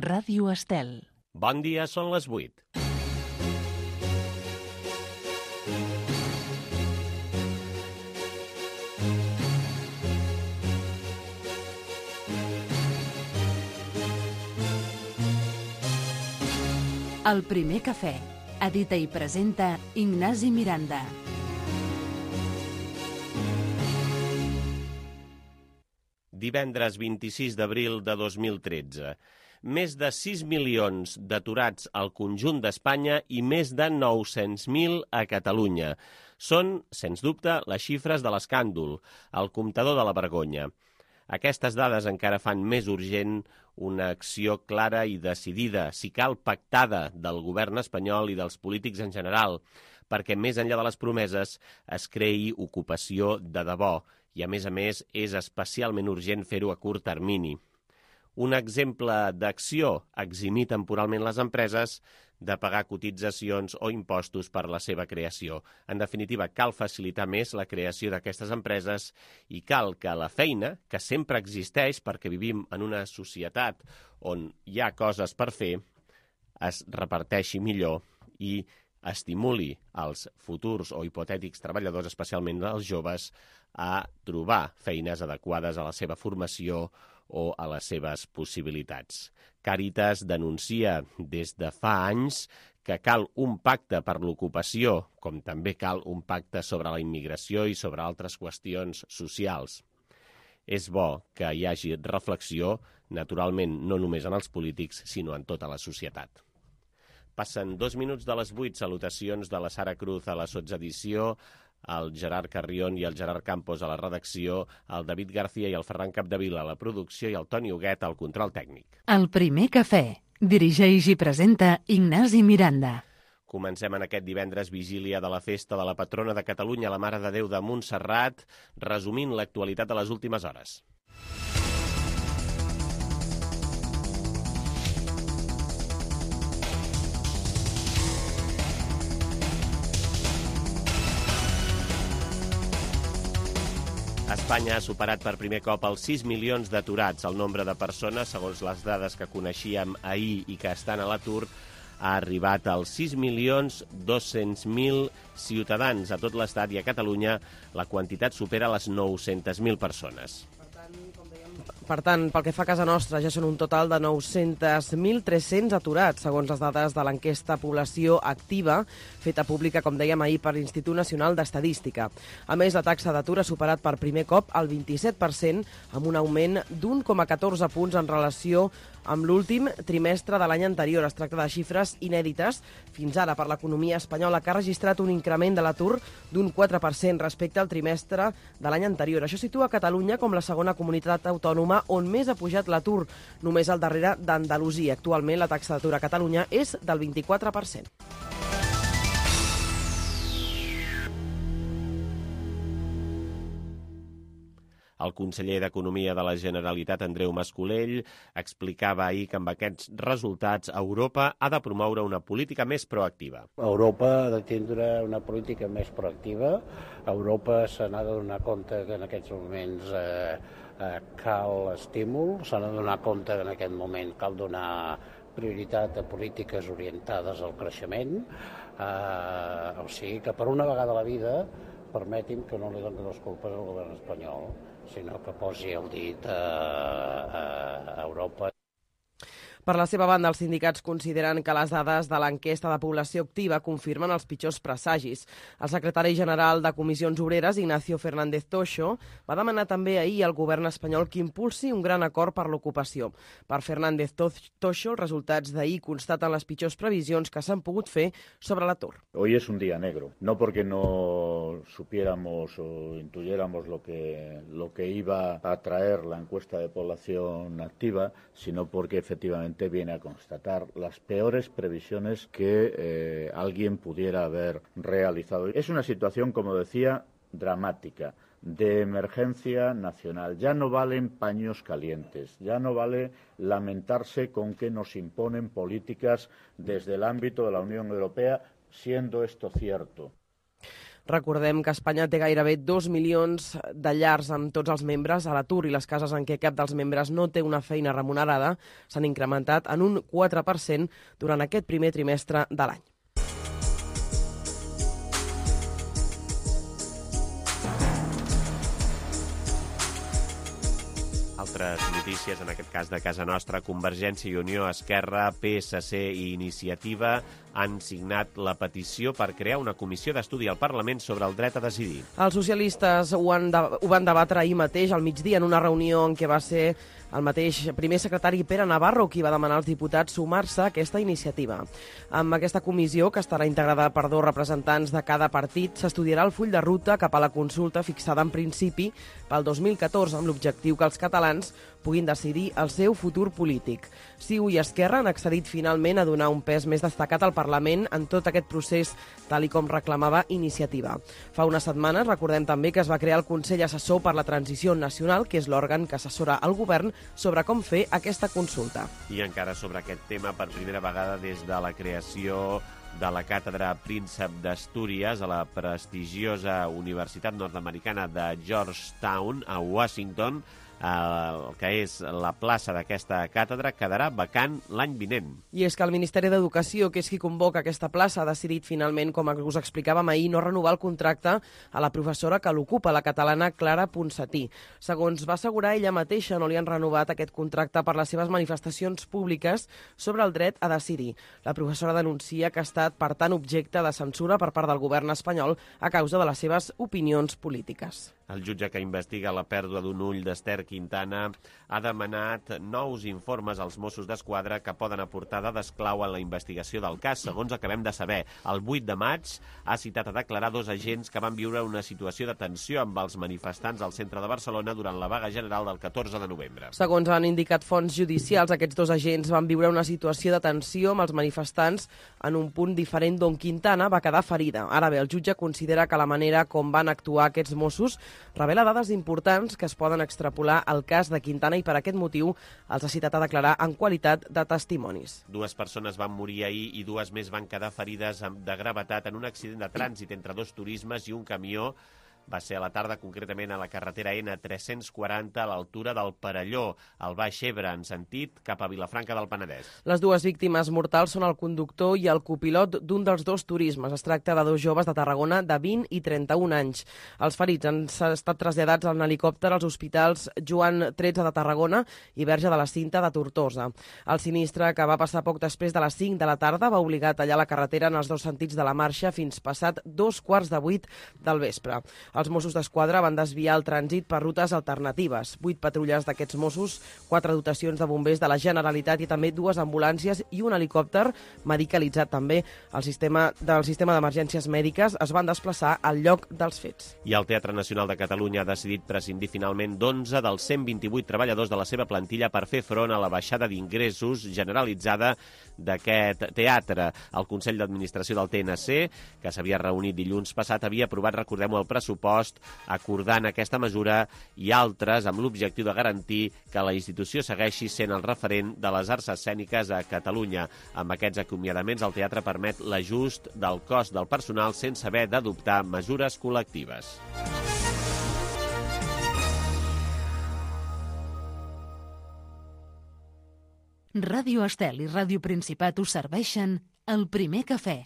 Ràdio Estel. Bon dia, són les 8. El primer cafè. Edita i presenta Ignasi Miranda. Divendres 26 d'abril de 2013. Més de 6 milions d'aturats al conjunt d'Espanya i més de 900.000 a Catalunya. Són, sens dubte, les xifres de l'escàndol, el comptador de la vergonya. Aquestes dades encara fan més urgent una acció clara i decidida, si cal pactada, del govern espanyol i dels polítics en general, perquè més enllà de les promeses es creï ocupació de debò i, a més, és especialment urgent fer-ho a curt termini. Un exemple d'acció, eximir temporalment les empreses de pagar cotitzacions o impostos per la seva creació. En definitiva, cal facilitar més la creació d'aquestes empreses i cal que la feina, que sempre existeix perquè vivim en una societat on hi ha coses per fer, es reparteixi millor i estimuli els futurs o hipotètics treballadors, especialment els joves, a trobar feines adequades a la seva formació o a les seves possibilitats. Càritas denuncia des de fa anys que cal un pacte per l'ocupació, com també cal un pacte sobre la immigració i sobre altres qüestions socials. És bo que hi hagi reflexió, naturalment no només en els polítics, sinó en tota la societat. Passen 2 minuts de les 8, salutacions de la Sara Cruz a la sotsedició, el Gerard Carrion i el Gerard Campos a la redacció, el David García i el Ferran Capdevila a la producció i el Toni Huguet al control tècnic. El primer cafè. Dirigeix i presenta Ignasi Miranda. Comencem en aquest divendres vigília de la festa de la patrona de Catalunya, la Mare de Déu de Montserrat, resumint l'actualitat de les últimes hores. Espanya ha superat per primer cop els 6 milions d'aturats. El nombre de persones, segons les dades que coneixíem ahir i que estan a l'atur, ha arribat als 6.200.000 ciutadans a tot l'Estat i a Catalunya. La quantitat supera les 900.000 persones. Per tant, pel que fa a casa nostra, ja són un total de 900.300 aturats, segons les dades de l'enquesta Població Activa, feta pública, com dèiem ahir, per l'Institut Nacional d'Estadística. A més, la taxa d'atur ha superat per primer cop el 27%, amb un augment d'1,14 punts en relació amb l'últim trimestre de l'any anterior. Es tracta de xifres inèdites fins ara per l'economia espanyola, que ha registrat un increment de l'atur d'un 4% respecte al trimestre de l'any anterior. Això situa Catalunya com la segona comunitat autònoma on més ha pujat l'atur, només al darrere d'Andalusia. Actualment la taxa d'atur a Catalunya és del 24%. El conseller d'Economia de la Generalitat, Andreu Mas-Colell, explicava ahir que amb aquests resultats Europa ha de promoure una política més proactiva. Europa ha de tindre una política més proactiva. Europa se n'ha de donar compte que en aquests moments cal estímul, s'ha de donar compte que en aquest moment cal donar prioritat a polítiques orientades al creixement. O sigui que per una vegada a la vida permeti'm que no li doni les culpes al govern espanyol, sinó que posi el dit a Europa. Per la seva banda, els sindicats consideren que les dades de l'enquesta de població activa confirmen els pitjors presagis. El secretari general de Comissions Obreres, Ignacio Fernández Toixo, va demanar també ahir al govern espanyol que impulsi un gran acord per l'ocupació. Per Fernández Toixo, els resultats d'ahir constaten les pitjors previsions que s'han pogut fer sobre l'atur. Hoy es un día negro, no porque no supiéramos o intuyéramos lo que iba a traer la encuesta de población activa, sino porque efectivamente viene a constatar las peores previsiones que alguien pudiera haber realizado. Es una situación, como decía, dramática, de emergencia nacional. Ya no valen paños calientes, ya no vale lamentarse con que nos imponen políticas desde el ámbito de la Unión Europea, siendo esto cierto. Recordem que Espanya té gairebé 2 milions de llars amb tots els membres a l'atur i les cases en què cap dels membres no té una feina remunerada s'han incrementat en un 4% durant aquest primer trimestre de l'any. Altres notícies, en aquest cas de casa nostra, Convergència i Unió, Esquerra, PSC i Iniciativa han signat la petició per crear una comissió d'estudi al Parlament sobre el dret a decidir. Els socialistes ho van debatre ahir mateix, al migdia, en una reunió en què va ser el mateix primer secretari Pere Navarro qui va demanar als diputats sumar-se a aquesta iniciativa. Amb aquesta comissió, que estarà integrada per 2 representants de cada partit, s'estudiarà el full de ruta cap a la consulta fixada en principi pel 2014 amb l'objectiu que els catalans puguin decidir el seu futur polític. CiU i Esquerra han accedit finalment a donar un pes més destacat al Parlament en tot aquest procés, tal i com reclamava Iniciativa. Fa unes setmanes, recordem també que es va crear el Consell Assessor per la Transició Nacional, que és l'òrgan que assessora el govern sobre com fer aquesta consulta. I encara sobre aquest tema, per primera vegada des de la creació de la càtedra Príncep d'Astúries a la prestigiosa Universitat Nord-Americana de Georgetown, a Washington, el que és la plaça d'aquesta càtedra quedarà vacant l'any vinent. I és que el Ministeri d'Educació, que és qui convoca aquesta plaça, ha decidit finalment, com us explicàvem ahir, no renovar el contracte a la professora que l'ocupa, la catalana Clara Ponsatí. Segons va assegurar ella mateixa, no li han renovat aquest contracte per les seves manifestacions públiques sobre el dret a decidir. La professora denuncia que ha estat, per tant, objecte de censura per part del govern espanyol a causa de les seves opinions polítiques. El jutge que investiga la pèrdua d'un ull d'Ester Quintana ha demanat nous informes als Mossos d'Esquadra que poden aportar dades clau en la investigació del cas. Segons acabem de saber, el 8 de maig ha citat a declarar 2 agents que van viure una situació de tensió amb els manifestants al centre de Barcelona durant la vaga general del 14 de novembre. Segons han indicat fonts judicials, aquests 2 agents van viure una situació de tensió amb els manifestants en un punt diferent d'on Quintana va quedar ferida. Ara bé, el jutge considera que la manera com van actuar aquests Mossos revela dades importants que es poden extrapolar al cas de Quintana i per aquest motiu els ha citat a declarar en qualitat de testimonis. 2 persones van morir ahir i 2 més van quedar ferides de gravetat en un accident de trànsit entre 2 turismes i un camió. Va ser a la tarda, concretament a la carretera N340, a l'altura del Perelló, al Baix Ebre, en sentit cap a Vilafranca del Penedès. Les 2 víctimes mortals són el conductor i el copilot d'un dels 2 turismes. Es tracta de 2 joves de Tarragona de 20 i 31 anys. Els ferits han estat traslladats en helicòpter als hospitals Joan XIII de Tarragona i Verge de la Cinta de Tortosa. El sinistre, que va passar poc després de les 5 de la tarda, va obligar a tallar la carretera en els 2 sentits de la marxa fins passat 7:15 del vespre. Els Mossos d'Esquadra van desviar el trànsit per rutes alternatives. 8 patrulles d'aquests Mossos, 4 dotacions de bombers de la Generalitat i també 2 ambulàncies i un helicòpter medicalitzat també. El sistema d'emergències mèdiques es van desplaçar al lloc dels fets. I el Teatre Nacional de Catalunya ha decidit prescindir finalment d'11 dels 128 treballadors de la seva plantilla per fer front a la baixada d'ingressos generalitzada d'aquest teatre. El Consell d'Administració del TNC, que s'havia reunit dilluns passat, havia aprovat, recordem-ho, el pressupost acordant aquesta mesura i altres amb l'objectiu de garantir que la institució segueixi sent el referent de les arts escèniques a Catalunya. Amb aquests acomiadaments, el teatre permet l'ajust del cost del personal sense haver d'adoptar mesures col·lectives. Ràdio Estel i Ràdio Principat us serveixen el primer cafè.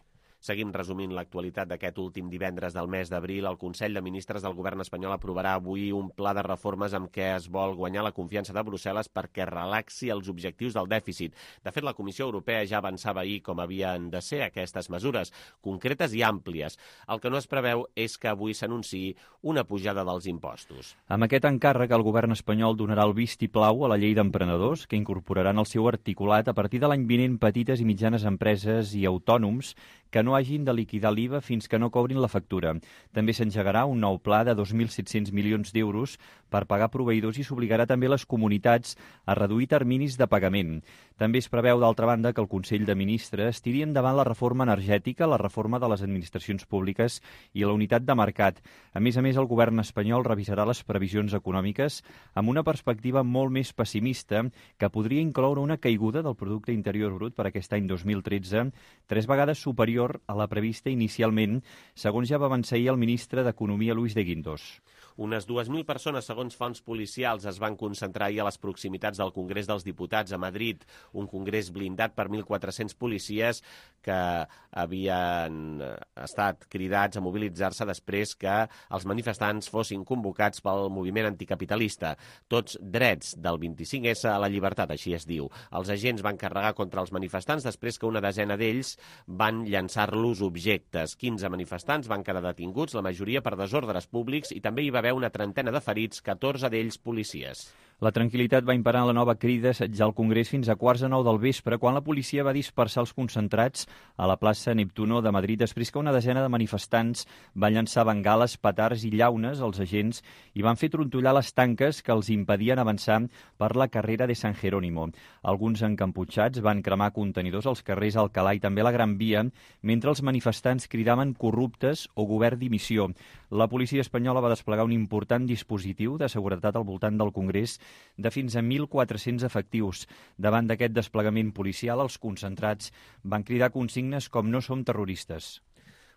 Seguim resumint l'actualitat d'aquest últim divendres del mes d'abril. El Consell de Ministres del Govern espanyol aprovarà avui un pla de reformes amb què es vol guanyar la confiança de Brussel·les perquè relaxi els objectius del dèficit. De fet, la Comissió Europea ja avançava ahir com havien de ser aquestes mesures, concretes i àmplies. El que no es preveu és que avui s'anunciï una pujada dels impostos. Amb aquest encàrrec, el govern espanyol donarà el vistiplau a la llei d'emprenedors, que incorporaran el seu articulat a partir de l'any vinent petites i mitjanes empreses i autònoms que no hagin de liquidar l'IVA fins que no cobrin la factura. També s'engegarà un nou pla de 2.700 milions d'euros per pagar proveïdors i s'obligarà també les comunitats a reduir terminis de pagament. També es preveu, d'altra banda, que el Consell de Ministres tiri endavant la reforma energètica, la reforma de les administracions públiques i la unitat de mercat. A més, el govern espanyol revisarà les previsions econòmiques amb una perspectiva molt més pessimista que podria incloure una caiguda del producte interior brut per aquest any 2013, 3 vegades superior superior a la prevista inicialment, segons ja va avançar ahir el ministre d'Economia, Luis de Guindos. Unes 2.000 persones, segons fonts policials, es van concentrar ahir a les proximitats del Congrés dels Diputats a Madrid, un congrés blindat per 1.400 policies que havien estat cridats a mobilitzar-se després que els manifestants fossin convocats pel moviment anticapitalista. Tots drets del 25S a la llibertat, així es diu. Els agents van carregar contra els manifestants després que una desena d'ells van llançar-los objectes. 15 manifestants van quedar detinguts, la majoria per desordres públics, i també hi va haver una trentena de ferits, 14 d'ells policies. La tranquil·litat va imperar la nova crida a assetjar el Congrés fins a 8:45 del vespre, quan la policia va dispersar els concentrats a la plaça Neptuno de Madrid després que una desena de manifestants van llançar bengales, petards i llaunes als agents i van fer trontollar les tanques que els impedien avançar per la carrera de San Jerónimo. Alguns encaputxats van cremar contenidors als carrers Alcalá i també a la Gran Via, mentre els manifestants cridaven corruptes o govern dimissió. La policia espanyola va desplegar un important dispositiu de seguretat al voltant del Congrés de fins a 1.400 efectius. Davant d'aquest desplegament policial, els concentrats van cridar consignes com "no som terroristes".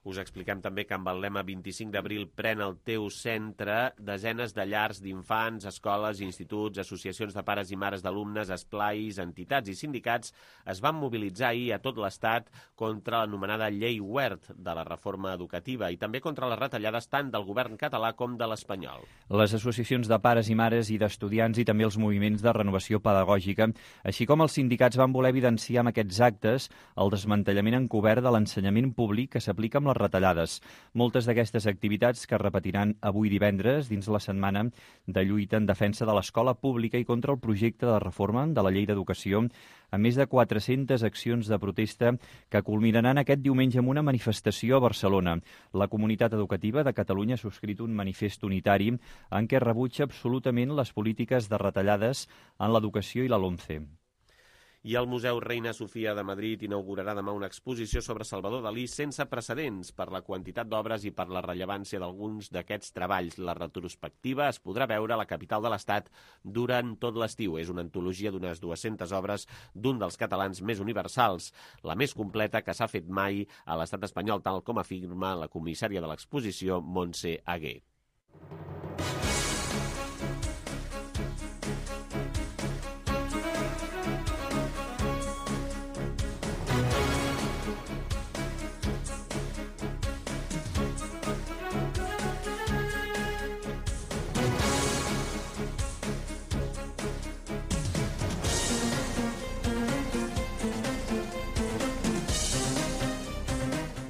Us expliquem també que amb el lema 25 d'abril pren el teu centre, desenes de llars d'infants, escoles, instituts, associacions de pares i mares d'alumnes, esplais, entitats i sindicats es van mobilitzar ahir a tot l'Estat contra l'anomenada Llei Wert de la reforma educativa i també contra les retallades tant del govern català com de l'espanyol. Les associacions de pares i mares i d'estudiants i també els moviments de renovació pedagògica, així com els sindicats, van voler evidenciar amb aquests actes el desmantellament encobert de l'ensenyament públic que s'aplica amb les retallades. Moltes d'aquestes activitats que es repetiran avui divendres dins la setmana de lluita en defensa de l'escola pública i contra el projecte de reforma de la llei d'educació, a més de 400 accions de protesta que culminaran aquest diumenge amb una manifestació a Barcelona. La comunitat educativa de Catalunya ha subscrit un manifest unitari en què rebutja absolutament les polítiques de retallades en l'educació i la LOMCE. I el Museu Reina Sofia de Madrid inaugurarà demà una exposició sobre Salvador Dalí sense precedents per la quantitat d'obres i per la rellevància d'alguns d'aquests treballs. La retrospectiva es podrà veure a la capital de l'Estat durant tot l'estiu. És una antologia d'unes 200 obres d'un dels catalans més universals, la més completa que s'ha fet mai a l'Estat espanyol, tal com afirma la comissària de l'exposició, Montse Aguer.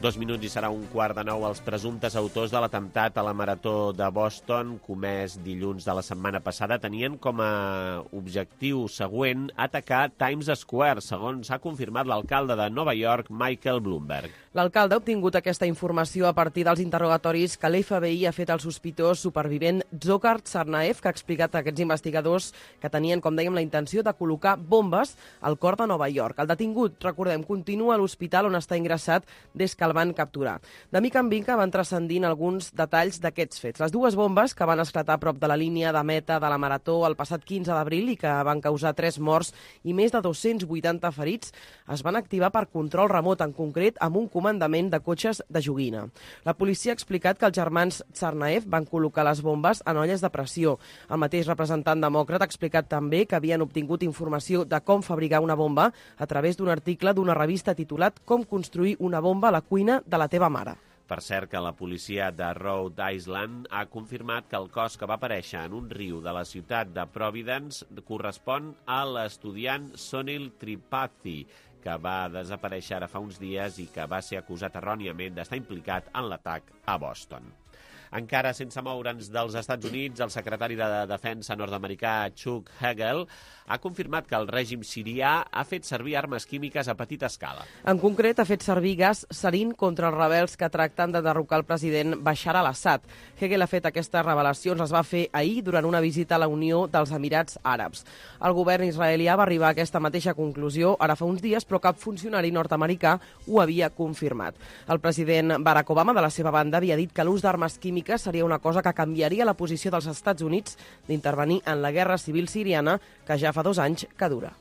Dos minuts i serà 8:45. Els presumptes autors de l'atemptat a la Marató de Boston, comès dilluns de la setmana passada, tenien com a objectiu següent atacar Times Square, segons ha confirmat l'alcalde de Nova York, Michael Bloomberg. L'alcalde ha obtingut aquesta informació a partir dels interrogatoris que l'FBI ha fet al sospitós supervivent Dzhokhar Tsarnaev, que ha explicat a aquests investigadors que tenien, com dèiem, la intenció de col·locar bombes al cor de Nova York. El detingut, recordem, continua a l'hospital on està ingressat des que el van capturar. De mica en mica van transcendint alguns detalls d'aquests fets. Les dues bombes que van esclatar a prop de la línia de meta de la Marató el passat 15 d'abril i que van causar 3 morts i més de 280 ferits es van activar per control remot, en concret amb un comandament de cotxes de joguina. La policia ha explicat que els germans Tsarnaev van col·locar les bombes en olles de pressió. El mateix representant demòcrata ha explicat també que havien obtingut informació de com fabricar una bomba a través d'un article d'una revista titulat "Com construir una bomba a la cuina de la teva mare". Per cert, que la policia de Rhode Island ha confirmat que el cos que va aparèixer en un riu de la ciutat de Providence correspon a l'estudiant Sonil Tripathi, que va desaparèixer ara fa uns dies i que va ser acusat erròniament d'estar implicat en l'atac a Boston. Encara sense moure'ns dels Estats Units, el secretari de Defensa nord-americà Chuck Hagel ha confirmat que el règim sirià ha fet servir armes químiques a petita escala. En concret, ha fet servir gas sarin contra els rebels que tracten de derrocar el president Bashar al-Assad. Hegel ha fet aquestes revelacions, les va fer ahir durant una visita a la Unió dels Emirats Àrabs. El govern israelià va arribar a aquesta mateixa conclusió ara fa uns dies, però cap funcionari nord-americà ho havia confirmat. El president Barack Obama, de la seva banda, havia dit que l'ús d'armes químiques seria una cosa que canviaria la posició dels Estats Units d'intervenir en la guerra civil siriana, que ja fa 2 anys que dura.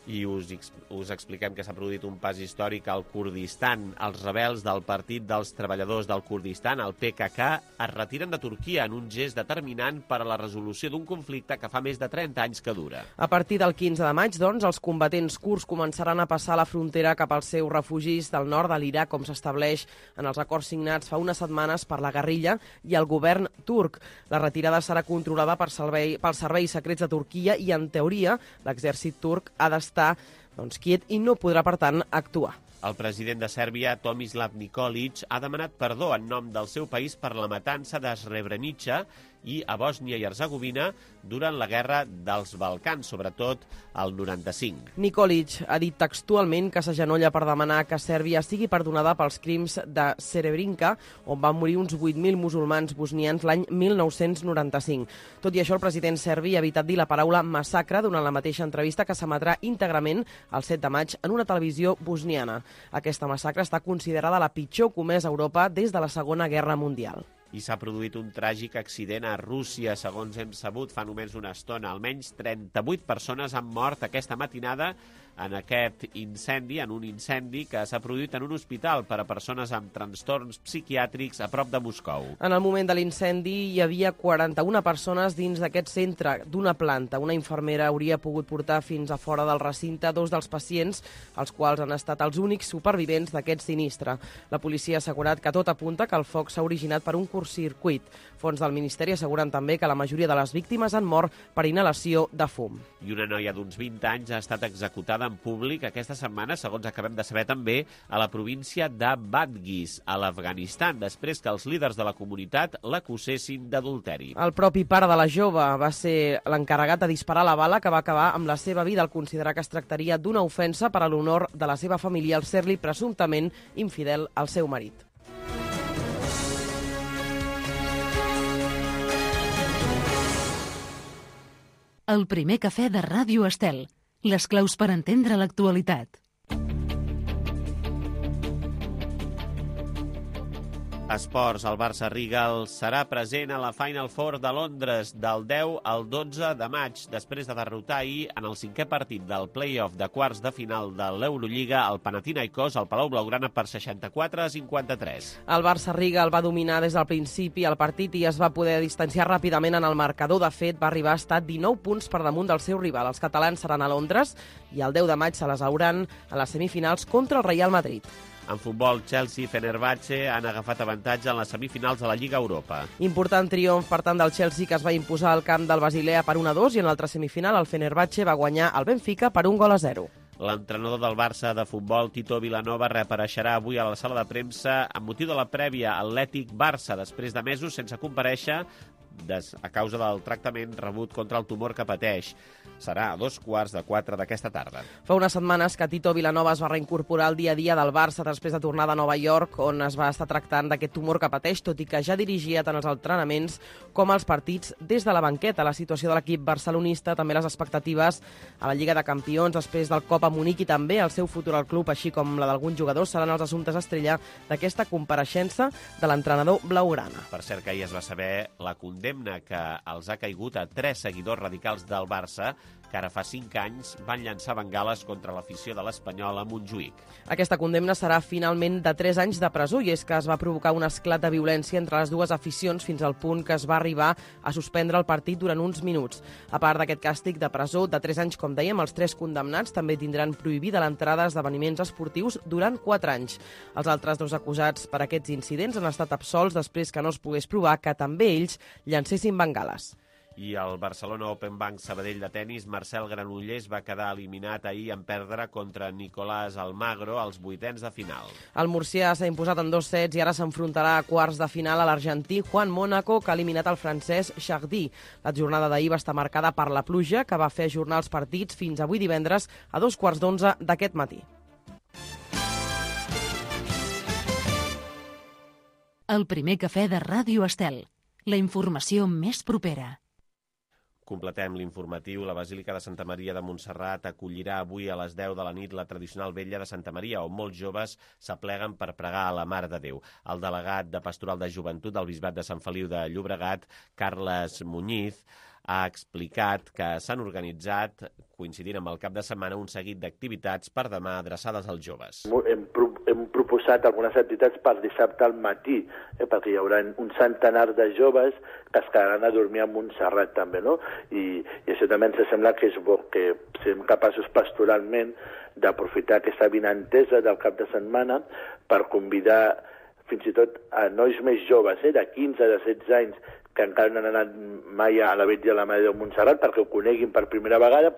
I us expliquem que s'ha produït un pas històric al Kurdistan. Els rebels del Partit dels Treballadors del Kurdistan, el PKK, es retiren de Turquia en un gest determinant per a la resolució d'un conflicte que fa més de 30 anys que dura. A partir del 15 de maig, doncs, els combatents kurds començaran a passar la frontera cap als seus refugis del nord de l'Iraq, com s'estableix en els acords signats fa unes setmanes per la guerrilla i el govern turc. La retirada serà controlada pels serveis secrets de Turquia i, en teoria, l'exèrcit turc ha d'estar quiet i no podrà, per tant, actuar. El president de Sèrbia, Tomislav Nikolic, ha demanat perdó en nom del seu país per la matança de Srebrenica i a Bòsnia i Hercegovina durant la guerra dels Balcans, sobretot el 95. Nikolic ha dit textualment que s'agenolla per demanar que Sèrbia sigui perdonada pels crims de Srebrenica, on van morir uns 8.000 musulmans bosnians l'any 1995. Tot i això, el president serbi ha evitat dir la paraula massacre durant la mateixa entrevista que s'emetrà íntegrament el 7 de maig en una televisió bosniana. Aquesta massacre està considerada la pitjor comesa a Europa des de la Segona Guerra Mundial. I s'ha produït un tràgic accident a Rússia, segons hem sabut fa només una estona. Almenys 38 persones han mort aquesta matinada en un incendi que s'ha produït en un hospital per a persones amb trastorns psiquiàtrics a prop de Moscou. En el moment de l'incendi hi havia 41 persones dins d'aquest centre d'una planta. Una infermera hauria pogut portar fins a fora del recinte 2 dels pacients, els quals han estat els únics supervivents d'aquest sinistre. La policia ha assegurat que tot apunta que el foc s'ha originat per un curtcircuit. Fons del Ministeri asseguren també que la majoria de les víctimes han mort per inhalació de fum. I una noia d'uns 20 anys ha estat executada en públic aquesta setmana, segons acabem de saber també, a la província de Badghis, a l'Afganistan, després que els líders de la comunitat l'acusessin d'adulteri. El propi pare de la jove va ser l'encarregat de disparar la bala que va acabar amb la seva vida al considerar que es tractaria d'una ofensa per a l'honor de la seva família al ser-li presumptament infidel al seu marit. El primer cafè de Ràdio Estel. Les claus per entendre l'actualitat. Esports, el Barça Rigal serà present a la Final Four de Londres del 10 al 12 de maig, després de derrotar ahir en el 5è partit del play-off de quarts de final de l'Eurolliga el Panathinaikos al Palau Blaugrana per 64-53. El Barça Rigal va dominar des del principi el partit i es va poder distanciar ràpidament en el marcador. De fet, va arribar a estar 19 punts per damunt del seu rival. Els catalans seran a Londres i el 10 de maig se les hauran a les semifinals contra el Real Madrid. En futbol, Chelsea i Fenerbahçe han agafat avantatge en les semifinals de la Lliga Europa. Important triomf, per tant, del Chelsea, que es va imposar al camp del Basilea per 1-2 i en l'altra semifinal el Fenerbahçe va guanyar el Benfica per 1-0. L'entrenador del Barça de futbol, Tito Vilanova, reapareixerà avui a la sala de premsa amb motiu de la prèvia Atlètic-Barça, després de mesos sense comparèixer a causa del tractament rebut contra el tumor que pateix. Serà a 3:15 d'aquesta tarda. Fa unes setmanes que Tito Vilanova es va reincorporar al dia a dia del Barça després de tornar de Nova York, on es va estar tractant d'aquest tumor que pateix, tot i que ja dirigia tant els entrenaments com els partits des de la banqueta. La situació de l'equip barcelonista, també les expectatives a la Lliga de Campions després del Copa Munic i també el seu futur al club, així com la d'alguns jugadors, seran els assumptes estrella d'aquesta compareixença de l'entrenador blaugrana. Per cert, que ahir es va saber la condemna que els ha caigut a 3 seguidors radicals del Barça que ara fa 5 anys van llançar bengales contra l'afició de l'Espanyol a Montjuïc. Aquesta condemna serà finalment de 3 anys de presó i és que es va provocar un esclat de violència entre les dues aficions fins al punt que es va arribar a suspendre el partit durant uns minuts. A part d'aquest càstig de presó de 3 anys, com dèiem, els 3 condemnats també tindran prohibida l'entrada a esdeveniments esportius durant 4 anys. Els altres 2 acusats per aquests incidents han estat absolts després que no es pogués provar que també ells llancessin bengales. I el Barcelona Open Bank Sabadell de tenis, Marcel Granollers va quedar eliminat ahir en perdre contra Nicolás Almagro als 8ens de final. El murcià s'ha imposat en 2 sets i ara s'enfrontarà a quarts de final a l'argentí Juan Mónaco, que ha eliminat el francès Chardy. La jornada d'ahir va estar marcada per la pluja, que va fer ajornar els partits fins avui divendres a 2:15 d'aquest matí. El primer cafè de Ràdio Estel. La informació més propera. Completem l'informatiu. La Basílica de Santa Maria de Montserrat acollirà avui a les 10 de la nit la tradicional vetlla de Santa Maria, on molts joves s'apleguen per pregar a la Mare de Déu. El delegat de Pastoral de Joventut del Bisbat de Sant Feliu de Llobregat, Carles Muñiz, ha explicat que s'han organitzat, coincidint amb el cap de setmana, un seguit d'activitats per demà adreçades als joves. Hem proposat algunes activitats per dissabte al matí, perquè hi haurà un centenar de joves que es quedaran a dormir a Montserrat també, no? I això també ens sembla que és bo, que siguem capaços pastoralment d'aprofitar aquesta vinentesa del cap de setmana per convidar fins i tot a nois més joves, de 15, de 16 anys, que encara no han anat mai a la Vetlla de la Mare de Montserrat perquè ho coneguin per primera vegada.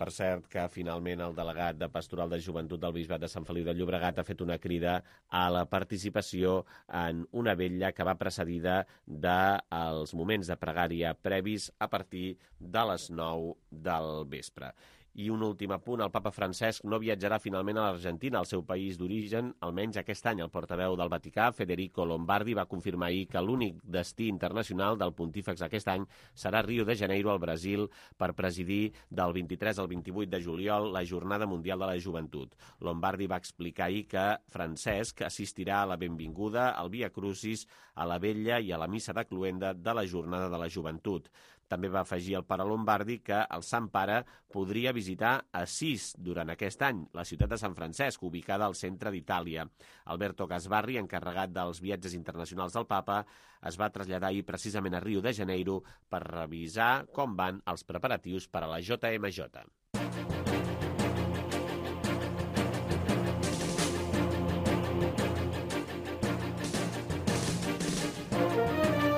Per cert, que finalment el delegat de Pastoral de Joventut del Bisbat de Sant Feliu de Llobregat ha fet una crida a la participació en una vetlla que va precedida dels moments de pregària previs a partir de les 9 del vespre. I un últim apunt, el papa Francesc no viatjarà finalment a l'Argentina, al seu país d'origen, almenys aquest any. El portaveu del Vaticà, Federico Lombardi, va confirmar ahir que l'únic destí internacional del pontífex aquest any serà Rio de Janeiro, al Brasil, per presidir del 23 al 28 de juliol la Jornada Mundial de la Joventut. Lombardi va explicar ahir que Francesc assistirà a la benvinguda, al Via Crucis, a la vetlla i a la missa de cloenda de la Jornada de la Joventut. També va afegir el pare Lombardi que el Sant Pare podria visitar Assís durant aquest any, la ciutat de Sant Francesc, ubicada al centre d'Itàlia. Alberto Gasbarri, encarregat dels viatges internacionals del papa, es va traslladar ahir precisament a Rio de Janeiro per revisar com van els preparatius per a la JMJ.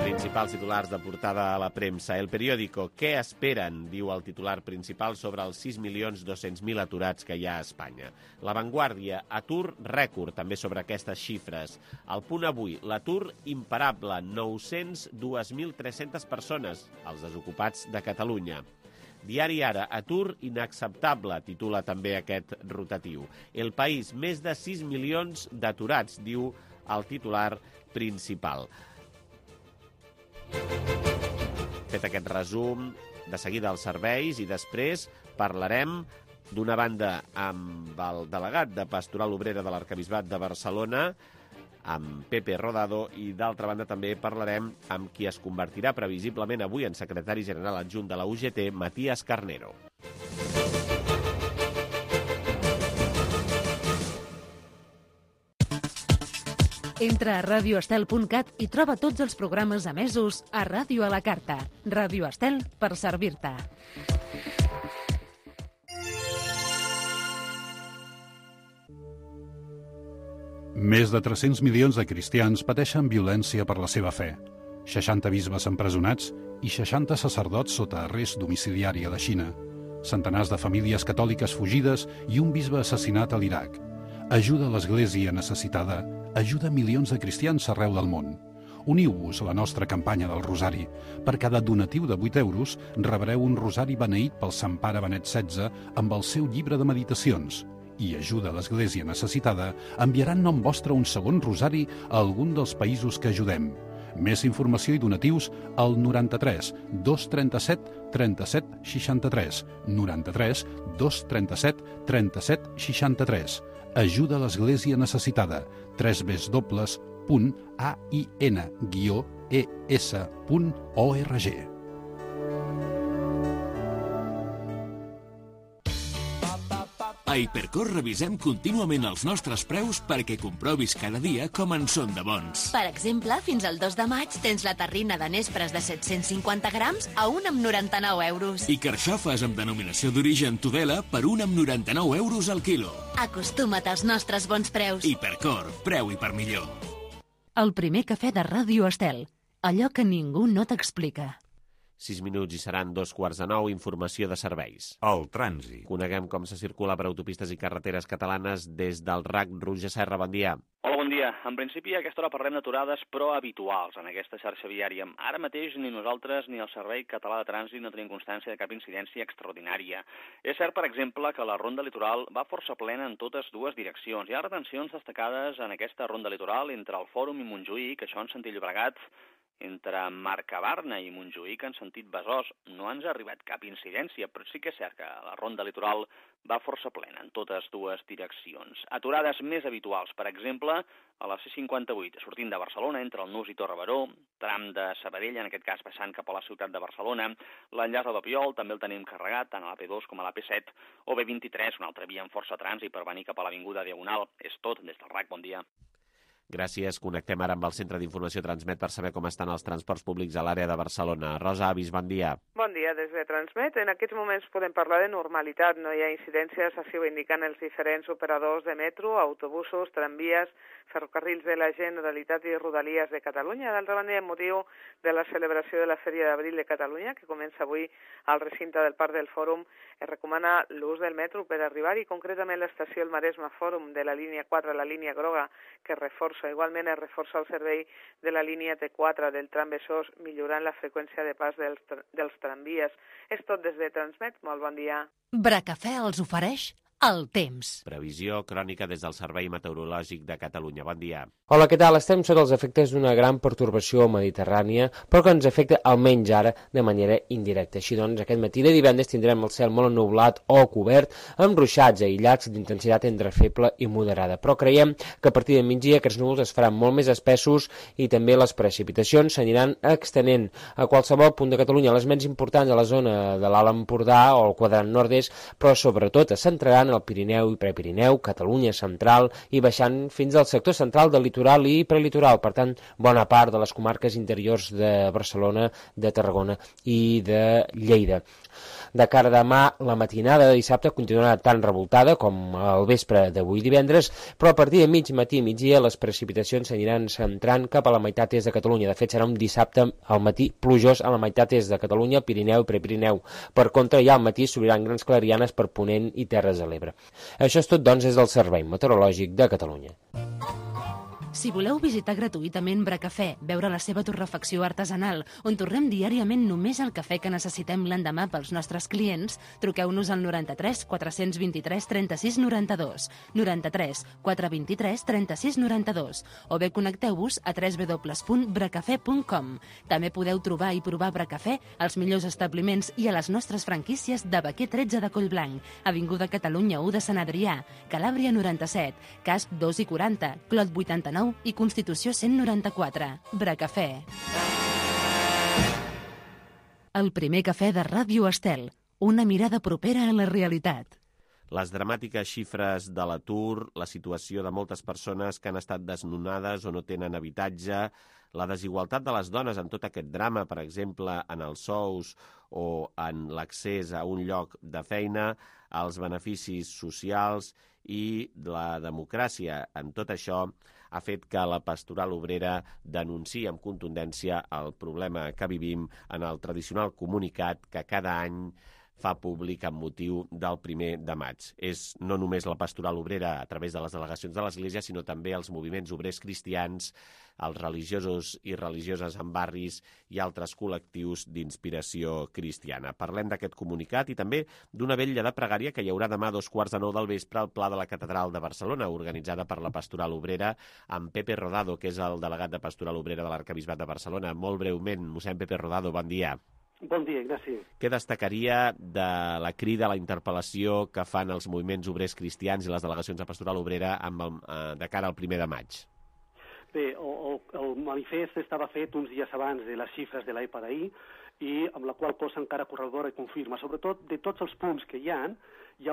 Principals titulars de portada a la premsa. El periòdico, què esperen? Diu el titular principal sobre els 6.200.000 aturats que hi ha a Espanya. La Vanguardia, atur rècord, també sobre aquestes xifres. El Punt Avui, l'atur imparable, 902.300 persones, els desocupats de Catalunya. Diari Ara, atur inacceptable, titula també aquest rotatiu. El País, més de 6 milions d'aturats, diu el titular principal. Fet aquest resum, de seguida els serveis i després parlarem d'una banda amb el delegat de Pastoral Obrera de l'Arquebisbat de Barcelona, amb Pepe Rodado, i d'altra banda també parlarem amb qui es convertirà previsiblement avui en secretari general adjunt de la UGT, Matías Carnero. Entra a radioestel.cat i troba tots els programes emesos a Ràdio a la Carta. Ràdio Estel, per servir-te. Més de 300 milions de cristians pateixen violència per la seva fe. 60 bisbes empresonats i 60 sacerdots sota arrest domiciliari a la Xina. Centenars de famílies catòliques fugides i un bisbe assassinat a l'Iraq. Ajuda a l'Església necessitada, ajuda milions de cristians arreu del món. Uniu-vos a la nostra campanya del Rosari. Per cada donatiu de 8 euros rebreu un rosari beneït pel Sant Pare Benet XVI amb el seu llibre de meditacions. I ajuda a l'Església necessitada enviarà en nom vostre un segon rosari a algun dels països que ajudem. Més informació i donatius al 93 237 37 63. 93 237 37 63. Ajuda a l'Església necessitada. www.ain-es.org. A Hipercor revisem contínuament els nostres preus perquè comprovis cada dia com en són de bons. Per exemple, fins al 2 de maig tens la terrina de nespres de 750 grams a 1,99 euros. I carxofes amb denominació d'origen Tudela per 1,99 euros al quilo. Acostuma't als nostres bons preus. Hipercor, preu i per millor. El primer cafè de Ràdio Estel. Allò que ningú no t'explica. 6 minuts i seran 2:15, informació de serveis. El trànsit. Coneguem com se circula per autopistes i carreteres catalanes des del RAC. Roger Serra, bon dia. Hola, bon dia. En principi, a aquesta hora parlem d'aturades, però habituals en aquesta xarxa viària. Ara mateix ni nosaltres ni el Servei Català de Trànsit no tenim constància de cap incidència extraordinària. És cert, per exemple, que la ronda litoral va força plena en totes dues direccions. Hi ha retencions destacades en aquesta ronda litoral entre el Fòrum i Montjuïc, que això en sentit Llobregat Entre Mercabarna i Montjuïc en sentit Besòs no ens ha arribat cap incidència, però sí que és cert que la ronda litoral va força plena en totes dues direccions. Aturades més habituals, per exemple, a la C58, sortint de Barcelona, entre el Nus i Torre-Baró, tram de Sabadell, en aquest cas passant cap a la ciutat de Barcelona, l'enllaç de Papiol també el tenim carregat, tant a l'AP2 com a l'AP7, o B23, una altra via amb força trànsit per venir cap a l'Avinguda Diagonal. És tot des del RAC, bon dia. Gràcies. Connectem ara amb el Centre d'Informació Transmet per saber com estan els transports públics a l'àrea de Barcelona. Rosa Avis, bon dia. Bon dia des de Transmet. En aquests moments podem parlar de normalitat. No hi ha incidències, així ho indiquen els diferents operadors de metro, autobusos, tramvies, ferrocarrils de la Generalitat i Rodalies de Catalunya. D'altra banda, amb motiu de la celebració de la Fèria d'Abril de Catalunya, que comença avui al recinte del Parc del Fòrum, es recomana l'ús del metro per arribar-hi, concretament l'estació El Maresme Fòrum de la línia 4, la línia groga, que reforça. Igualment es reforça el servei de la línia T4 del tram Besòs, millorant la freqüència de pas dels tramvies. És tot des de Transmet. Molt bon dia. Bracafè els ofereix el temps. Previsió crònica des del Servei Meteorològic de Catalunya. Bon dia. Hola, què tal? Estem sota els efectes d'una gran pertorbació mediterrània, però que ens afecta almenys ara de manera indirecta. Així doncs, aquest matí de divendres tindrem el cel molt ennublat o cobert, amb ruixats aïllats d'intensitat entre feble i moderada. Però creiem que a partir de migdia aquests núvols es faran molt més espessos i també les precipitacions s'aniran extenent a qualsevol punt de Catalunya, les menys importants a la zona de l'Alt Empordà o el quadrant nord-est, però sobretot es centraran al Pirineu i Prepirineu, Catalunya central i baixant fins al sector central del litoral i prelitoral, per tant, bona part de les comarques interiors de Barcelona, de Tarragona i de Lleida. De cara a demà, la matinada de dissabte continuarà tan revoltada com el vespre d'avui divendres, però a partir de mig matí i migdia les precipitacions s'aniran centrant cap a la meitat est de Catalunya. De fet, serà un dissabte al matí plujós a la meitat est de Catalunya, Pirineu i Prepirineu. Per contra, ja al matí s'obriran grans clarianes per Ponent i Terres de l'Ebre. Això és tot, doncs, des del Servei Meteorològic de Catalunya. Si voleu visitar gratuïtament Bracafè, veure la seva torrefacció artesanal, on tornem diàriament només el cafè que necessitem l'endemà pels nostres clients, truqueu-nos al 93 423 36 92, 93 423 36 92, o bé connecteu-vos a www.bracafè.com. També podeu trobar i provar Bracafè als millors establiments i a les nostres franquícies de Baquer 13 de Collblanc, Avinguda Catalunya 1 de Sant Adrià, Calàbria 97, Casp 2 i 40, Clot 89 i Constitució 194. Bracafè. El primer cafè de Ràdio Estel. Una mirada propera a la realitat. Les dramàtiques xifres de l'atur, la situació de moltes persones que han estat desnonades o no tenen habitatge, la desigualtat de les dones en tot aquest drama, per exemple, en els sous o en l'accés a un lloc de feina, els beneficis socials i la democràcia. En tot això ha fet que la pastoral obrera denunciï amb contundència el problema que vivim en el tradicional comunicat que cada any fa públic amb motiu del 1 de maig. És no només la pastoral obrera a través de les delegacions de l'Església, sinó també els moviments obrers cristians, els religiosos i religioses en barris i altres col·lectius d'inspiració cristiana. Parlem d'aquest comunicat i també d'una vetlla de pregària que hi haurà demà a 9:15 del vespre al Pla de la Catedral de Barcelona, organitzada per la pastoral obrera, amb Pepe Rodado, que és el delegat de pastoral obrera de l'Arquebisbat de Barcelona. Molt breument, mossèn Pepe Rodado, bon dia. Bon dia, Ignasi. Què destacaria de la crida, la interpel·lació que fan els moviments obrers cristians i les delegacions de pastoral obrera de cara al 1 de maig? Bé, el manifest estava fet uns dies abans de les xifres de l'ahir per ahir i amb la qual cosa encara corrobora i confirma. Sobretot, de tots els punts que hi ha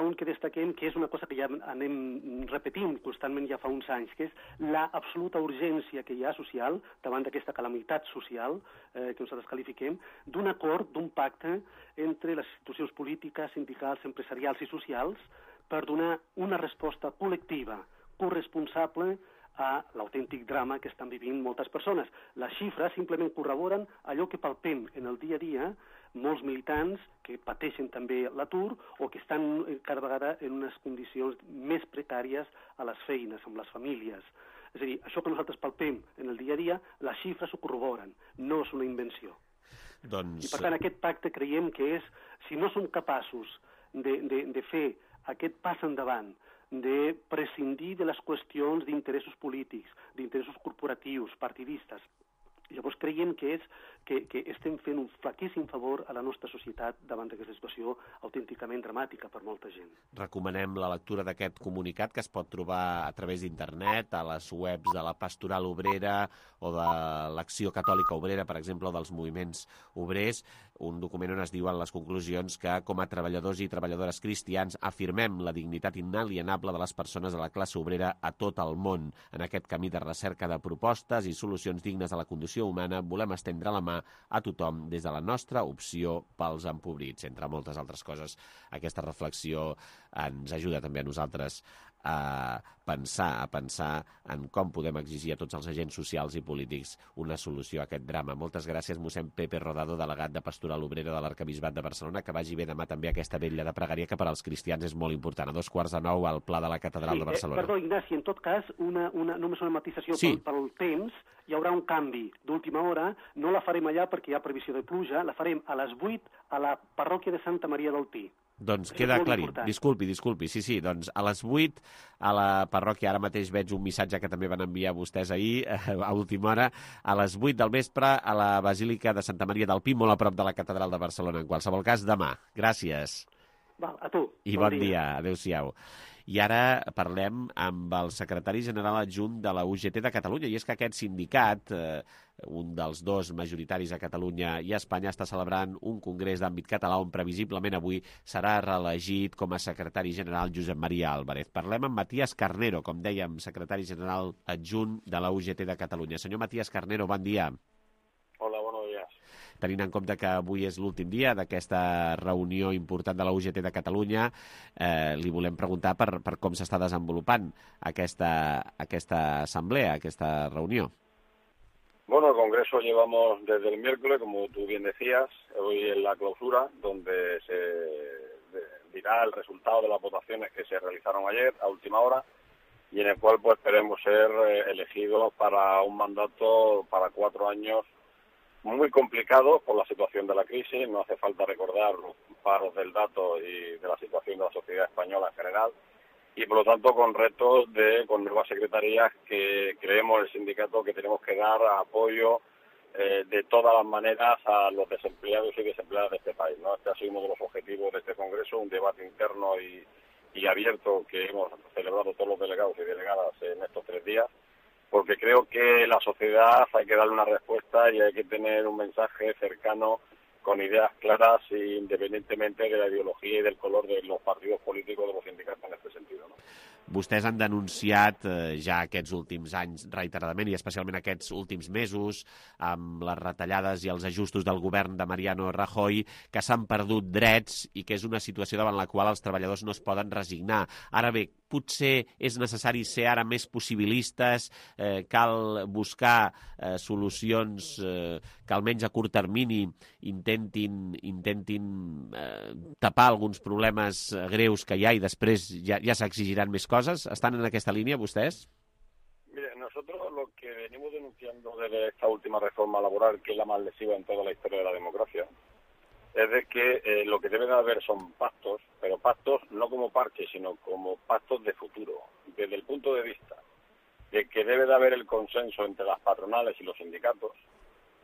un que destaquem que és una cosa que ja anem repetint constantment ja fa uns anys, que és l'absoluta urgència que hi ha social davant d'aquesta calamitat social que nosaltres qualifiquem, d'un acord, d'un pacte entre les institucions polítiques, sindicals, empresarials i socials per donar una resposta col·lectiva, corresponsable a l'autèntic drama que estan vivint moltes persones. Les xifres simplement corroboren allò que palpem en el dia a dia molts militants que pateixen també l'atur o que estan cada vegada en unes condicions més precàries a les feines, amb les famílies. És a dir, això que nosaltres palpem en el dia a dia, les xifres ho corroboren, no és una invenció. I per tant aquest pacte creiem que és, si no som capaços de fer aquest pas endavant, de prescindir de les qüestions d'interessos polítics, d'interessos corporatius, partidistes, Llavors creiem que estem fent un flaquíssim favor a la nostra societat davant d'aquesta situació autènticament dramàtica per molta gent. Recomanem la lectura d'aquest comunicat que es pot trobar a través d'internet, a les webs de la Pastoral Obrera o de l'Acció Catòlica Obrera, per exemple, o dels moviments obrers, un document on es diuen les conclusions que, com a treballadors i treballadores cristians, afirmem la dignitat inalienable de les persones de la classe obrera a tot el món. En aquest camí de recerca de propostes i solucions dignes a la condició humana, volem estendre la mà a tothom des de la nostra opció pels empobrits. Entre moltes altres coses, aquesta reflexió ens ajuda també a nosaltres a pensar en com podem exigir a tots els agents socials i polítics una solució a aquest drama. Moltes gràcies, mossèn Pepe Rodado, delegat de Pastoral Obrera de l'Arquebisbat de Barcelona, que vagi bé demà també aquesta vetlla de pregària que per als cristians és molt important. A 8:45 al Pla de la Catedral de Barcelona. Perdó, Ignasi, en tot cas, només una matisació pel temps. Hi haurà un canvi d'última hora, no la farem allà perquè hi ha previsió de pluja, la farem a les 8 a la parròquia de Santa Maria del Pi. Doncs queda aclarit. Disculpi. Sí, doncs a les 8 a la parròquia, ara mateix veig un missatge que també van enviar vostès ahir, a última hora, a les 8 del vespre a la Basílica de Santa Maria del Pi, molt a prop de la Catedral de Barcelona. En qualsevol cas, demà. Gràcies. Val, a tu. I bon dia. Adéu-siau. I ara parlem amb el secretari general adjunt de la UGT de Catalunya, i és que aquest sindicat, un dels dos majoritaris a Catalunya i a Espanya, està celebrant un congrés d'àmbit català on previsiblement avui serà reelegit com a secretari general Josep Maria Álvarez. Parlem amb Matías Carnero, com dèiem, secretari general adjunt de la UGT de Catalunya. Senyor Matías Carnero, bon dia. Hola, buenos días. Tenint en compte que avui és l'últim dia d'aquesta reunió important de la UGT de Catalunya, li volem preguntar per com s'està desenvolupant aquesta assemblea, aquesta reunió. Bueno, el Congreso llevamos desde el miércoles, como tú bien decías, hoy en la clausura, donde se dirá el resultado de las votaciones que se realizaron ayer a última hora y en el cual pues esperemos ser elegidos para un mandato para 4 años muy complicado por la situación de la crisis. No hace falta recordar los paros del dato y de la situación de la sociedad española en general, y por lo tanto con retos con nuevas secretarías que creemos el sindicato que tenemos que dar apoyo de todas las maneras a los desempleados y desempleadas de este país, ¿no? Este ha sido uno de los objetivos de este Congreso, un debate interno y abierto que hemos celebrado todos los delegados y delegadas en estos 3 días, porque creo que la sociedad hay que darle una respuesta y hay que tener un mensaje cercano con ideas claras independientemente de la ideología y del color de los partidos políticos de los sindicatos en este sentido, ¿no? Vostès han denunciat ja aquests últims anys reiteradament i especialment aquests últims mesos amb les retallades i els ajustos del govern de Mariano Rajoy que s'han perdut drets i que és una situació davant la qual els treballadors no es poden resignar. Ara bé, potser és necessari ser ara més possibilistes, cal buscar solucions que almenys a curt termini intentin tapar alguns problemes greus que hi ha i després ja s'exigiran més coses. Estan en aquesta línia vostès? Mire, nosotros lo que venimos denunciando desde esta última reforma laboral, que es la más lesiva en toda la historia de la democracia, es de que lo que debe de haber son pactos, pero pactos no como parches, sino como pactos de futuro, desde el punto de vista de que debe de haber el consenso entre las patronales y los sindicatos,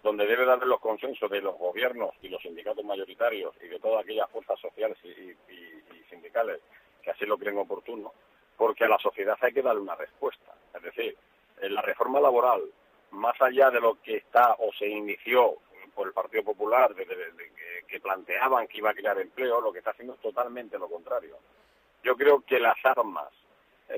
donde debe de haber los consensos de los gobiernos y los sindicatos mayoritarios y de todas aquellas fuerzas sociales y sindicales que así lo creen oportuno, porque a la sociedad hay que darle una respuesta. Es decir, en la reforma laboral, más allá de lo que está o se inició por el Partido Popular, que planteaban que iba a crear empleo, lo que está haciendo es totalmente lo contrario. Yo creo que las armas,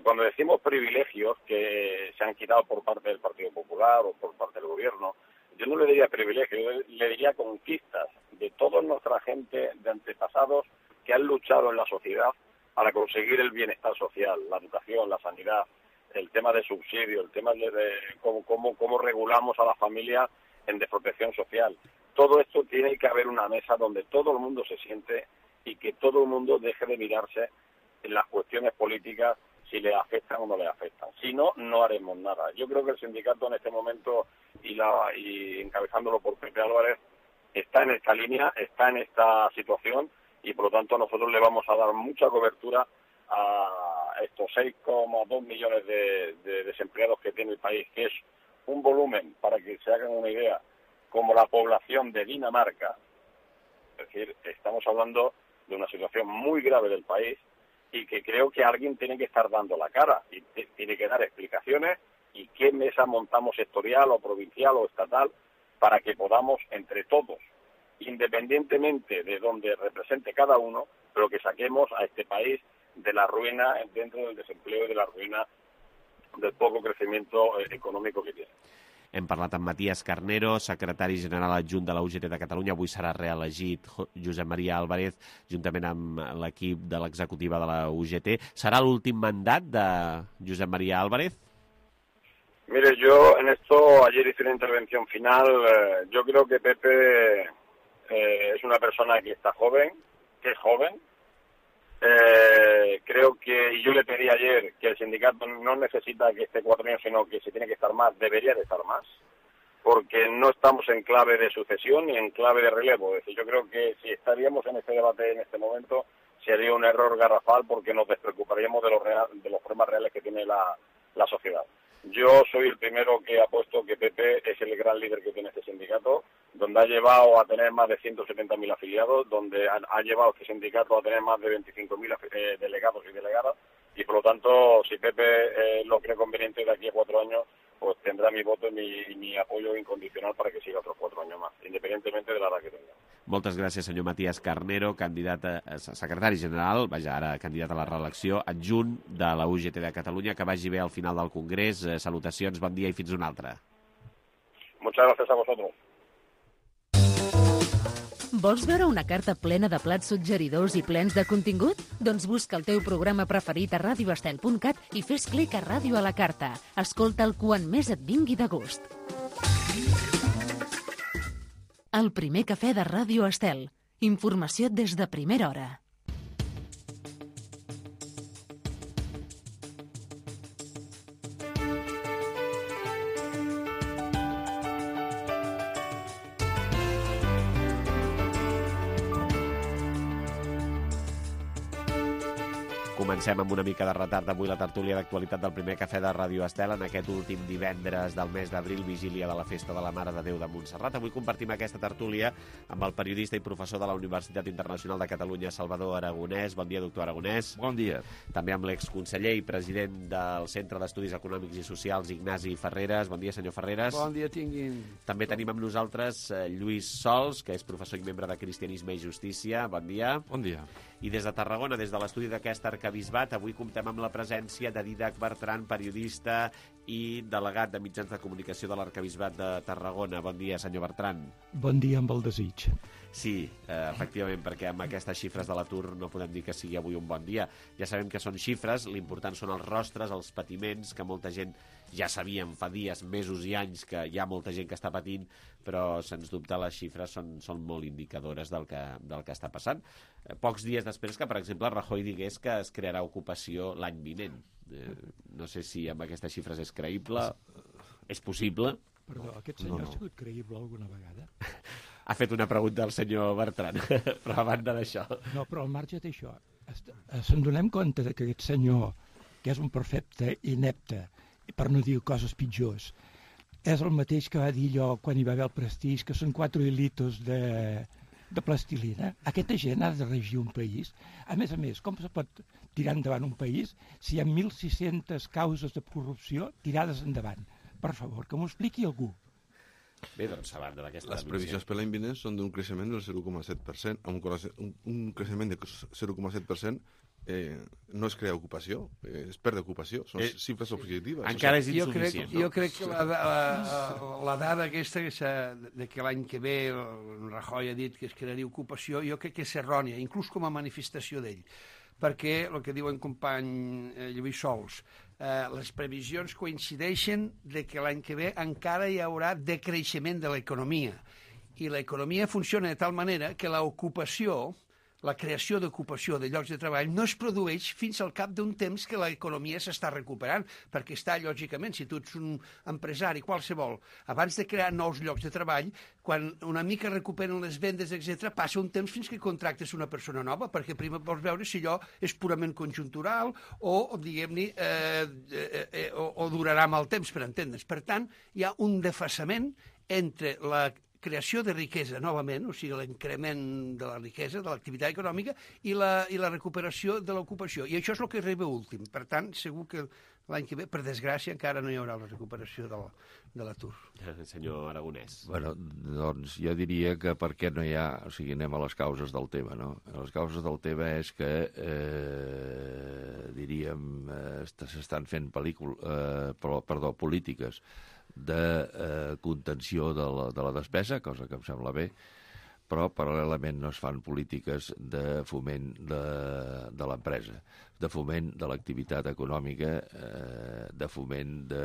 cuando decimos privilegios que se han quitado por parte del Partido Popular o por parte del gobierno, yo no le diría privilegios, yo le diría conquistas de toda nuestra gente de antepasados que han luchado en la sociedad para conseguir el bienestar social, la educación, la sanidad, el tema de subsidio, el tema de cómo regulamos a la familia en desprotección social. Todo esto tiene que haber una mesa donde todo el mundo se siente y que todo el mundo deje de mirarse en las cuestiones políticas si le afectan o no le afectan. Si no, no haremos nada. Yo creo que el sindicato en este momento, y encabezándolo por Pepe Álvarez, está en esta línea, está en esta situación, y por lo tanto nosotros le vamos a dar mucha cobertura a estos 6,2 millones de desempleados que tiene el país, que es un volumen, para que se hagan una idea, como la población de Dinamarca. Es decir, estamos hablando de una situación muy grave del país y que creo que alguien tiene que estar dando la cara y tiene que dar explicaciones y qué mesa montamos sectorial o provincial o estatal para que podamos entre todos, independientemente de donde represente cada uno, pero que saquemos a este país de la ruina dentro del desempleo y de la ruina del poco crecimiento econòmic que tiene. Hem parlat amb Matías Carnero, secretari general adjunt de la UGT de Catalunya. Avui serà reelegit Josep María Álvarez, juntament amb l'equip de l'executiva de la UGT. Serà l'últim mandat de Josep María Álvarez? Mire, yo en esto ayer hice una intervención final. Yo creo que Pepe es una persona que está joven, que es joven. Creo que, y yo le pedí ayer que el sindicato no necesita que esté 4 años, sino que si tiene que estar más, debería de estar más, porque no estamos en clave de sucesión ni en clave de relevo. Es decir, yo creo que si estaríamos en este debate en este momento, sería un error garrafal porque nos despreocuparíamos de los problemas reales que tiene la sociedad. Yo soy el primero que apuesto que Pepe es el gran líder que tiene este sindicato, donde ha llevado a tener más de 170.000 afiliados, donde ha llevado este sindicato a tener más de 25.000 delegados y delegadas, y por lo tanto, si Pepe lo cree conveniente de aquí a 4 años, pues tendrá mi voto y mi apoyo incondicional para que siga otros 4 años más, independientemente de la edad que tenga. Moltes gràcies, senyor Matías Carnero, candidat a secretari general, ara candidat a la reelecció, adjunt de la UGT de Catalunya. Que vagi bé al final del Congrés. Salutacions, bon dia i fins una altra. Muchas gracias a vosotros. Vols veure una carta plena de plats suggeridors i plens de contingut? Doncs busca el teu programa preferit a radioestel.cat i fes clic a Ràdio a la Carta. Escolta'l quan més et vingui de gust. El primer cafè de Ràdio Estel. Informació des de primera hora. Comencem amb una mica de retard avui la tertúlia d'actualitat del primer cafè de Ràdio Estel en aquest últim divendres del mes d'abril, vigília de la Festa de la Mare de Déu de Montserrat. Avui compartim aquesta tertúlia amb el periodista i professor de la Universitat Internacional de Catalunya, Salvador Aragonès. Bon dia, doctor Aragonès. Bon dia. També amb l'exconseller i president del Centre d'Estudis Econòmics i Socials, Ignasi Ferreres. Bon dia, senyor Ferreres. Bon dia, tinguin. També tenim amb nosaltres Lluís Sols, que és professor i membre de Cristianisme i Justícia. Bon dia. Bon dia. I des de Tarragona, des de l'estudi d'aquest arquebisbat, avui comptem amb la presència de Dídac Bertran, periodista i delegat de mitjans de comunicació de l'arquebisbat de Tarragona. Bon dia, senyor Bertran. Bon dia amb el desig. Sí, efectivament, perquè amb aquestes xifres de l'atur no podem dir que sigui avui un bon dia. Ja sabem que són xifres, l'important són els rostres, els patiments, que molta gent ja sabíem fa dies, mesos i anys que hi ha molta gent que està patint, però sens dubte les xifres són molt indicadores del que està passant. Pocs dies després que, per exemple, Rajoy digués que es crearà ocupació l'any vinent. No sé si amb aquestes xifres és creïble, és possible. Perdó, aquest senyor ha sigut creïble alguna vegada? Ha fet una pregunta al senyor Bertran, però a banda d'això... No, però al marge d'això, se'n donem compte que aquest senyor, que és un perfecte inepte, per no dir coses pitjors, és el mateix que va dir allò quan hi va haver el Prestigi, que són 4 hilitos de plastilina. Aquesta gent ha de regir un país. A més, com se pot tirar endavant un país si hi ha 1.600 causes de corrupció tirades endavant? Per favor, que m'ho expliqui algú. Bé, doncs, a banda d'aquesta... Les previsions per l'any vinent són d'un creixement del 0,7%. Un creixement de 0,7% no es crea ocupació, es perd ocupació, són xifres objectives. Encara és insuficient. Jo crec que la dada aquesta de que l'any que ve Rajoy ha dit que es crearia ocupació, jo crec que és errònia, inclús com a manifestació d'ell, perquè el que diu en company Lluís Sols, les previsions coincideixen de que l'any que ve encara hi haurà decreixement de l'economia, i l'economia funciona de tal manera que l'ocupació, la creació d'ocupació de llocs de treball no es produeix fins al cap d'un temps que l'economia s'està recuperant, perquè està, lògicament, si tu ets un empresari qualsevol, abans de crear nous llocs de treball, quan una mica recuperen les vendes, etc., passa un temps fins que contractes una persona nova, perquè primer vols veure si allò és purament conjuntural o diguem-ne, o durarà mal temps, per entendre's. Per tant, hi ha un desfasament entre la creació de riquesa novament, o sigui, l'increment de la riquesa, de l'activitat econòmica i la recuperació de l'ocupació. I això és el que arriba últim. Per tant, segur que l'any que ve, per desgràcia, encara no hi haurà la recuperació de l'atur. Senyor Aragonès. Bueno, doncs jo diria que per què no hi ha... O sigui, anem a les causes del tema, no? Les causes del tema és que, diríem, s'estan fent polítiques de contenció de la despesa, cosa que em sembla bé, però paral·lelament no es fan polítiques de foment de l'empresa, de foment de l'activitat econòmica, de foment de...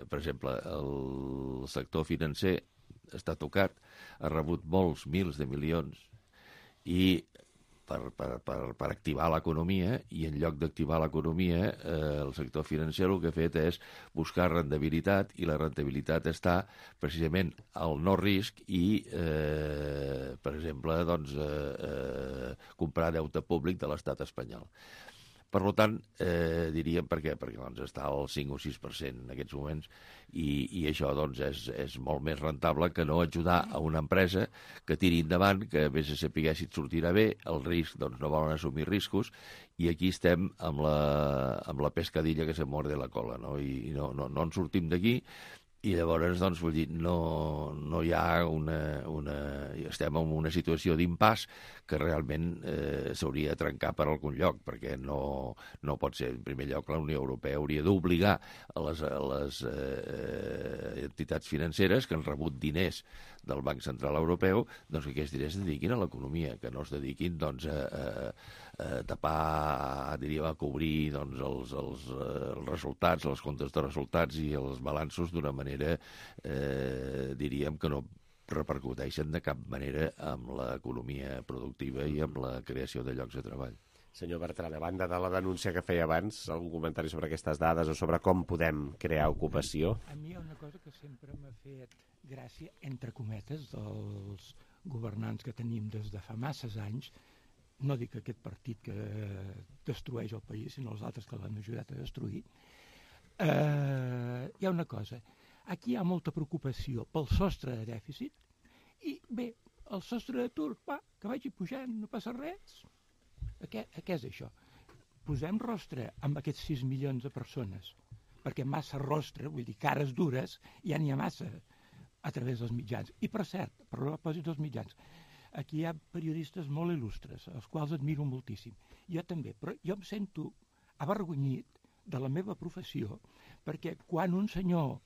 Per exemple, el sector financer està tocat, ha rebut molts mils de milions i per activar l'economia, i en lloc d'activar l'economia, el sector financer el que ha fet és buscar rendibilitat, i la rendibilitat està precisament al no risc i, per exemple, doncs, comprar deute públic de l'estat espanyol. Per tant, diríem per què? Perquè doncs, està al 5 o 6% en aquests moments, i això doncs, és molt més rentable que no ajudar a una empresa que tiri endavant, que a més de saber si et sortirà bé, el risc, doncs no volen assumir riscos, i aquí estem amb la pescadilla que se morde la cola, no? I no en sortim d'aquí. I llavors, doncs, vull dir, no hi ha estem en una situació d'impàs que realment s'hauria de trencar per algun lloc, perquè no pot ser. En primer lloc, la Unió Europea hauria d'obligar a les entitats financeres que han rebut diners del Banc Central Europeu, doncs que aquests diners es dediquin a l'economia, que no es dediquin doncs, a tapar, diríem, a cobrir doncs, els resultats, els comptes de resultats i els balanços d'una manera, diríem, que no repercuteixen de cap manera amb l'economia productiva i amb la creació de llocs de treball. Senyor Bertran, a banda de la denúncia que feia abans, algun comentari sobre aquestes dades o sobre com podem crear ocupació? A mi hi ha una cosa que sempre m'ha fet gràcia, entre cometes, dels governants que tenim des de fa masses anys. No dic aquest partit que destrueix el país, sinó els altres que l'han ajudat a destruir. Hi ha una cosa. Aquí hi ha molta preocupació pel sostre de dèficit i, bé, el sostre d'atur, que vagi pujant, no passa res. Què és això? Posem rostre amb aquests 6 milions de persones, perquè massa rostre, vull dir, cares dures, ja n'hi ha massa a través dels mitjans. I, per cert, per propòsit dels mitjans, aquí hi ha periodistes molt il·lustres, els quals admiro moltíssim. Jo també, però jo em sento avergonyit de la meva professió, perquè quan un senyor,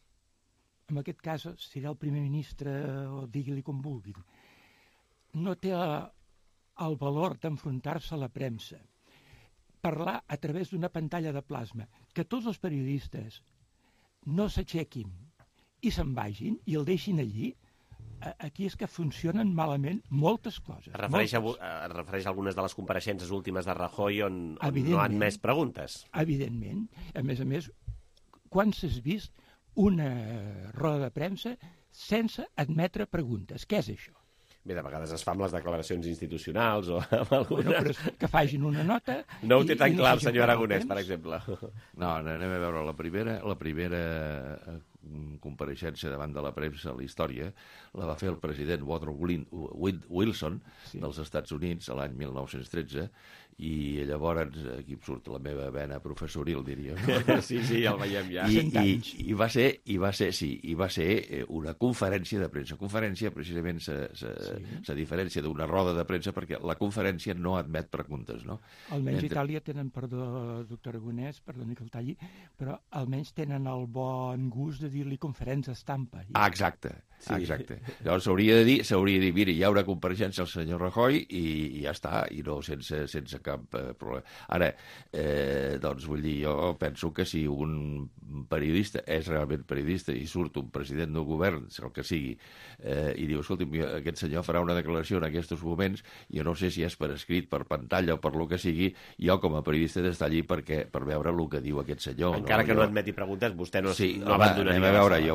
en aquest cas serà el primer ministre, o digui-li com vulguin, no té el valor d'enfrontar-se a la premsa, parlar a través d'una pantalla de plasma, que tots els periodistes no s'aixequin i se'n vagin i el deixin allí, aquí és que funcionen malament moltes coses. Es refereix a algunes de les compareixences últimes de Rajoy on no han admès preguntes. Evidentment. A més, quan s'has vist una roda de premsa sense admetre preguntes? Què és això? Bé, de vegades es fa amb les declaracions institucionals o amb algunes... Bueno, però que facin una nota... No ho té tan clar el senyor Aragonès, per exemple. No, anem a veure, la primera compareixença davant de la premsa a la història la va fer el president Woodrow Wilson dels Estats Units l'any 1913, i llavors aquí surt la meva vena professoril, diríem. Sí, el veiem ja. I va ser una conferència de premsa. Conferència precisament se diferència d'una roda de premsa perquè la conferència no admet preguntes, no? Almenys a Itàlia tenen, perdó, doctor Aragonès, perdoni que el talli, però almenys tenen el bon gust de dir-li conferència estampa. Exacte. Llavors s'hauria de dir, mira, hi ha una compareixença al senyor Rajoy i ja està, i no sense cap problema. Ara, doncs vull dir, jo penso que si un periodista és realment periodista i surt un president del govern, el que sigui, i diu, escolta, aquest senyor farà una declaració en aquests moments, jo no sé si és per escrit, per pantalla o per lo que sigui, jo com a periodista he d'estar allí per veure el que diu aquest senyor. Encara que no admeti preguntes, vostè no abandonaria. Anem a veure, jo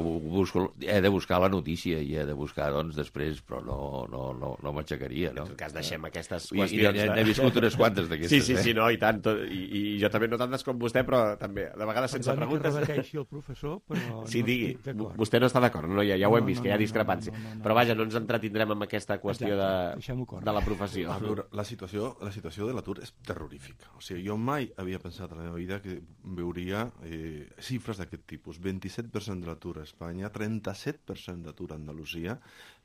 he de buscar la notícia i he de buscar, doncs, després, però no m'aixecaria, no? En tot cas, deixem aquestes qüestions. I n'he viscut unes quantes d'aquestes. Sí, no, i tant. I jo també no tantes com vostè, però també, de vegades sense preguntes. discuteixi el professor, però Sí, no digui. estic d'acord. Vostè no està d'acord, no? Ja ho hem vist, que hi ha discrepància. Però vaja, no ens entretindrem amb aquesta qüestió de la professió. A veure, la situació de l'atur és terrorífica. O sigui, jo mai havia pensat a la meva vida que veuria xifres d'aquest tipus. 27% de l'atur a Espanya, 37% d'atur a Andalusia.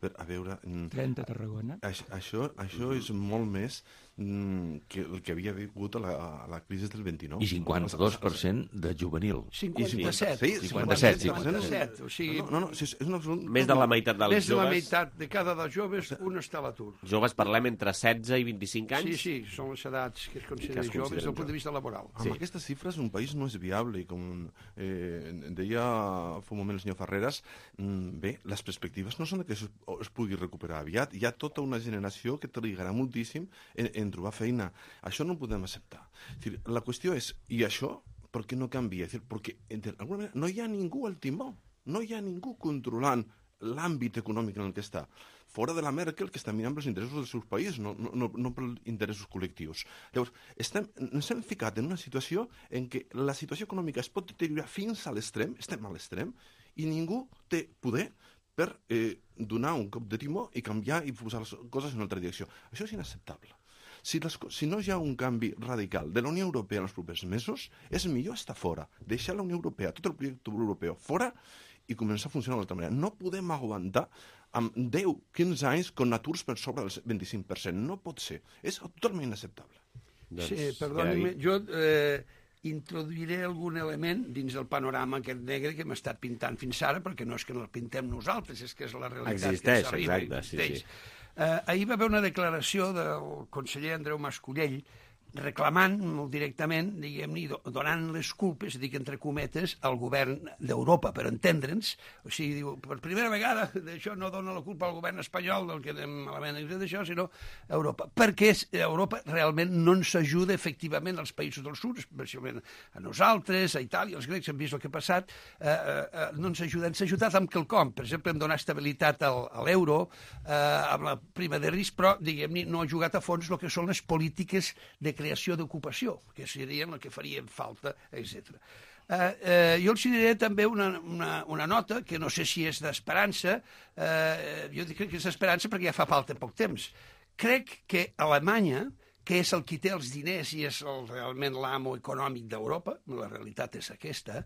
A veure... 30 a Tarragona. Això és molt més que el que havia hagut a la crisi del 29. I 52% de juvenil. 57. Sí, 57. O sigui, és un absolut... Més de la meitat dels més de la joves... meitat de cada dels joves, un està a l'atur. Joves parlem entre 16 i 25 anys? Sí, són les edats que es consideren joves des del punt de vista laboral. Amb aquestes xifres un país no és viable i com deia fa un moment el senyor Ferreras, bé, les perspectives no són que es pugui recuperar aviat. Hi ha tota una generació que trigarà moltíssim en trobar feina. Això no ho podem acceptar. La qüestió és, i això, per què no canvia? Perquè d'alguna manera no hi ha ningú al timó, no hi ha ningú controlant l'àmbit econòmic en el que està. Fora de la Merkel, que està mirant pels interessos dels seus països, no pels interessos col·lectius. Llavors, ens hem ficat en una situació en què la situació econòmica es pot deteriorar fins a l'extrem, estem a l'extrem, i ningú té poder per donar un cop de timó i canviar i posar les coses en una altra direcció. Això és inacceptable. Si no hi ha un canvi radical de la Unió Europea en els propers mesos, és millor estar fora, deixar la Unió Europea, tot el projecte europeu fora i començar a funcionar d'altra manera. No podem aguantar amb 10-15 anys con aturs per sobre del 25%. No pot ser. És totalment inacceptable. Sí, perdoni, jo introduiré algun element dins del panorama aquest negre que m'ha estat pintant fins ara, perquè no és que no el pintem nosaltres, és que és la realitat que ens arriba. Existeix, sí. Ahir va haver una declaració del conseller Andreu Mascolell reclamant molt directament, diguem-ne, donant les culpes, dic entre cometes, al govern d'Europa, per entendre'ns. O sigui, diu, per primera vegada, d'això no dona la culpa al govern espanyol del que anem malament d'això, sinó a Europa. Perquè Europa realment no ens ajuda efectivament als països del sud, especialment a nosaltres, a Itàlia, els grecs, hem vist el que ha passat, no ens ajuda. Ens ha ajudat amb quelcom, per exemple, en donar estabilitat a l'euro, amb la prima de risc, però, diguem-ne, no ha jugat a fons el que són les polítiques de creació d'ocupació, que serien el que farien falta, etc. Jo els diré també una nota, que no sé si és d'esperança, jo crec que és d'esperança perquè ja fa falta poc temps. Crec que Alemanya, que és el qui té els diners i és realment l'amo econòmic d'Europa, la realitat és aquesta,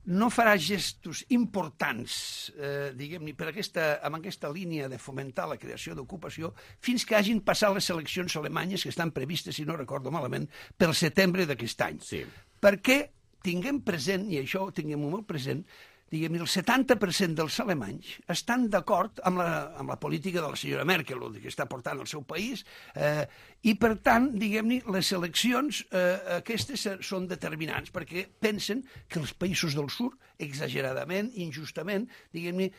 no farà gestos importants, diguem-ne, amb aquesta línia de fomentar la creació d'ocupació fins que hagin passat les eleccions alemanyes que estan previstes, si no recordo malament, pel setembre d'aquest any. Sí. Perquè tinguem present, i això ho tinguem molt present, diguem-ne, el 70% dels alemanys estan d'acord amb la política de la senyora Merkel, el que està portant el seu país, i per tant, diguem-ne, les eleccions aquestes són determinants, perquè pensen que els països del sud, exageradament, injustament, diguem-ne,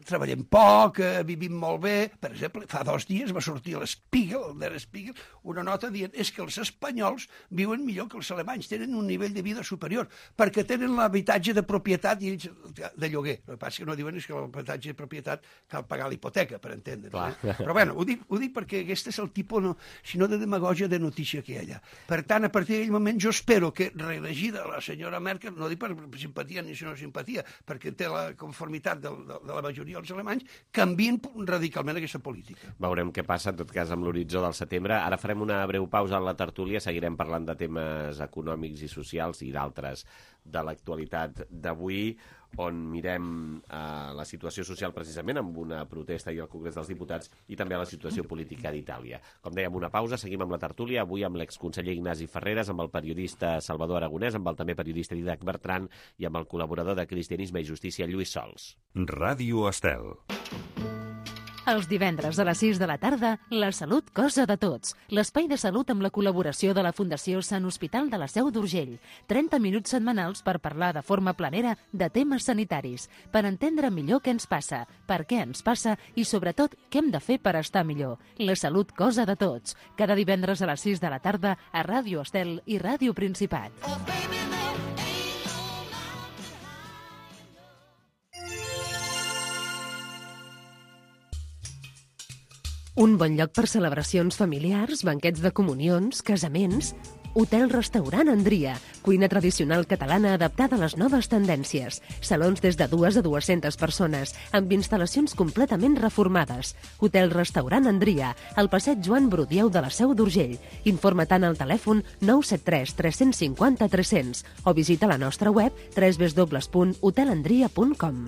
treballem poc, vivim molt bé. Per exemple, fa 2 dies va sortir a l'Spiegel, el Der Spiegel, una nota dient és que els espanyols viuen millor que els alemanys, tenen un nivell de vida superior, perquè tenen l'habitatge de propietat i ells de lloguer. El que passa que no diuen és que l'habitatge de propietat cal pagar l'hipoteca, per entendre. Però bueno, ho dic perquè aquest és el tipus, sinó de demagògia de notícia que hi ha allà. Per tant, a partir d'aquell moment jo espero que reelegida la senyora Merkel, no dic per simpatia ni no simpatia, perquè té la conformitat de la majoria dels alemanys, canvien radicalment aquesta política. Veurem què passa, en tot cas, amb l'horitzó del setembre. Ara farem una breu pausa en la tertúlia, seguirem parlant de temes econòmics i socials i d'altres de l'actualitat d'avui, on mirem la situació social precisament amb una protesta i al Congrés dels Diputats i també la situació política d'Itàlia. Com dèiem, una pausa, seguim amb la tertúlia, avui amb l'exconseller Ignasi Ferreras, amb el periodista Salvador Aragonès, amb el també periodista Didac Bertran i amb el col·laborador de Cristianisme i Justícia Lluís Sols. Ràdio Estel. Els divendres a les 6 de la tarda, La Salut, cosa de tots. L'espai de salut amb la col·laboració de la Fundació Sant Hospital de la Seu d'Urgell. 30 minuts setmanals per parlar de forma planera de temes sanitaris, per entendre millor què ens passa, per què ens passa i, sobretot, què hem de fer per estar millor. La Salut, cosa de tots. Cada divendres a les 6 de la tarda a Ràdio Estel i Ràdio Principat. Un bon lloc per celebracions familiars, banquets de comunions, casaments. Hotel-restaurant Andria, cuina tradicional catalana adaptada a les noves tendències. Salons des de 2 a 200 persones, amb instal·lacions completament reformades. Hotel-restaurant Andria, al passeig Joan Brudieu de la Seu d'Urgell. Informa tant al telèfon 973 350 300 o visita la nostra web www.hotelandria.com.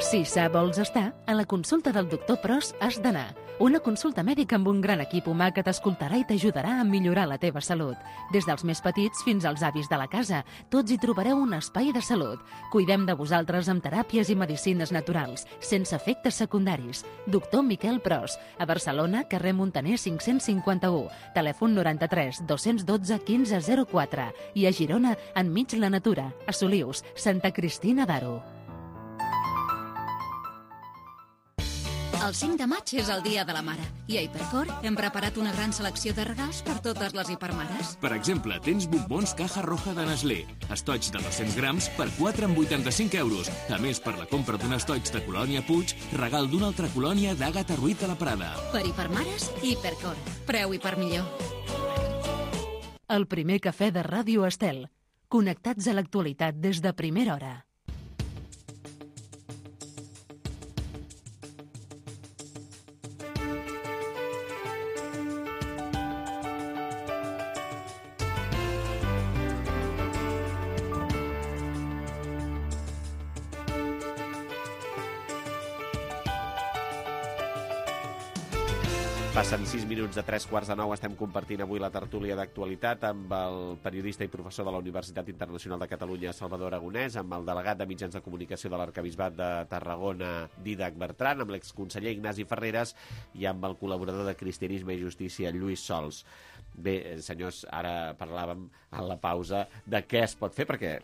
Si sa vols estar, a la consulta del doctor Pros has d'anar. Una consulta mèdica amb un gran equip humà que t'escoltarà i t'ajudarà a millorar la teva salut. Des dels més petits fins als avis de la casa, tots hi trobareu un espai de salut. Cuidem de vosaltres amb teràpies i medicines naturals, sense efectes secundaris. Doctor Miquel Pros, a Barcelona, carrer Muntaner 551, telèfon 93 212 1504 i a Girona, enmig la natura, a Solius, Santa Cristina d'Aro. El 5 de maig és el Dia de la Mare i a Hipercor hem preparat una gran selecció de regals per totes les hipermares. Per exemple, tens bombons Caja Roja de Nestlé, estoig de 200 grams per 4 amb 85 euros. A més, per la compra d'un estoig de Colònia Puig, regal d'una altra colònia d'Àgata Ruiz de la Prada. Per hipermares, Hipercor. Preu hipermillor. El primer cafè de Ràdio Estel. Connectats a l'actualitat des de primera hora. Passen 6 minuts de 3:15. Estem compartint avui la tertúlia d'actualitat amb el periodista i professor de la Universitat Internacional de Catalunya, Salvador Aragonès, amb el delegat de mitjans de comunicació de l'Arquebisbat de Tarragona, Dídac Bertran, amb l'exconseller Ignasi Ferreres i amb el col·laborador de Cristianisme i Justícia, Lluís Sols. Bé, senyors, ara parlàvem a la pausa de què es pot fer, perquè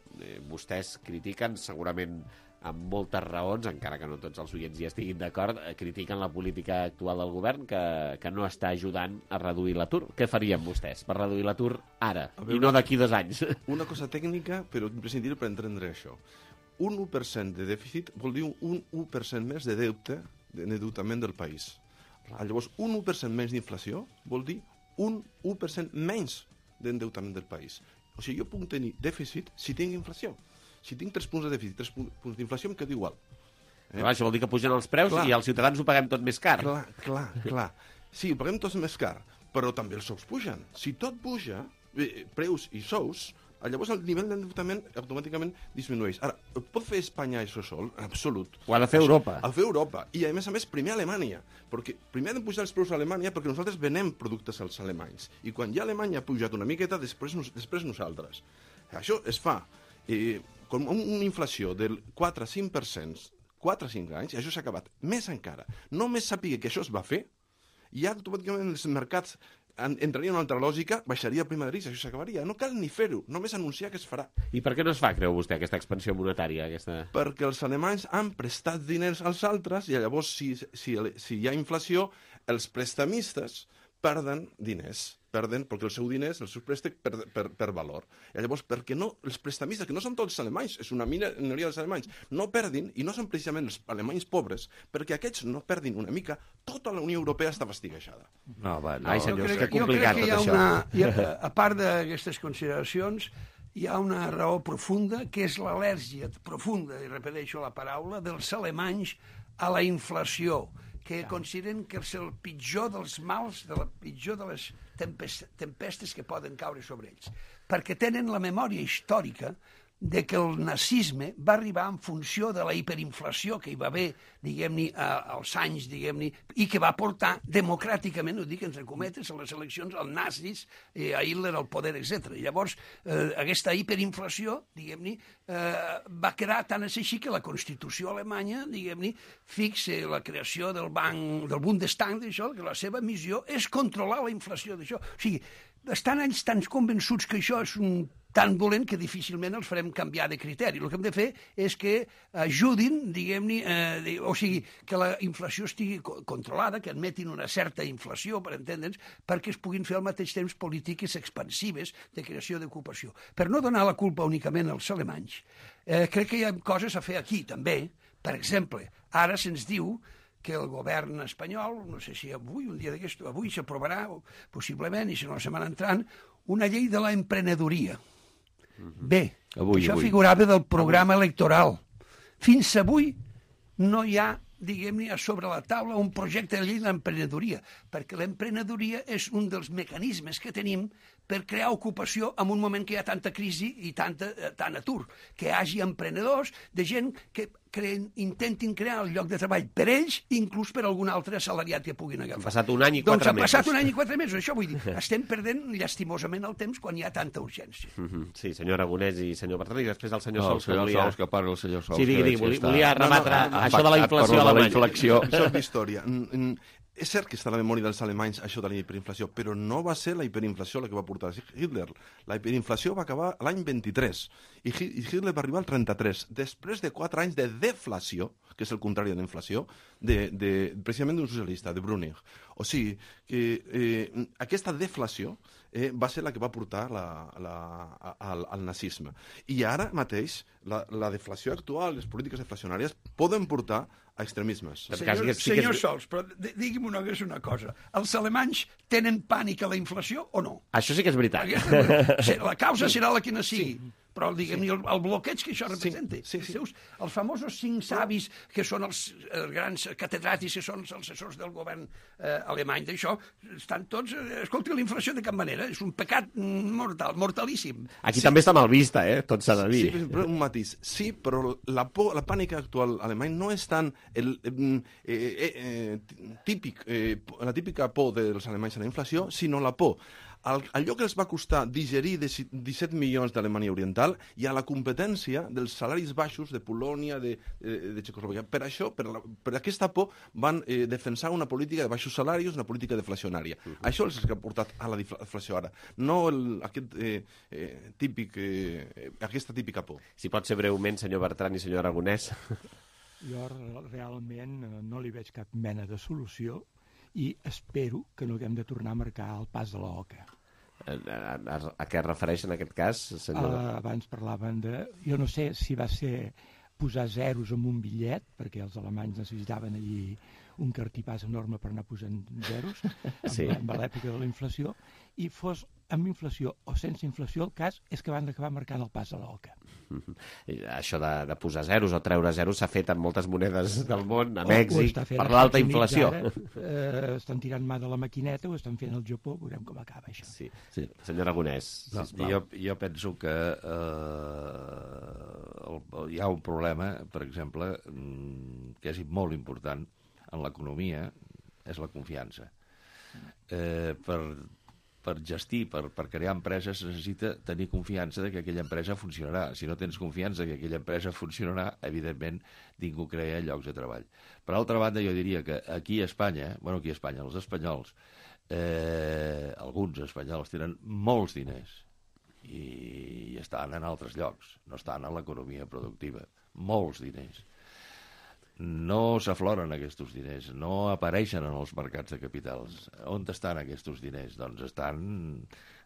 vostès critiquen segurament amb moltes raons, encara que no tots els oients hi estiguin d'acord, critiquen la política actual del govern que no està ajudant a reduir l'atur. Què farien vostès per reduir l'atur ara i no d'aquí 2 anys? Una cosa tècnica, però imprescindible per entendre això. Un 1% de dèficit vol dir un 1% més de deute, d'endeutament del país. Llavors, un 1% menys d'inflació vol dir un 1% menys d'endeutament del país. O sigui, jo puc tenir dèficit si tinc inflació. Si tinc 3 punts de dèficit, 3 punts d'inflació, em quedo igual. Això vol dir que pugen els preus i els ciutadans ho paguem tot més car. Clar. Sí, ho paguem tot més car, però també els sous pugen. Si tot puja, preus i sous, llavors el nivell d'endeutament automàticament disminueix. Ara, pot fer Espanya això sol? En absolut. Ho ha de fer Europa. Ha de fer Europa. I, a més, primer Alemanya. Perquè primer han de pujar els preus a Alemanya perquè nosaltres venem productes als alemanys. I quan ja Alemanya ha pujat una miqueta, després nosaltres. Això es fa com una inflació del 4-5%, 4-5 anys, i això s'ha acabat. Més encara, només sàpiga que això es va fer, i ja automàticament els mercats entraria en una altra lògica, baixaria el prima de risc, això s'acabaria. No cal ni fer-ho, només anunciar que es farà. I per què no es fa, creu vostè, aquesta expansió monetària? Perquè els alemanys han prestat diners als altres, i llavors, si hi ha inflació, els prestamistes perden diners. Perden perquè els seus diners, els seus préstecs, per valor. I llavors, perquè no, els prestamistes, que no són tots alemanys, és una minoria dels alemanys, no perdin, i no són precisament els alemanys pobres, perquè aquests no perdin una mica, tota la Unió Europea està fastiguejada. Ai, senyors, que complicat tot això. A part d'aquestes consideracions, hi ha una raó profunda, que és l'al·lèrgia profunda, i repeteixo la paraula, dels alemanys a la inflació, que consideren que és el pitjor dels mals, la pitjor de les tempestes que poden caure sobre ells. Perquè tenen la memòria històrica de que el nazisme va arribar en funció de la hiperinflació que hi va haver, diguem-ne, als anys, diguem-ne, i que va portar democràticament, ho dic entre cometes, a les eleccions, als nazis, a Hitler al poder, etc. I llavors, aquesta hiperinflació, diguem-ne, va quedar tan així que la Constitució alemanya, diguem-ne, fixa la creació del Bundestag, d'això, que la seva missió és controlar la inflació d'això. O sigui, estan ells tan convençuts que això és tan dolent que difícilment els farem canviar de criteri. El que hem de fer és que ajudin, diguem-ne, o sigui, que la inflació estigui controlada, que admetin una certa inflació, per entendre'ns, perquè es puguin fer al mateix temps polítiques expansives de creació d'ocupació. Per no donar la culpa únicament als alemanys, crec que hi ha coses a fer aquí, també. Per exemple, ara se'ns diu que el govern espanyol, no sé si avui, un dia d'aquest, avui s'aprovarà, possiblement, i si no la setmana entrant, una llei de l'emprenedoria. Bé, això figurava del programa electoral. Fins avui no hi ha, diguem-ne, sobre la taula un projecte de llei de l'emprenedoria, perquè l'emprenedoria és un dels mecanismes que tenim per crear ocupació en un moment que hi ha tanta crisi i tant atur. Que hi hagi emprenedors, de gent que intentin crear el lloc de treball per ells, inclús per algun altre assalariat que puguin agafar. Ha passat un any i 4 mesos. Doncs ha passat un any i 4 mesos, això vull dir. Estem perdent llastimosament el temps quan hi ha tanta urgència. Sí, senyor Aragonès i senyor Bertran, i després el senyor Sols. El senyor Sols, que parli el senyor Sols. Sí, digui, volia rebatre això de la inflació alemanya. Això és d'història. És cert que està a la memòria dels alemanys això de la hiperinflació, però no va ser la hiperinflació la que va portar Hitler. La hiperinflació va acabar l'any 23 i Hitler va arribar al 33, després de 4 anys de deflació, que és el contrari de la inflació, precisament d'un socialista, de Brüning. O sigui, que aquesta deflació va ser la que va portar al nazisme. I ara mateix, la deflació actual, les polítiques deflacionàries, poden portar a extremismes. Senyor Sols, però digui'm una cosa. Els alemanys tenen pànic a la inflació o no? Això sí que és veritat. La causa serà la que no sigui. Però, diguem-ne, el bloqueig que això representa. Els famosos 5 savis, que són els grans catedràtics, que són els assessors del govern alemany d'això, estan tots... Escolti, la inflació de cap manera, és un pecat mortal, mortalíssim. Aquí també està mal vista, tot s'ha de dir. Sí, però un matís. Sí, però la pànica actual alemany no és tant la típica por dels alemanys a la inflació, sinó la por allò que els va costar digerir 17 milions d'Alemanya Oriental i a la competència dels salaris baixos de Polònia, de Txecoslovàquia. Per això, per aquesta por, van defensar una política de baixos salaris, una política deflacionària. Això és el que ha portat a la deflació ara, no aquesta típica por. Si pot ser breument, senyor Bertran i senyor Aragonès. Jo realment no li veig cap mena de solució i espero que no haguem de tornar a marcar el pas de l'OCA. A què es refereix en aquest cas, senyor? Abans parlaven de... Jo no sé si va ser posar zeros en un bitllet, perquè els alemanys necessitaven allí un cartipàs enorme per anar posant zeros, amb l'època de la inflació, i fos amb inflació o sense inflació, el cas és que van acabar marcant el pas a l'OCA. Això de posar zeros o treure zeros s'ha fet en moltes monedes del món, a Mèxic, per l'alta inflació. Estan tirant mà de la maquineta, ho estan fent al Japó, veurem com acaba això. Sí. Senyor Aragonès, sisplau. Jo penso que hi ha un problema, per exemple, que és molt important en l'economia, és la confiança. Per gestir, per crear empreses, necessita tenir confiança que aquella empresa funcionarà. Si no tens confiança que aquella empresa funcionarà, evidentment ningú crea llocs de treball. Per altra banda, jo diria que aquí a Espanya, els espanyols, alguns espanyols tenen molts diners i estan en altres llocs, no estan en l'economia productiva. Molts diners. No s'afloren aquests diners, no apareixen en els mercats de capitals. On estan aquests diners? Doncs estan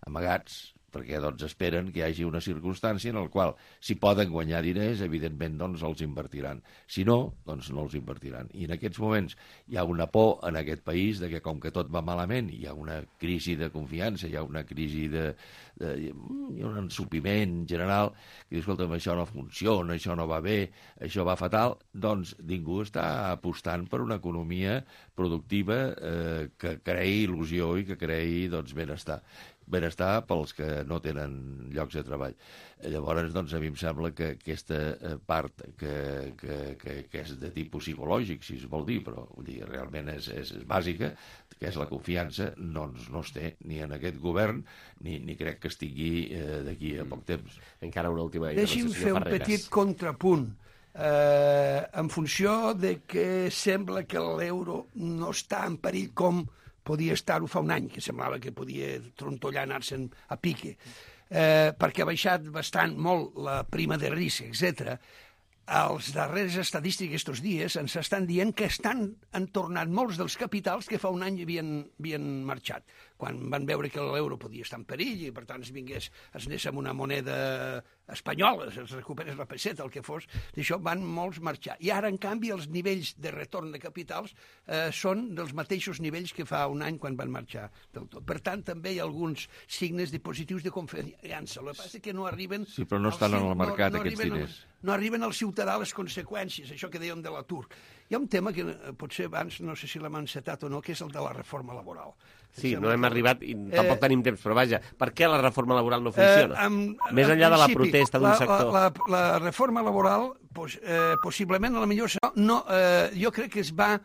amagats, perquè esperen que hi hagi una circumstància en la qual, si poden guanyar diners, evidentment els invertiran. Si no, doncs no els invertiran. I en aquests moments hi ha una por en aquest país de que, com que tot va malament, hi ha una crisi de confiança, hi ha una crisi hi ha un ensupiment general, que diu, escolta'm, això no funciona, això no va bé, això va fatal, doncs ningú està apostant per una economia productiva que creï il·lusió i que creï benestar. Benestar pels que no tenen llocs de treball. Llavors, a mi em sembla que aquesta part que és de tipus psicològic, si es vol dir, però realment és bàsica, que és la confiança, no es té ni en aquest govern, ni crec que estigui d'aquí a poc temps. Encara una última... Deixi'm fer un petit contrapunt. En funció de que sembla que l'euro no està en perill com podia estar-ho fa un any, que semblava que podia trontollar, anar-se'n a pique, perquè ha baixat molt la prima de risc, etc. Els darrers estadístiques estos dies ens estan dient que han tornat molts dels capitals que fa un any havien marxat. quan van veure que l'euro podia estar en perill i, per tant, es anés amb una moneda espanyola, es recuperés la peseta, el que fos, d'això van molts marxar. I ara, en canvi, els nivells de retorn de capitals són dels mateixos nivells que fa un any quan van marxar del tot. Per tant, també hi ha alguns signes de positius de confiança. El que passa és que no arriben... Sí, però no estan en el mercat, aquests diners. No arriben al ciutadà les conseqüències, això que dèiem de l'atur. Hi ha un tema que potser abans, no sé si l'hem encetat o no, que és el de la reforma laboral. Sí, no hem arribat i tampoc tenim temps, però vaja, per què la reforma laboral no funciona? Més enllà de la protesta d'un sector. La reforma laboral, possiblement, a la millor, jo crec que es va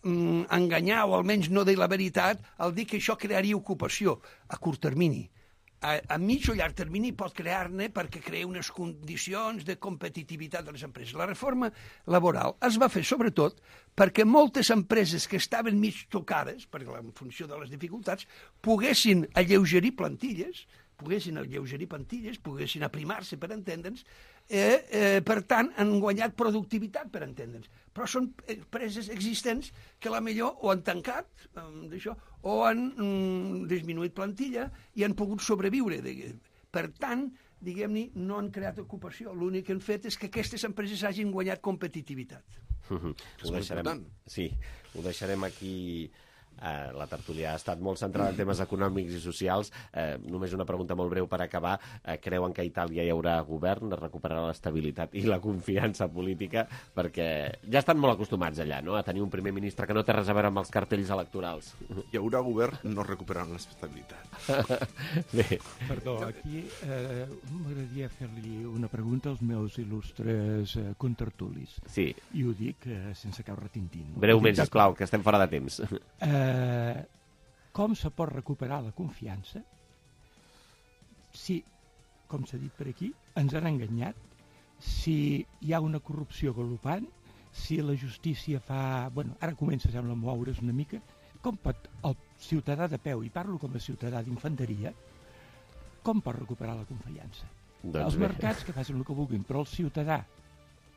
enganyar, o almenys no dir la veritat, al dir que això crearia ocupació a curt termini. A mig o llarg termini pot crear-ne perquè crea unes condicions de competitivitat de les empreses. La reforma laboral es va fer sobretot perquè moltes empreses que estaven mig tocades, perquè en funció de les dificultats, poguessin alleugerir plantilles, poguessin aprimar-se, per entendre'ns, per tant, han guanyat productivitat, per entendre'ns. Però són empreses existents que a la millor o han tancat o han disminuït plantilla i han pogut sobreviure. Per tant, diguem-ne, no han creat ocupació. L'únic que han fet és que aquestes empreses hagin guanyat competitivitat. Ho deixarem aquí. La tertúlia ha estat molt centrada en temes econòmics i socials. Només una pregunta molt breu per acabar. Creuen que a Itàlia hi haurà govern, recuperarà l'estabilitat i la confiança política? Perquè ja estan molt acostumats allà, no?, a tenir un primer ministre que no té res a veure amb els cartells electorals. Hi haurà govern, no recuperaran l'estabilitat. Bé. Perdó, aquí m'agradaria fer-li una pregunta als meus il·lustres contertulis. Sí. I ho dic sense cap retintint. Breument, sisplau, que estem fora de temps. Com se pot recuperar la confiança si, com s'ha dit per aquí, ens han enganyat, si hi ha una corrupció galopant, si la justícia fa... Bueno, ara comença, sembla, a moure's una mica. Com pot el ciutadà de peu, i parlo com a ciutadà d'infanteria, com pot recuperar la confiança? Els mercats que facin el que vulguin, però el ciutadà,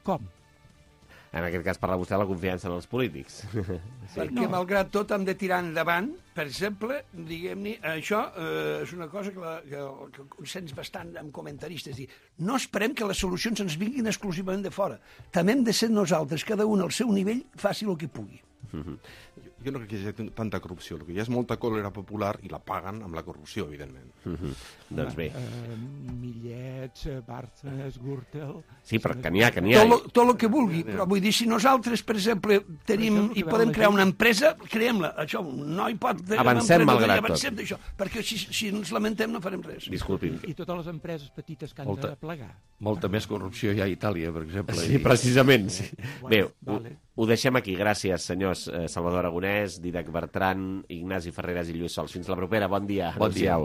com? En aquest cas parla vostè de la confiança en els polítics. Perquè, malgrat tot, hem de tirar endavant. Per exemple, diguem-ne, això és una cosa que consens bastant amb comentaristes. No esperem que les solucions ens vinguin exclusivament de fora. També hem de ser nosaltres, cada un al seu nivell, faci el que pugui. Jo no crec que hi hagi tanta corrupció. El que hi ha és molta còlera popular i la paguen amb la corrupció, evidentment. Doncs bé. Millets, Bárcenas, Gürtel... Sí, però que n'hi ha, que n'hi ha. Tot el que vulgui, però vull dir, si nosaltres, per exemple, tenim i podem crear una empresa, creem-la. Això, no hi pot... Avancem malgrat tot. Avancem d'això, perquè si ens lamentem no farem res. Disculpi'm. I totes les empreses petites que han de plegar. Molta més corrupció hi ha a Itàlia, per exemple. Sí, precisament. Bé, ho deixem aquí. Gràcies, senyors Salvador Aragonès, Dídac Bertran, Ignasi Ferreras i Lluís Sols. Fins la propera. Bon dia. Bon dia.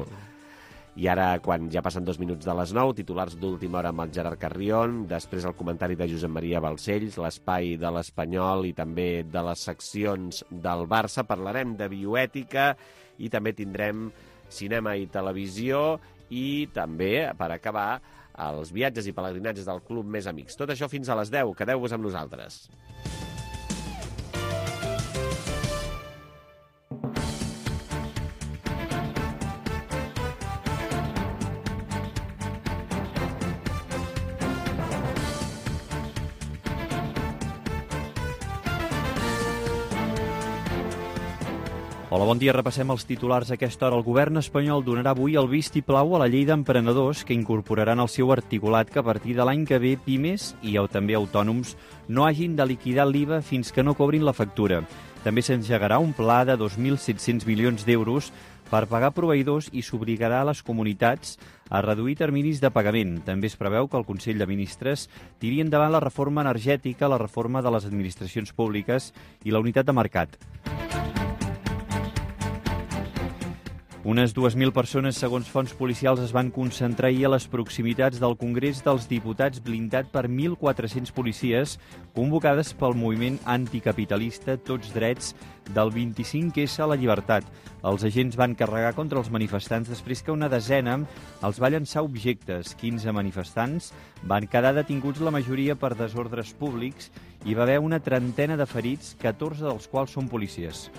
I ara, quan ja passen 2 minuts de les 9, titulars d'última hora amb el Gerard Carrion, després el comentari de Josep Maria Balcells, l'espai de l'Espanyol i també de les seccions del Barça. Parlarem de bioètica i també tindrem cinema i televisió i també, per acabar, els viatges i pelegrinatges del Club Més Amics. Tot això fins a les 10. Quedeu-vos amb nosaltres. Hola, bon dia. Repassem els titulars a aquesta hora. El govern espanyol donarà avui el vistiplau a la llei d'emprenedors que incorporaran al seu articulat que a partir de l'any que ve pimes i també autònoms no hagin de liquidar l'IVA fins que no cobrin la factura. També s'engegarà un pla de 2.700 milions d'euros per pagar proveïdors i s'obligarà a les comunitats a reduir terminis de pagament. També es preveu que el Consell de Ministres tiri endavant la reforma energètica, la reforma de les administracions públiques i la unitat de mercat. Unes 2.000 persones, segons fonts policials, es van concentrar ahir a les proximitats del Congrés dels Diputats blindat per 1.400 policies convocades pel moviment anticapitalista Tots Drets del 25S a la Llibertat. Els agents van carregar contra els manifestants després que una desena els va llançar objectes. 15 manifestants van quedar detinguts, la majoria per desordres públics, i va haver una trentena de ferits, 14 dels quals són policies.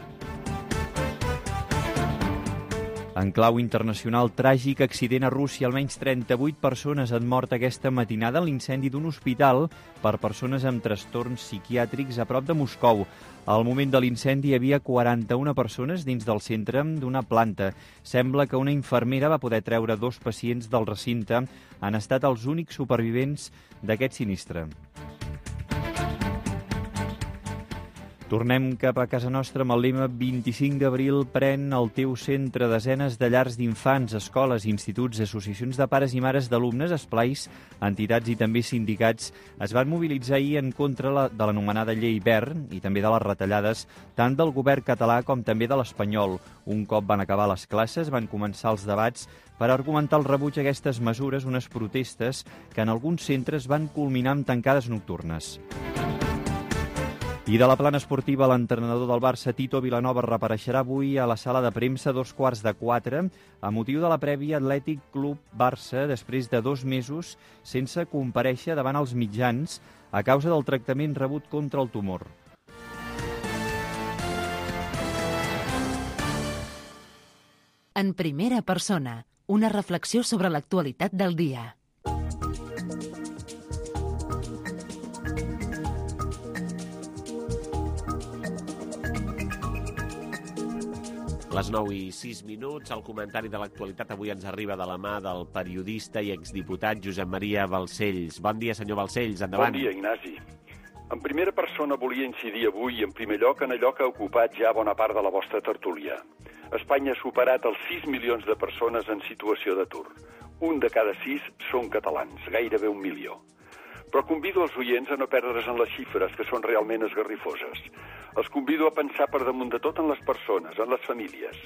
En clau internacional, tràgic accident a Rússia. Almenys 38 persones han mort aquesta matinada en l'incendi d'un hospital per persones amb trastorns psiquiàtrics a prop de Moscou. Al moment de l'incendi hi havia 41 persones dins del centre d'una planta. Sembla que una infermera va poder treure 2 pacients del recinte. Han estat els únics supervivents d'aquest sinistre. Tornem cap a casa nostra amb el lema 25 d'abril pren el teu centre. Desenes de llars d'infants, escoles, instituts, associacions de pares i mares d'alumnes, esplais, entitats i també sindicats es van mobilitzar ahir en contra de l'anomenada llei Wert i també de les retallades tant del govern català com també de l'espanyol. Un cop van acabar les classes, van començar els debats per argumentar el rebuig a aquestes mesures, unes protestes que en alguns centres van culminar amb tancades nocturnes. I de la plana esportiva, l'entrenador del Barça, Tito Vilanova, reapareixerà avui a la sala de premsa a 3:15 a motiu de la prèvia Atlètic Club Barça després de 2 mesos sense comparèixer davant els mitjans a causa del tractament rebut contra el tumor. En primera persona, una reflexió sobre l'actualitat del dia. Les 9:06, el comentari de l'actualitat avui ens arriba de la mà del periodista i exdiputat Josep Maria Balcells. Bon dia, senyor Balcells, endavant. Bon dia, Ignasi. En primera persona volia incidir avui, en primer lloc, en allò que ha ocupat ja bona part de la vostra tertúlia. Espanya ha superat els 6 milions de persones en situació d'atur. 1 de cada 6 són catalans, gairebé 1 milió. Però convido els oients a no perdre's en les xifres, que són realment esgarrifoses. Els convido a pensar per damunt de tot en les persones, en les famílies.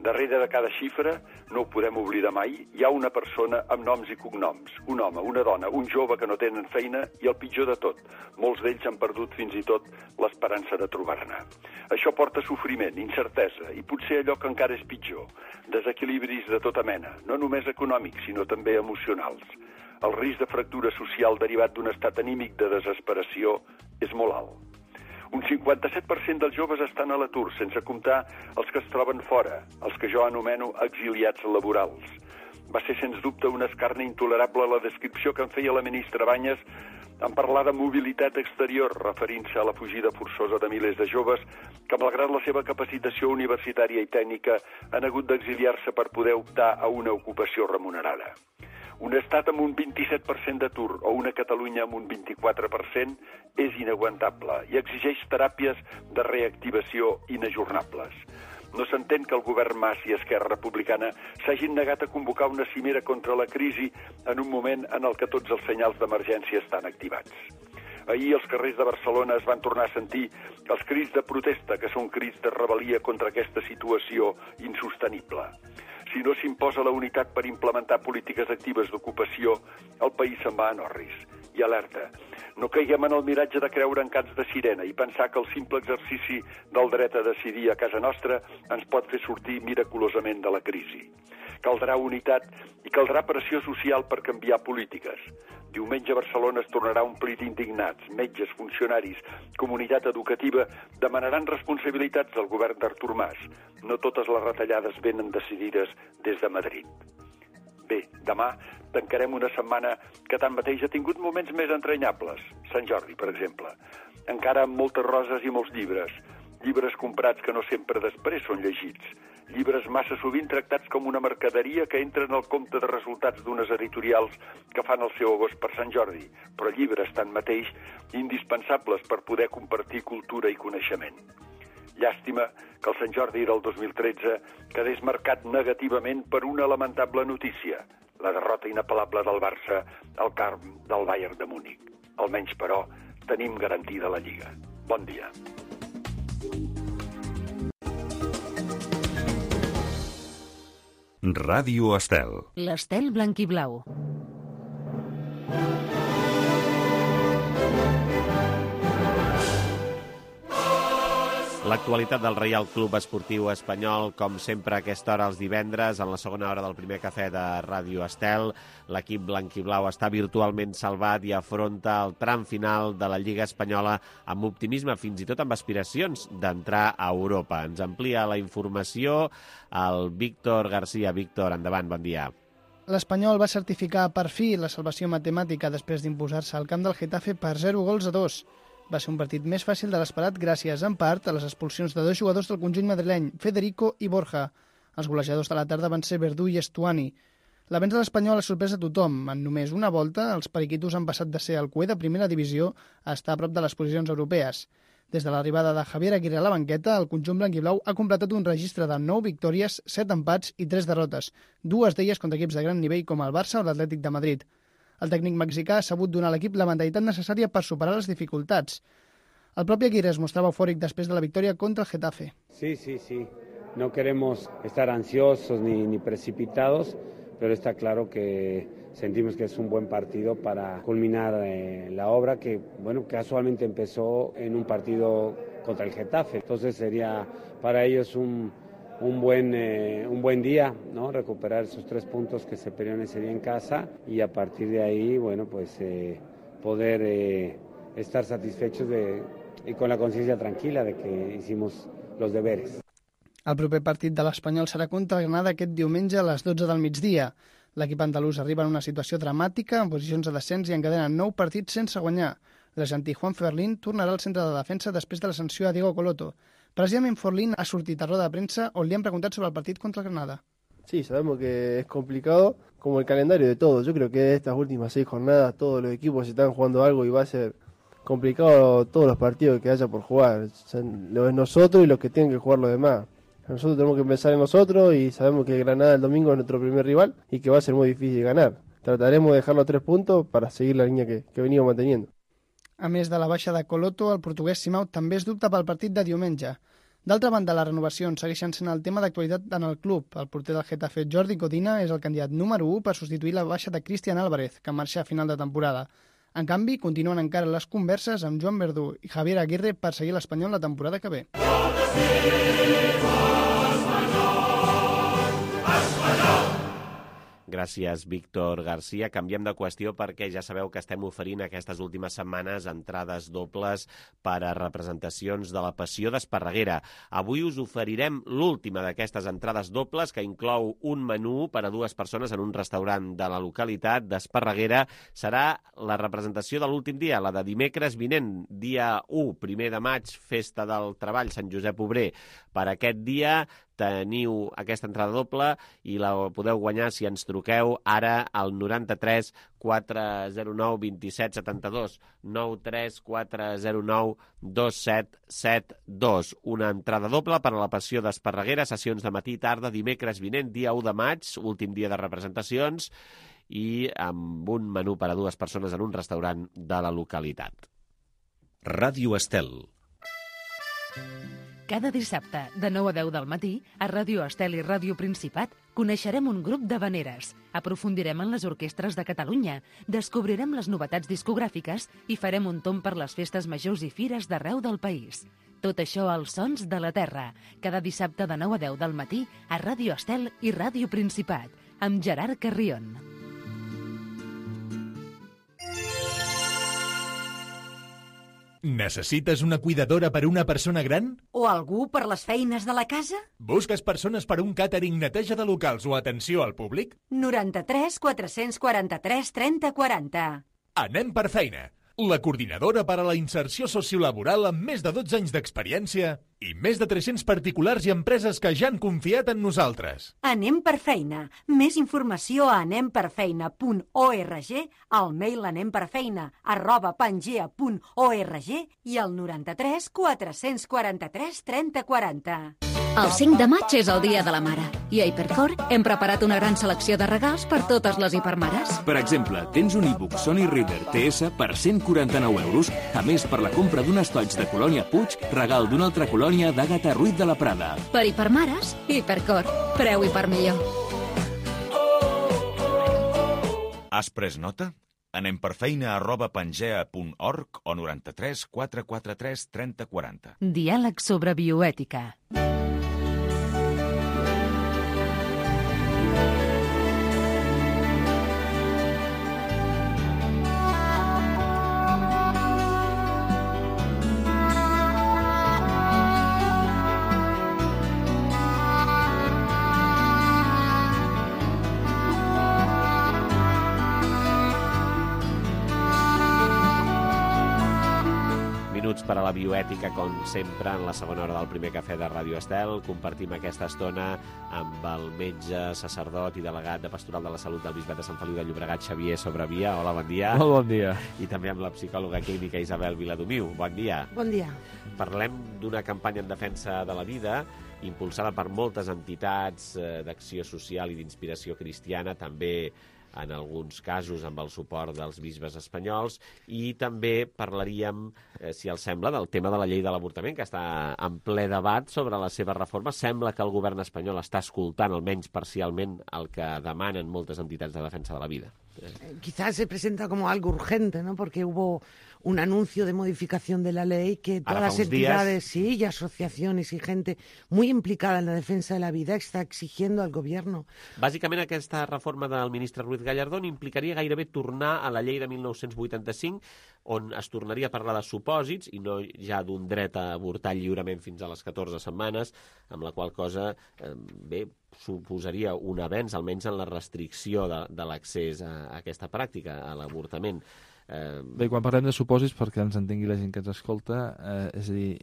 Darrere de cada xifra, no ho podem oblidar mai, hi ha una persona amb noms i cognoms. Un home, una dona, un jove que no tenen feina i el pitjor de tot, molts d'ells han perdut fins i tot l'esperança de trobar-ne. Això porta sofriment, incertesa i potser allò que encara és pitjor, desequilibris de tota mena, no només econòmics, sinó també emocionals. El risc de fractura social derivat d'un estat anímic de desesperació és molt alt. Un 57% dels joves estan a l'atur, sense comptar els que es troben fora, els que jo anomeno exiliats laborals. Va ser, sens dubte, un escarni intolerable la descripció que en feia la ministra Banyes en parlar de mobilitat exterior, referint-se a la fugida forçosa de milers de joves que, malgrat la seva capacitació universitària i tècnica, han hagut d'exiliar-se per poder optar a una ocupació remunerada. Un estat amb un 27% d'atur o una Catalunya amb un 24% és inaguantable i exigeix teràpies de reactivació inajornables. No s'entén que el govern Mas i Esquerra Republicana s'hagin negat a convocar una cimera contra la crisi en un moment en el que tots els senyals d'emergència estan activats. Ahir els carrers de Barcelona es van tornar a sentir els crits de protesta, que són crits de rebel·lia contra aquesta situació insostenible. Si no s'imposa la unitat per implementar polítiques actives d'ocupació, el país se'n va en orris. I alerta, no caiguem en el miratge de creure en cants de sirena i pensar que el simple exercici del dret a decidir a casa nostra ens pot fer sortir miraculosament de la crisi. Caldrà unitat i caldrà pressió social per canviar polítiques. Diumenge a Barcelona es tornarà a omplir d'indignats, metges, funcionaris, comunitat educativa, demanaran responsabilitats del govern d'Artur Mas. No totes les retallades venen decidides des de Madrid. Bé, demà tancarem una setmana que tanmateix ha tingut moments més entranyables. Sant Jordi, per exemple. Encara amb moltes roses i molts llibres. Llibres comprats que no sempre després són llegits. Llibres massa sovint tractats com una mercaderia que entren al compte de resultats d'unes editorials que fan el seu agost per Sant Jordi, però llibres, tanmateix, indispensables per poder compartir cultura i coneixement. Llàstima que el Sant Jordi del 2013 quedés marcat negativament per una lamentable notícia, la derrota inapel·lable del Barça al camp del Bayern de Múnich. Almenys, però, tenim garantida la Lliga. Bon dia. Ràdio Estel. L'Estel blanc i blau. L'actualitat del Reial Club Esportiu Espanyol, com sempre a aquesta hora els divendres, en la segona hora del primer cafè de Ràdio Estel. L'equip blanquiblau està virtualment salvat i afronta el tram final de la Lliga Espanyola amb optimisme, fins i tot amb aspiracions d'entrar a Europa. Ens amplia la informació el Víctor García. Víctor, endavant, bon dia. L'Espanyol va certificar per fi la salvació matemàtica després d'imposar-se al camp del Getafe per 0-2. Va ser un partit més fàcil de l'esperat gràcies, en part, a les expulsions de 2 jugadors del conjunt madrileny, Federico i Borja. Els golejadors de la tarda van ser Verdú i Estuani. L'avenç de l'Espanyol ha sorprès a tothom. En només una volta, els periquitos han passat de ser el cué de primera divisió a estar a prop de les posicions europees. Des de l'arribada de Javier Aguirre a la banqueta, el conjunt blanquiblau ha completat un registre de 9 victòries, 7 empats i 3 derrotes, 2 d'elles contra equips de gran nivell com el Barça o l'Atlètic de Madrid. El tècnic mexicà ha sabut donar a l'equip la mentalitat necessària per superar les dificultats. El propi Aguirre es mostrava eufòric després de la victòria contra el Getafe. Sí. No queremos estar ansiosos ni precipitados, pero está claro que sentimos que es un buen partido para culminar la obra que, casualmente empezó en un partido contra el Getafe. Entonces sería para ellos un buen día, ¿no? Recuperar esos 3 puntos que se perdieron ese día en casa y a partir de ahí, poder estar satisfechos y con la conciencia tranquila de que hicimos los deberes. El proper partit de l'Espanyol serà contra el Granada aquest diumenge a les 12 del migdia. L'equip andalús arriba en una situació dramàtica, en posicions de descens i encadena 9 partits sense guanyar. L'argentí Juan Ferlín tornarà al centre de defensa després de la sanció a Diego Coloto. Precisament Forlín ha sortit a roda de premsa on li han preguntat sobre el partit contra el Granada. Sí, sabemos que es complicado, como el calendario de todos. Yo creo que de estas últimas 6 jornadas todos los equipos están jugando algo y va a ser complicado todos los partidos que haya por jugar. Lo es nosotros y los que tienen que jugar los demás. Nosotros tenemos que pensar en nosotros y sabemos que Granada el domingo es nuestro primer rival y que va a ser muy difícil ganar. Trataremos de dejar los 3 puntos para seguir la línea que venimos manteniendo. A més de la baixa de Coloto, el portuguès Simão també es dubta pel partit de diumenge. D'altra banda, les renovacions segueixen sent el tema d'actualitat en el club. El porter del Getafe, Jordi Codina, és el candidat número 1 per substituir la baixa de Cristian Álvarez, que marxa a final de temporada. En canvi, continuen encara les converses amb Joan Verdú i Javier Aguirre per seguir l'Espanyol la temporada que ve. Gràcies, Víctor García. Canviem de qüestió perquè ja sabeu que estem oferint aquestes últimes setmanes entrades dobles per a representacions de la Passió d'Esparreguera. Avui us oferirem l'última d'aquestes entrades dobles, que inclou un menú per a 2 persones en un restaurant de la localitat d'Esparreguera. Serà la representació de l'últim dia, la de dimecres vinent, dia 1, 1 de maig, Festa del Treball, Sant Josep Obrer. Per aquest dia teniu aquesta entrada doble i la podeu guanyar si ens truqueu ara al 93 409 27 72, 93 409 2772. Una entrada doble per a la Passió d'Esparreguera, sessions de matí i tarda, dimecres vinent, dia 1 de maig, últim dia de representacions, i amb un menú per a 2 persones en un restaurant de la localitat. Ràdio Estel. Cada dissabte, de 9 a 10 del matí, a Ràdio Estel i Ràdio Principat, coneixerem un grup d'havaneres, aprofundirem en les orquestres de Catalunya, descobrirem les novetats discogràfiques i farem un tomb per les festes majors i fires d'arreu del país. Tot això als Sons de la Terra, cada dissabte de 9 a 10 del matí, a Ràdio Estel i Ràdio Principat, amb Gerard Carrion. Necessites una cuidadora per a una persona gran? O algú per les feines de la casa? Busques persones per a un càtering, neteja de locals o atenció al públic? 93 443 30 40. Anem per feina. La coordinadora per a la inserció sociolaboral amb més de 12 anys d'experiència i més de 300 particulars i empreses que ja han confiat en nosaltres. Anem per feina. Més informació a anemperfeina.org, al mail anemperfeina@pangea.org i al 93 443 30 40. El 5 de maig és el Dia de la Mare i a Hipercor hem preparat una gran selecció de regals per totes les hipermares. Per exemple, tens un e-book Sony Reader TS per 149 euros, a més per la compra d'un estoig de Colònia Puig, regal d'una altra colònia d'Àgata Ruiz de la Prada. Per hipermares, Hipercor. Preu hiper millor. Has pres nota? anemperfeina@pangea.org o 93 443 30 40. Diàleg sobre bioètica. Per a la bioètica, com sempre, en la segona hora del primer cafè de Ràdio Estel. Compartim aquesta estona amb el metge, sacerdot i delegat de Pastoral de la Salut del Bisbat de Sant Feliu de Llobregat, Xavier Sobravia. Hola, bon dia. Molt bon dia. I també amb la psicòloga clínica Isabel Viladomiu. Bon dia. Bon dia. Parlem d'una campanya en defensa de la vida impulsada per moltes entitats d'acció social i d'inspiració cristiana, també en alguns casos amb el suport dels bisbes espanyols, i també parlaríem, si els sembla, del tema de la llei de l'avortament, que està en ple debat sobre la seva reforma. Sembla que el govern espanyol està escoltant, almenys parcialment, el que demanen moltes entitats de defensa de la vida. Quizás se presenta como algo urgente, ¿no? Porque hubo un anuncio de modificación de la ley que todas las entidades, sí, y asociaciones y gente muy implicada en la defensa de la vida está exigiendo al gobierno. Bàsicament, aquesta reforma del ministre Ruiz Gallardón implicaria gairebé tornar a la llei de 1985, on es tornaria a parlar de supòsits i no ja d'un dret a avortar lliurement fins a les 14 setmanes, amb la qual cosa, bé, suposaria un avenç, almenys en la restricció de l'accés a aquesta pràctica, a l'avortament. Bé, quan parlem de supòsits, perquè ens entengui la gent que ens escolta, és a dir,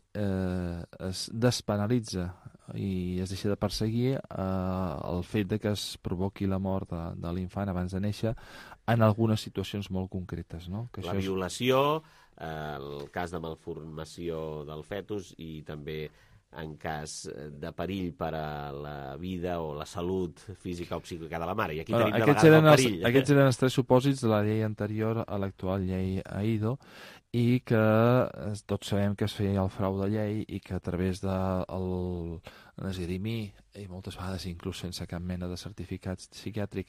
es despenalitza i es deixa de perseguir el fet de que es provoqui la mort de l'infant abans de néixer en algunes situacions molt concretes, no? Que la violació, el cas de malformació del fetus i també en cas de perill per a la vida o la salut física o psíquica de la mare. I aquí tenim de vegades el perill. Aquests eren els 3 supòsits de la llei anterior a l'actual llei AIDO, i que tots sabem que es feia el frau de llei i que a través de l'esgrimir, i moltes vegades inclús sense cap mena de certificat psiquiàtric,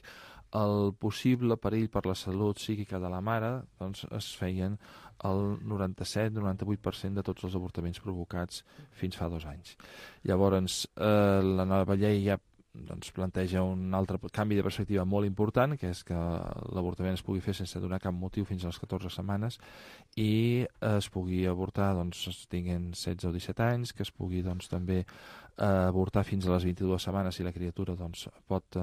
el possible perill per la salut psíquica de la mare, doncs es feien el 97-98% de tots els avortaments provocats fins fa 2 anys. Llavors, la nova llei ja planteja un altre canvi de perspectiva molt important, que és que l'avortament es pugui fer sense donar cap motiu fins a les 14 setmanes i es pugui avortar, es tinguin 16 o 17 anys, que es pugui també avortar fins a les 22 setmanes si la criatura pot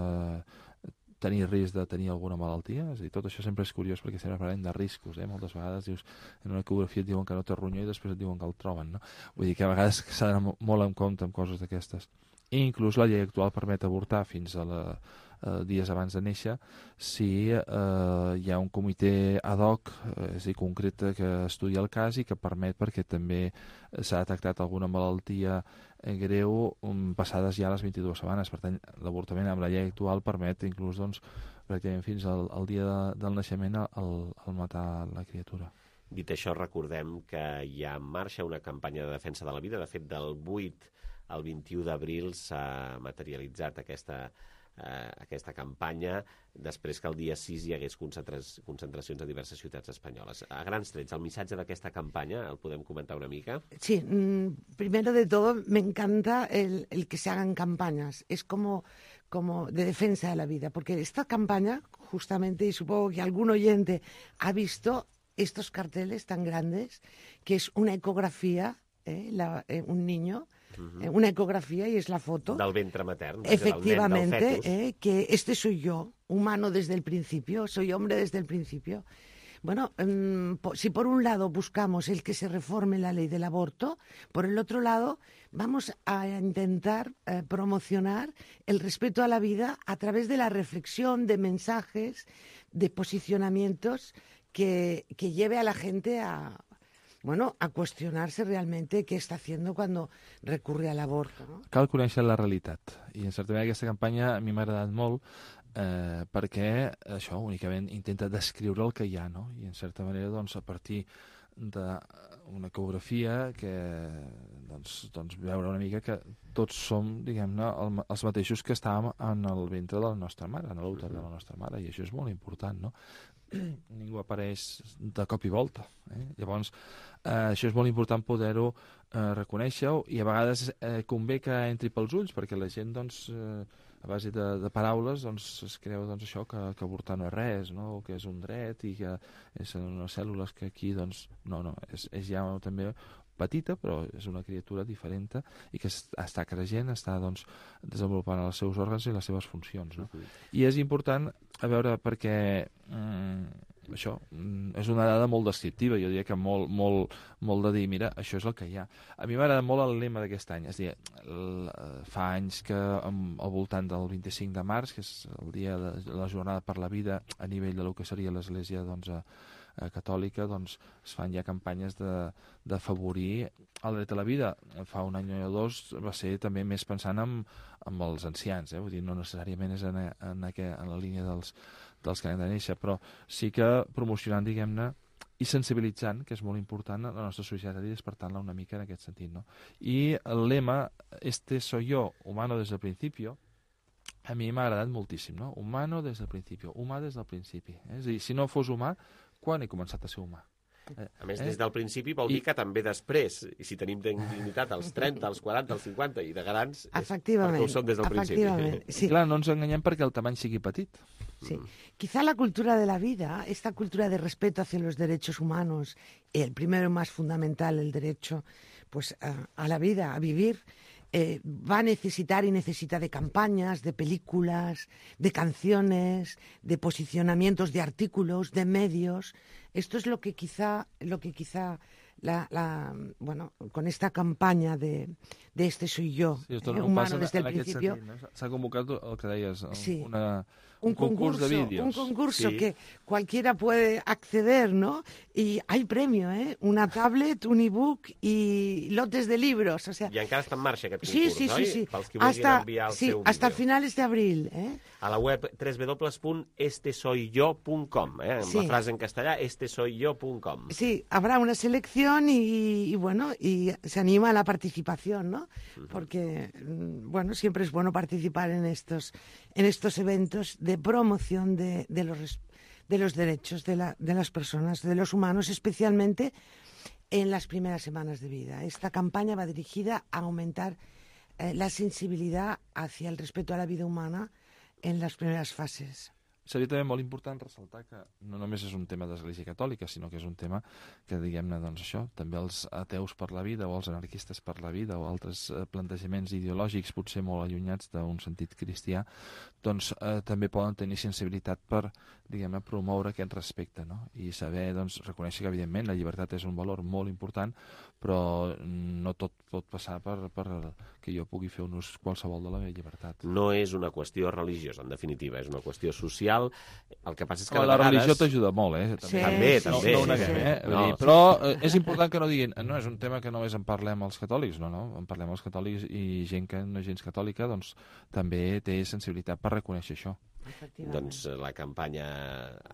tenir risc de tenir alguna malaltia. És a dir, tot això sempre és curiós perquè sempre parlem de riscos. Moltes vegades dius, en una ecografia et diuen que no té ronyó i després et diuen que el troben, no? Vull dir que a vegades s'ha d'anar molt en compte amb coses d'aquestes. I inclús la llei actual permet avortar fins a dies abans de néixer si hi ha un comitè ad hoc, és a dir, concret, que estudia el cas i que permet, perquè també s'ha detectat alguna malaltia greu passades ja les 22 setmanes. Per tant, l'avortament amb la llei actual permet inclús pràcticament fins al dia del naixement el matar la criatura. Dit això, recordem que hi ha en marxa una campanya de defensa de la vida. De fet, del 8 al 21 d'abril s'ha materialitzat aquesta campanya, després que el dia 6 hi hagués concentracions a diverses ciutats espanyoles. A grans trets, el missatge d'aquesta campanya el podem comentar una mica? Sí, primero de todo me encanta el que se hagan campañas. Es como de defensa de la vida, porque esta campaña, justamente, y supongo que algún oyente ha visto estos carteles tan grandes, que es una ecografía, un niño, una ecografía y es la foto del ventre matern, efectivamente, del fetus. Que este soy yo, humano desde el principio, soy hombre desde el principio. Bueno, si por un lado buscamos el que se reforme la ley del aborto, por el otro lado vamos a intentar promocionar el respeto a la vida a través de la reflexión, de mensajes, de posicionamientos que lleve a la gente a qüestionar-se realment què està fent quan recurre a l'avorto. No? Cal conèixer la realitat. I en certa manera aquesta campanya a mi m'ha agradat molt perquè això únicament intenta descriure el que hi ha, no? I en certa manera a partir d'una ecografia que doncs veure una mica que tots som, diguem-ne, els mateixos que estàvem en el ventre de la nostra mare, en l'úter de la nostra mare, i això és molt important, no? Ningú apareix de cop i volta. Llavors, això és molt important poder-ho reconèixer, i a vegades convé que entri pels ulls, perquè la gent, doncs, a base de paraules, doncs, es creu això, que avortar no és res, no? O que és un dret i que són unes cèl·lules que aquí, doncs, no, és ja també petita, però és una criatura diferent i que està creixent, està doncs, desenvolupant els seus òrgans i les seves funcions. No? I és important, a veure, perquè això és una dada molt descriptiva, jo diria que molt de dir, mira, això és el que hi ha. A mi m'agrada molt el lema d'aquest any, és a dir, fa anys que al voltant del 25 de març, que és el dia de la jornada per la vida a nivell del que seria l'Església catòlica, doncs es fan ja campanyes d'afavorir el dret a la vida. Fa un any o dos va ser també més pensant en els ancians, vull dir, no necessàriament és en la línia dels que han de néixer, però sí que promocionant, diguem-ne, i sensibilitzant, que és molt important, la nostra societat, i despertant-la una mica en aquest sentit, no? I el lema, este soy yo, humano desde el principio, a mi m'ha agradat moltíssim, no? Humano des del principi, humà des del principi. És a dir, si no fos humà, quan he començat a ser humà? A més, des del principi vol dir que també després, i si tenim dignitat als 30, als 40, als 50 i de grans, és perquè ho som des del principi. Sí. Clar, no ens enganyem perquè el tamany sigui petit. Sí. Quizá la cultura de la vida, esta cultura de respeto hacia los derechos humanos, el primero más fundamental, el derecho pues, a la vida, a vivir, va a necesitar y necesita de campañas, de películas, de canciones, de posicionamientos, de artículos, de medios. Esto es lo que quizá bueno, con esta campaña de este soy yo, humano desde el principio. S'ha convocat el que deies, un concurso de vídeos. Un concurso que cualquiera puede acceder, ¿no? Y hay premio, una tablet, un ebook y lotes de libros. O sea, I encara està en marxa aquest concurs, oi? Sí. Pels que vulguin enviar el seu vídeo. Hasta finales de abril. A la web www.estesoyyo.com, amb la frase en castellà, estesoyyo.com. Sí, habrá una selección y bueno, y se anima a la participación, ¿no? Porque, bueno, siempre es bueno participar en estos eventos de promoción de los derechos de las personas, de los humanos, especialmente en las primeras semanas de vida. Esta campaña va dirigida a aumentar la sensibilidad hacia el respeto a la vida humana en las primeras fases. Seria també molt important ressaltar que no només és un tema d'Església Catòlica, sinó que és un tema que, diguem-ne, doncs això, també els ateus per la vida o els anarquistes per la vida o altres plantejaments ideològics potser molt allunyats d'un sentit cristià, doncs també poden tenir sensibilitat per, diguem-ne, promoure aquest respecte, no? I saber, doncs, reconèixer que, evidentment, la llibertat és un valor molt important, però no tot pot passar per que jo pugui fer un ús qualsevol de la meva llibertat. No és una qüestió religiosa, en definitiva, és una qüestió social. El que passa és que la religió t'ajuda molt, També. No ho neguem, però és important que no diguin, no, és un tema que només en parlem els catòlics, no, en parlem els catòlics i gent que no és gens catòlica, doncs també té sensibilitat per reconèixer això. Doncs la campanya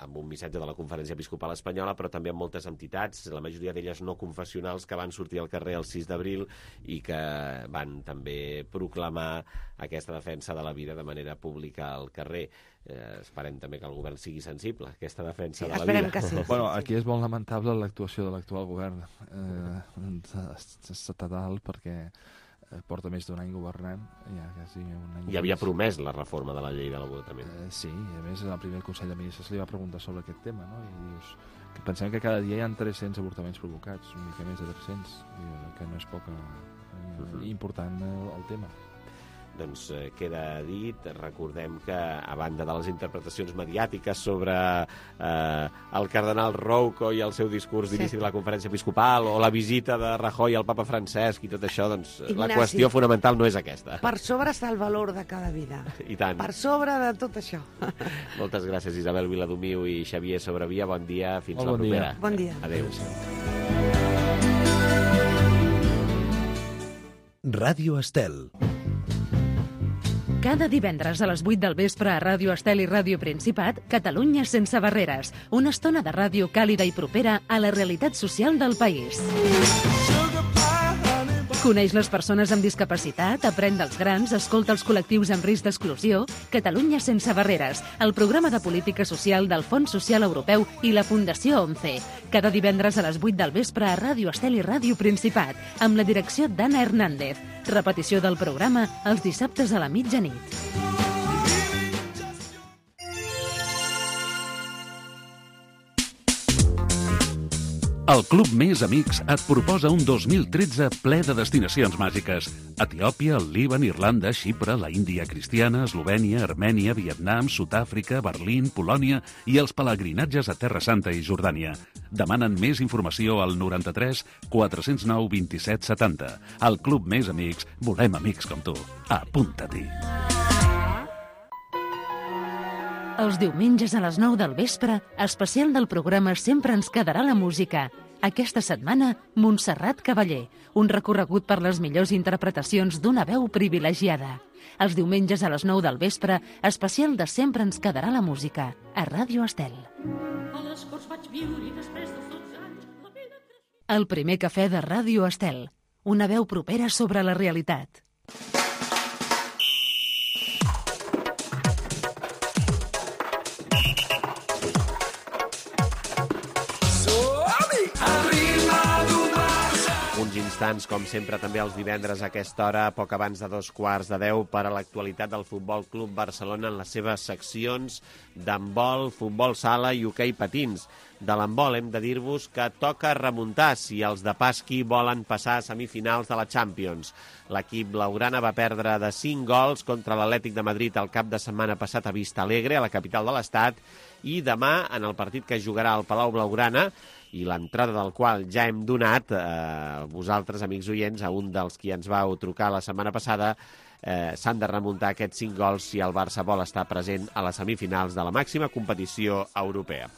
amb un missatge de la Conferència Episcopal Espanyola, però també amb moltes entitats, la majoria d'elles no confessionals, que van sortir al carrer el 6 d'abril i que van també proclamar aquesta defensa de la vida de manera pública al carrer. Esperem també que el govern sigui sensible a aquesta defensa de la vida. Que sí. Bueno, aquí és molt lamentable l'actuació de l'actual govern estatal, perquè porta més d'un any governant, ja quasi un any. I havia promès la reforma de la llei de l'avortament. Sí, i a més el primer Consell de Ministres li va preguntar sobre aquest tema, no? I dius que pensem que cada dia hi ha 300 avortaments provocats, una mica més de 300, que no és poc important el tema. Doncs queda dit. Recordem que, a banda de les interpretacions mediàtiques sobre el cardenal Rouco i el seu discurs d'inici de la conferència episcopal o la visita de Rajoy al papa Francesc i tot això, doncs Ignasi, la qüestió fonamental no és aquesta. Per sobre està el valor de cada vida. I tant. Per sobre de tot això. Moltes gràcies, Isabel Viladomiu i Xavier Sobrevia. Bon dia, fins la propera. Bon dia. Adéu. Ràdio Estel. Cada divendres a les 8 del vespre a Ràdio Estel i Ràdio Principat, Catalunya sense barreres. Una estona de ràdio càlida i propera a la realitat social del país. Coneix les persones amb discapacitat, aprèn dels grans, escolta els col·lectius amb risc d'exclusió. Catalunya sense barreres, el programa de política social del Fons Social Europeu i la Fundació ONCE. Cada divendres a les 8 del vespre a Ràdio Estel i Ràdio Principat, amb la direcció d'Anna Hernández. Repetició del programa els dissabtes a la mitjanit. El Club Més Amics et proposa un 2013 ple de destinacions màgiques. Etiòpia, el Líban, Irlanda, Xipre, la Índia cristiana, Eslovènia, Armènia, Vietnam, Sud-àfrica, Berlín, Polònia i els pelegrinatges a Terra Santa i Jordània. Demanen més informació al 93 409 27 70. Al Club Més Amics volem amics com tu. Apunta-t'hi. Els diumenges a les 9 del vespre, especial del programa Sempre ens quedarà la música. Aquesta setmana, Montserrat Cavaller, un recorregut per les millors interpretacions d'una veu privilegiada. Els diumenges a les 9 del vespre, especial de Sempre ens quedarà la música, a Ràdio Estel. El primer cafè de Ràdio Estel, una veu propera sobre la realitat. Uns instants, com sempre, també els divendres a aquesta hora, poc abans de 9:15, per a l'actualitat del Futbol Club Barcelona en les seves seccions d'handbol, futbol sala i hoquei patins. De l'handbol hem de dir-vos que toca remuntar si els de Pasqui volen passar a semifinals de la Champions. L'equip blaugrana va perdre de 5 gols contra l'Atlètic de Madrid el cap de setmana passat a Vista Alegre, a la capital de l'Estat, i demà, en el partit que jugarà al Palau Blaugrana, i l'entrada del qual ja hem donat vosaltres, amics oients, a un dels qui ens vau trucar la setmana passada, s'han de remuntar aquests 5 gols si el Barça vol estar present a les semifinals de la màxima competició europea.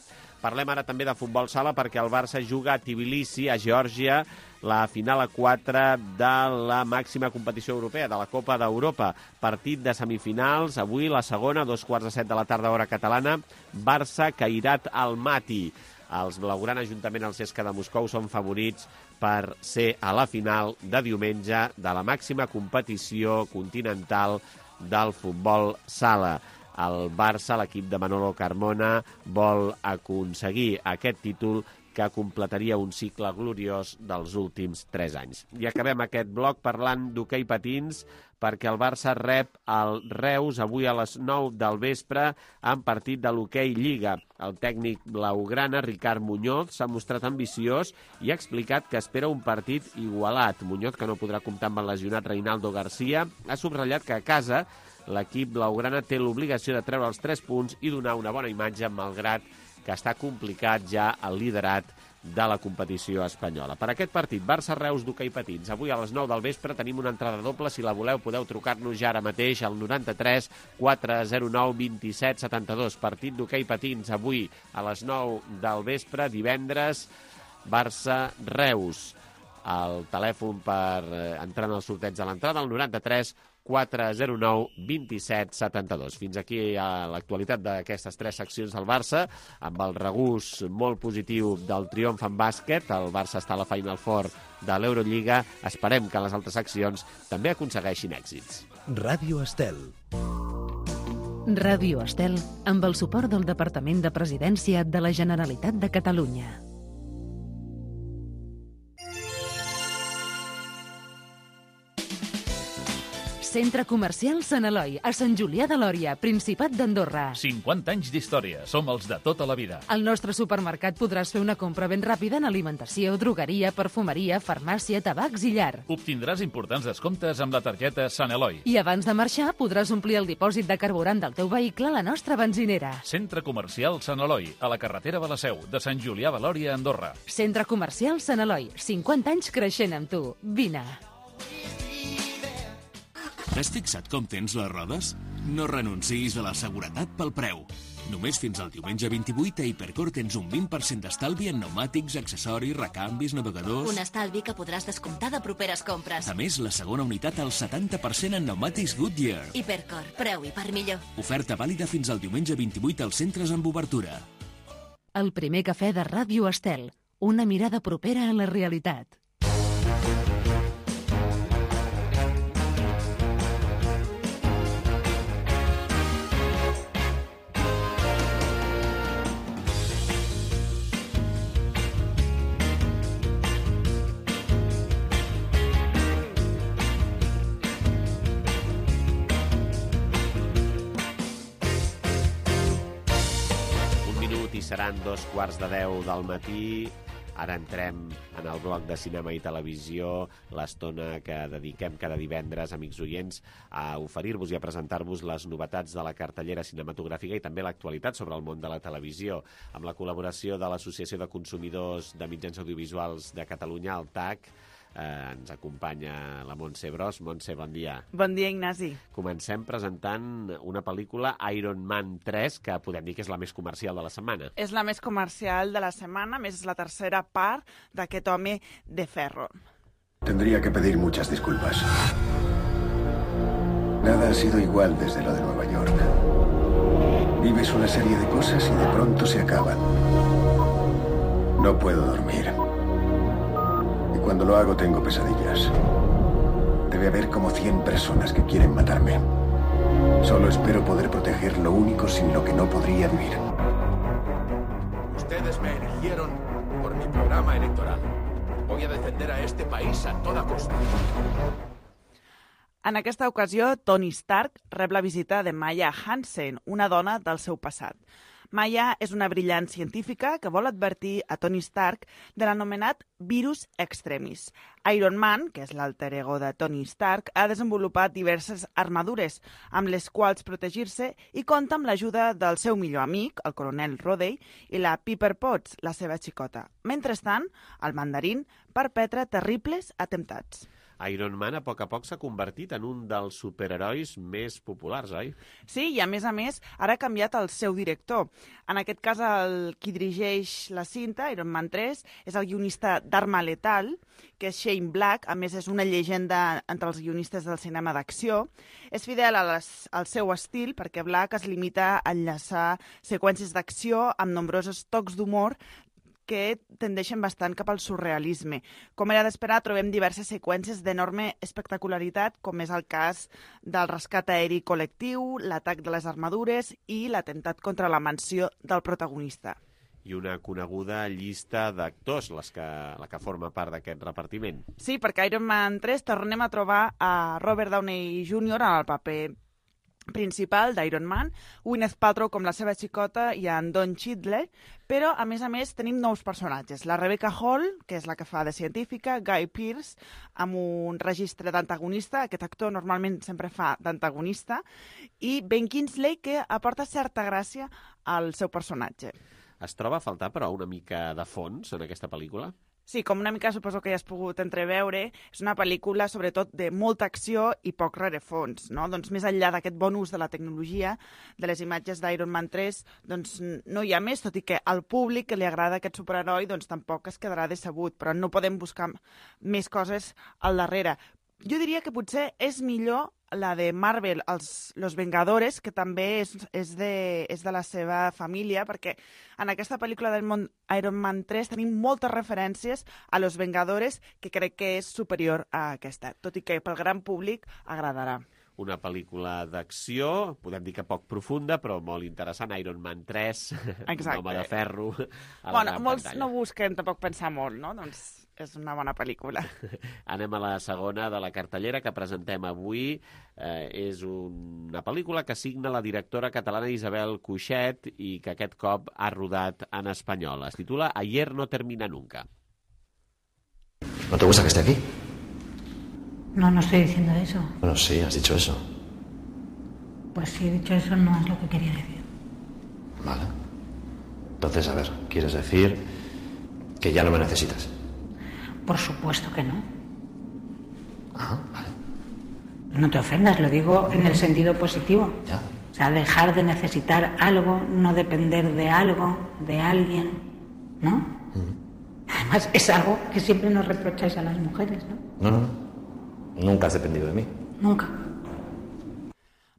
Parlem ara també de futbol sala perquè el Barça juga a Tbilisi, a Geòrgia, la final a 4 de la màxima competició europea, de la Copa d'Europa. Partit de semifinals, avui la segona, 2:15 de la tarda, hora catalana, Barça-Cairat Almaty. Els blaugrana, juntament al CSKA de Moscou, són favorits per ser a la final de diumenge de la màxima competició continental del futbol sala. El Barça, l'equip de Manolo Carmona, vol aconseguir aquest títol que completaria un cicle gloriós dels últims 3 anys. I acabem aquest bloc parlant d'hoquei patins, perquè el Barça rep el Reus avui a les 9 del vespre en partit de l'hoquei Lliga. El tècnic blaugrana, Ricard Muñoz, s'ha mostrat ambiciós i ha explicat que espera un partit igualat. Muñoz, que no podrà comptar amb el lesionat Reinaldo García, ha subratllat que a casa l'equip blaugrana té l'obligació de treure els 3 punts i donar una bona imatge, malgrat que està complicat ja el liderat de la competició espanyola. Per aquest partit, Barça-Reus d'hoquei patins. Avui a les 9 del vespre tenim una entrada doble. Si la voleu, podeu trucar-nos ja ara mateix al 93 409 27 72. Partit d'hoquei patins avui a les 9 del vespre, divendres, Barça-Reus. El telèfon per entrar en el sorteig de l'entrada, el 93 409 27 72. Fins aquí a l'actualitat d'aquestes 3 seccions del Barça, amb el regús molt positiu del triomf en bàsquet. El Barça està a la Final Four de l'Eurolliga. Esperem que les altres seccions també aconsegueixin èxits. Ràdio Estel. Ràdio Estel, amb el suport del Departament de Presidència de la Generalitat de Catalunya. Centre Comercial Sant Eloi, a Sant Julià de Lòria, Principat d'Andorra. 50 anys d'història. Som els de tota la vida. Al nostre supermercat podràs fer una compra ben ràpida en alimentació, drogueria, perfumeria, farmàcia, tabacs i llar. Obtindràs importants descomptes amb la targeta Sant Eloi. I abans de marxar podràs omplir el dipòsit de carburant del teu vehicle a la nostra benzinera. Centre Comercial Sant Eloi, a la carretera de la Seu, de Sant Julià de Lòria, Andorra. Centre Comercial Sant Eloi, 50 anys creixent amb tu. Vine. T'has fixat com tens les rodes? No renunciïs a la seguretat pel preu. Només fins al diumenge 28 a Hipercor tens un 20% d'estalvi en pneumàtics, accessoris, recanvis, navegadors... Un estalvi que podràs descomptar de properes compres. A més, la segona unitat al 70% en pneumàtics Goodyear. Hipercor, preu i per millor. Oferta vàlida fins al diumenge 28 als centres amb obertura. El primer cafè de Ràdio Estel. Una mirada propera a la realitat. Seran 2:15 del matí. Ara entrem en el bloc de cinema i televisió, l'estona que dediquem cada divendres, amics oients, a oferir-vos i a presentar-vos les novetats de la cartellera cinematogràfica i també l'actualitat sobre el món de la televisió, amb la col·laboració de l'Associació de Consumidors de Mitjans Audiovisuals de Catalunya, el TAC. Ens acompanya la Montse Bros. Montse, bon dia. Bon dia, Ignasi. Comencem presentant una pel·lícula, Iron Man 3, que podem dir que és la més comercial de la setmana. És la més comercial de la setmana, més és la tercera part d'aquest home de ferro. Tendría que pedir muchas disculpas. Nada ha sido igual desde lo de Nueva York. Vives una serie de cosas y de pronto se acaban. No puedo dormir. Cuando lo hago tengo pesadillas. Debe haber como 100 personas que quieren matarme. Solo espero poder proteger lo único sin lo que no podría vivir. Ustedes me eligieron por mi programa electoral. Voy a defender a este país a toda costa. En aquesta ocasió, Tony Stark rep la visita de Maya Hansen, una dona del seu passat. Maya és una brillant científica que vol advertir a Tony Stark de l'anomenat virus extremis. Iron Man, que és l'alter ego de Tony Stark, ha desenvolupat diverses armadures amb les quals protegir-se i compta amb l'ajuda del seu millor amic, el coronel Rhodey, i la Pepper Potts, la seva xicota. Mentrestant, el mandarín perpetra terribles atemptats. Iron Man a poc s'ha convertit en un dels superherois més populars, oi? Sí, i a més, ara ha canviat el seu director. En aquest cas, el qui dirigeix la cinta, Iron Man 3, és el guionista d'Arma Letal, que és Shane Black, a més és una llegenda entre els guionistes del cinema d'acció. És fidel al seu estil perquè Black es limita a enllaçar seqüències d'acció amb nombrosos tocs d'humor que tendeixen bastant cap al surrealisme. Com era d'esperar, trobem diverses seqüències d'enorme espectacularitat, com és el cas del rescat aeri col·lectiu, l'atac de les armadures i l'atemptat contra la mansió del protagonista. I una coneguda llista d'actors, la que forma part d'aquest repartiment. Sí, perquè a Iron Man 3 tornem a trobar a Robert Downey Jr. en el paper principal d'Iron Man, Gwyneth Paltrow com la seva xicota i en Don Cheadle, però, a més, tenim nous personatges. La Rebecca Hall, que és la que fa de científica, Guy Pearce, amb un registre d'antagonista, aquest actor normalment sempre fa d'antagonista, i Ben Kingsley, que aporta certa gràcia al seu personatge. Es troba a faltar, però, una mica de fons en aquesta pel·lícula? Sí, com una mica suposo que ja has pogut entreveure, és una pel·lícula sobretot de molta acció i poc rerefons, no? Doncs més enllà d'aquest bon ús de la tecnologia, de les imatges d'Iron Man 3, doncs no hi ha més, tot i que al públic que li agrada aquest superheroi doncs tampoc es quedarà decebut, però no podem buscar més coses al darrere. Jo diria que potser és millor la de Marvel, Los Vengadores, que també és de la seva família, perquè en aquesta pel·lícula del món Iron Man 3 tenim moltes referències a Los Vengadores, que crec que és superior a aquesta, tot i que pel gran públic agradarà. Una pel·lícula d'acció, podem dir que poc profunda, però molt interessant, Iron Man 3, un home de ferro a la gran molts pantalla. no busquen tampoc pensar molt, no? Doncs és una bona pel·lícula. Anem a la segona de la cartellera que presentem avui. És una pel·lícula que signa la directora catalana Isabel Cuixet i que aquest cop ha rodat en espanyol. Es titula Ayer no termina nunca. ¿No te gusta que esté aquí? No, no estoy diciendo eso. Bueno, sí, has dicho eso. Pues si he dicho eso no es lo que quería decir. Vale. Entonces, a ver, ¿quieres decir que ya no me necesitas? Por supuesto que no. Ah, vale. No te ofendas, lo digo en el sentido positivo. Ya, O sea, dejar de necesitar algo, no depender de algo, de alguien, ¿no? Además, es algo que siempre nos reprocháis a las mujeres, ¿no? No. Nunca has dependido de mí. Nunca.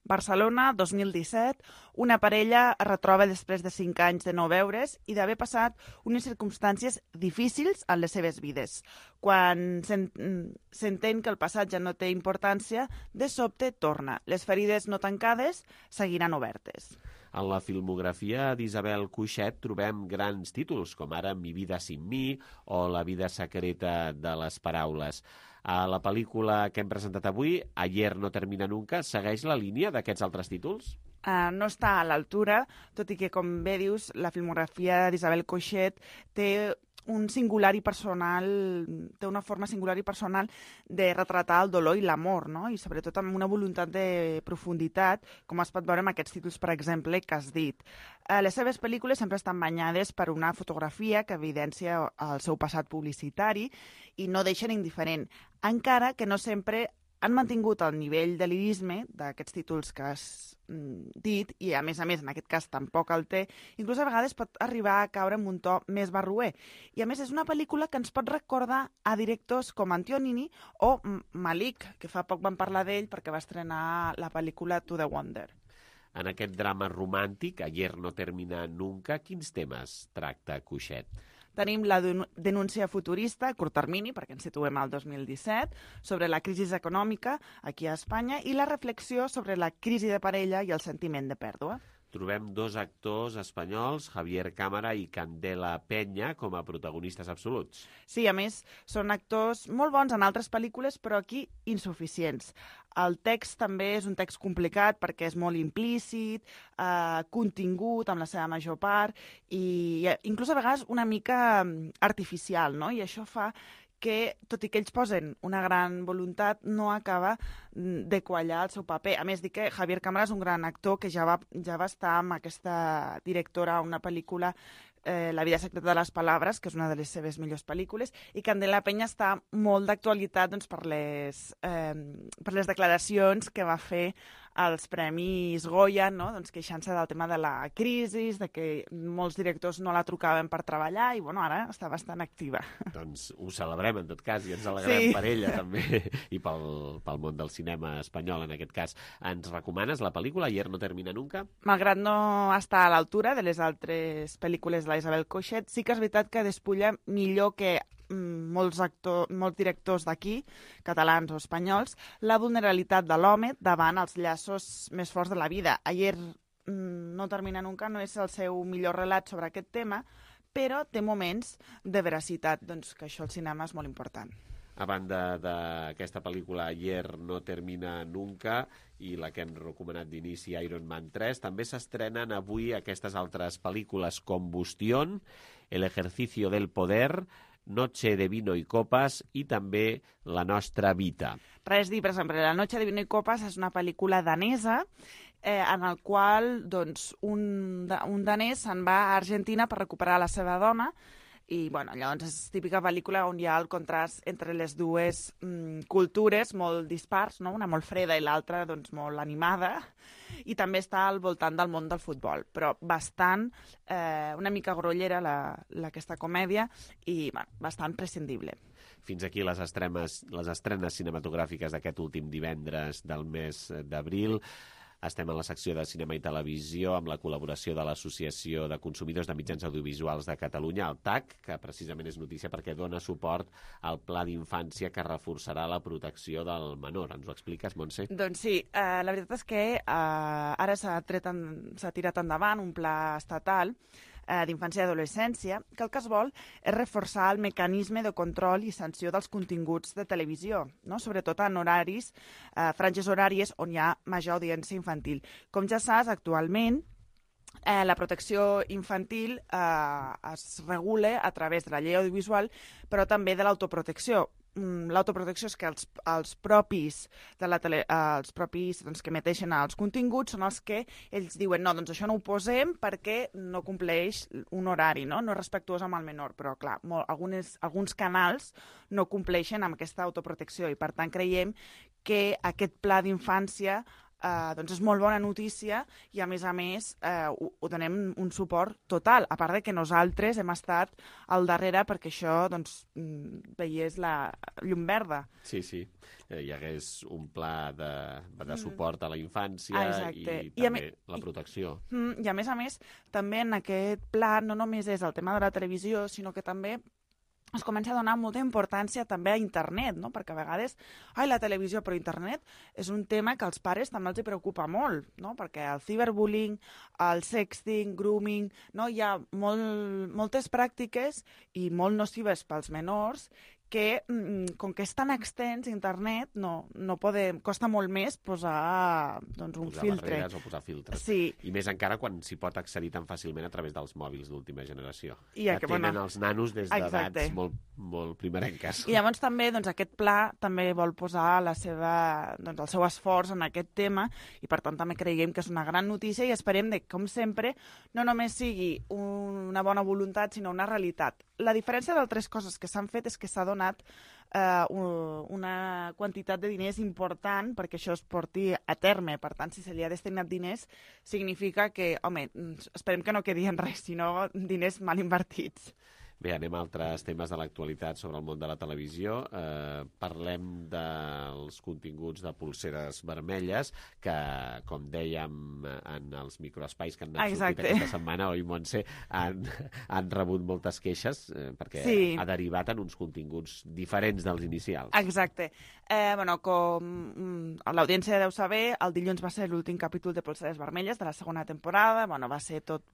Barcelona, 2017, una parella es retroba després de 5 anys de no veure's i d'haver passat unes circumstàncies difícils en les seves vides. Quan s'entén que el passat ja no té importància, de sobte torna. Les ferides no tancades seguiran obertes. En la filmografia d'Isabel Cuixet trobem grans títols, com ara Mi vida sin mi o La vida secreta de les paraules. A la pel·lícula que hem presentat avui, Ayer no termina nunca, segueix la línia d'aquests altres títols? No està a l'altura, tot i que, com bé dius, la filmografia d'Isabel Cuixet té un singular i personal, té una forma singular i personal de retratar el dolor i l'amor, no? I sobretot amb una voluntat de profunditat, com es pot veure amb aquests títols, per exemple, que has dit. Les seves pel·lícules sempre estan banyades per una fotografia que evidencia el seu passat publicitari i no deixen indiferent, encara que no sempre han mantingut el nivell de lirisme d'aquests títols que has dit, i a més, en aquest cas tampoc el té, inclús a vegades pot arribar a caure en un to més barroer. I a més és una pel·lícula que ens pot recordar a directors com Antonini o Malik, que fa poc vam parlar d'ell perquè va estrenar la pel·lícula To the Wonder. En aquest drama romàntic, Ayer no termina nunca, quins temes tracta Cuixet? Tenim la denúncia futurista, a curt termini, perquè ens situem al 2017, sobre la crisi econòmica aquí a Espanya i la reflexió sobre la crisi de parella i el sentiment de pèrdua. Trobem 2 actors espanyols, Javier Cámara i Candela Peña, com a protagonistes absoluts. Sí, a més, són actors molt bons en altres pel·lícules, però aquí insuficients. El text també és un text complicat perquè és molt implícit, contingut amb la seva major part i inclús a vegades una mica artificial, no? I això fa que, tot i que ells posen una gran voluntat, no acaba de quallar el seu paper. A més, dic que Javier Cámara és un gran actor que ja va estar amb aquesta directora a una pel·lícula, La vida secreta de les paraules, que és una de les seves millors pel·lícules, i Candela Peña està molt d'actualitat doncs, per les declaracions que va fer als Premis Goya, no? Doncs, queixant-se del tema de la crisi, de que molts directors no la trucaven per treballar, i bueno, ara està bastant activa. Doncs ho celebrem, en tot cas, i ens alegrem per ella, també, i pel món del cinema espanyol, en aquest cas. Ens recomanes la pel·lícula Ayer no termina nunca? Malgrat no estar a l'altura de les altres pel·lícules de la Isabel Cuixet, sí que és veritat que despulla millor que molts directors d'aquí, catalans o espanyols, la vulnerabilitat de l'home davant els llaços més forts de la vida. Ayer no termina nunca no és el seu millor relat sobre aquest tema, però té moments de veracitat, doncs que això al cinema és molt important. A banda d'aquesta pel·lícula Ayer no termina nunca i la que hem recomanat d'inici Iron Man 3, també s'estrenen avui aquestes altres pel·lícules Combustión, El ejercicio del poder, Noche de vino y copas i també La nostra vida. Res dir, per exemple, La noche de vino y copas és una pel·lícula danesa en el qual doncs, un danès se'n va a Argentina per recuperar la seva dona i bueno, llavors és típica pel·lícula on hi ha el contrast entre les dues cultures molt dispars, no? Una molt freda i l'altra doncs, molt animada, i també està al voltant del món del futbol, però bastant, una mica grollera aquesta comèdia i bueno, bastant prescindible. Fins aquí les estrenes cinematogràfiques d'aquest últim divendres del mes d'abril. Estem en la secció de cinema i televisió amb la col·laboració de l'Associació de Consumidors de Mitjans Audiovisuals de Catalunya, el TAC, que precisament és notícia perquè dona suport al Pla d'Infància que reforçarà la protecció del menor. Ens ho expliques, Montse? Doncs sí, la veritat és que ara s'ha tirat endavant un pla estatal d'infància i adolescència, que el que es vol és reforçar el mecanisme de control i sanció dels continguts de televisió, no? Sobretot en horaris, franges horàries on hi ha major audiència infantil. Com ja saps, actualment la protecció infantil es regula a través de la llei audiovisual, però també de l'autoprotecció. L'autoprotecció és que els propis doncs, que emeteixen els continguts són els que ells diuen no, doncs això no ho posem perquè no compleix un horari, no és respectuós amb el menor, però clar, alguns canals no compleixen amb aquesta autoprotecció i per tant creiem que aquest pla d'infància doncs és molt bona notícia i, a més, ho donem un suport total, a part de que nosaltres hem estat al darrere perquè això veiés la llum verda. Sí, hi hagués un pla de suport a la infància i també la protecció. I, a més, també en aquest pla no només és el tema de la televisió, sinó que també es comença a donar molta importància també a internet, no? Perquè a vegades, la televisió, però internet és un tema que als pares també els preocupa molt, no? Perquè el ciberbullying, el sexting, grooming, no? Hi ha moltes pràctiques i molt nocives pels menors que, com que és tan extens internet, costa molt més posar un filtre. Barreres o posar filtres. Sí. I més encara quan s'hi pot accedir tan fàcilment a través dels mòbils d'última generació. Tenen els nanos des d'edats molt primerenques. I llavors també aquest pla també vol posar el seu esforç en aquest tema i per tant també creiem que és una gran notícia i esperem que, com sempre, no només sigui una bona voluntat sinó una realitat. La diferència d'altres coses que s'han fet és que s'ha donat una quantitat de diners important perquè això es porti a terme. Per tant, si se li ha destinat diners, significa que, esperem que no quedi en res, sinó diners mal invertits. Bé, anem a altres temes de l'actualitat sobre el món de la televisió. Parlem dels continguts de Polseres Vermelles, que, com dèiem en els microespais que han anat sortit aquesta setmana, oi, Montse, han rebut moltes queixes, perquè ha derivat en uns continguts diferents dels inicials. Exacte. Com l'audiència deu saber, el dilluns va ser l'últim capítol de Polseres Vermelles de la segona temporada, va ser tot,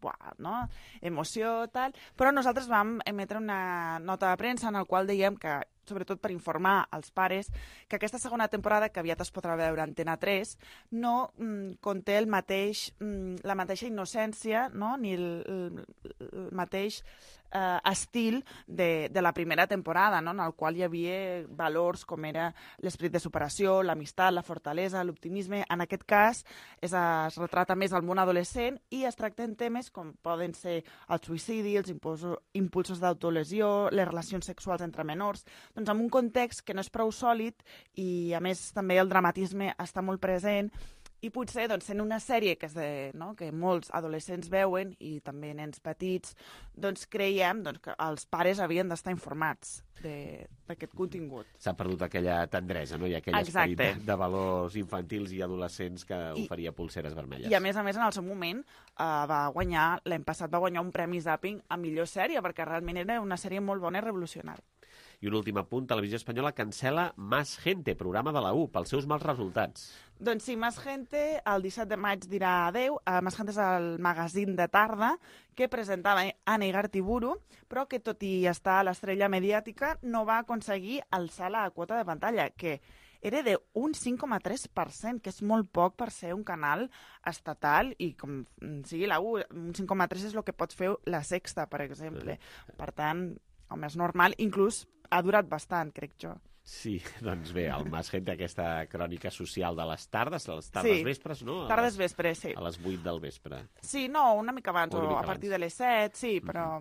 emoció, tal, però nosaltres vam emetre una nota de premsa en la qual dèiem que, sobretot per informar als pares, que aquesta segona temporada, que aviat es podrà veure a Antena 3, no conté la mateixa innocència, ni el mateix estil de la primera temporada, en el qual hi havia valors com era l'esperit de superació, l'amistat, la fortalesa, l'optimisme. En aquest cas es retrata més el món adolescent i es tracten temes com poden ser el suïcidi, els impulsos d'autolesió, les relacions sexuals entre menors, en un context que no és prou sòlid i, a més, també el dramatisme està molt present. I potser, en una sèrie que molts adolescents veuen, i també nens petits, creiem que els pares havien d'estar informats d'aquest contingut. S'ha perdut aquella tendresa, i aquell esperit de valors infantils i adolescents que oferia Polseres Vermelles. I, a més, en el seu moment, l'any passat va guanyar un premi Zapping a millor sèrie, perquè realment era una sèrie molt bona i revolucionària. I un últim apunt, Televisió Espanyola cancela Más Gente, programa de la U, pels seus mals resultats. Doncs sí, Más Gente, el 17 de maig dirà adeu. Más Gente és el magazín de tarda que presentava Anna Igartiburu, però que, tot i estar a l'estrella mediàtica, no va aconseguir alçar la quota de pantalla, que era d'un 5,3%, que és molt poc per ser un canal estatal i com sigui la U, un 5,3% és el que pot fer la Sexta, per exemple. Per tant, és normal, inclús ha durat bastant, crec jo. Sí, doncs bé, el Más Gente, aquesta crònica social de les tardes vespres, no? Tardes vespre, sí. A les 8 del vespre. Sí, no, una mica abans, o a partir de les 7, sí, però...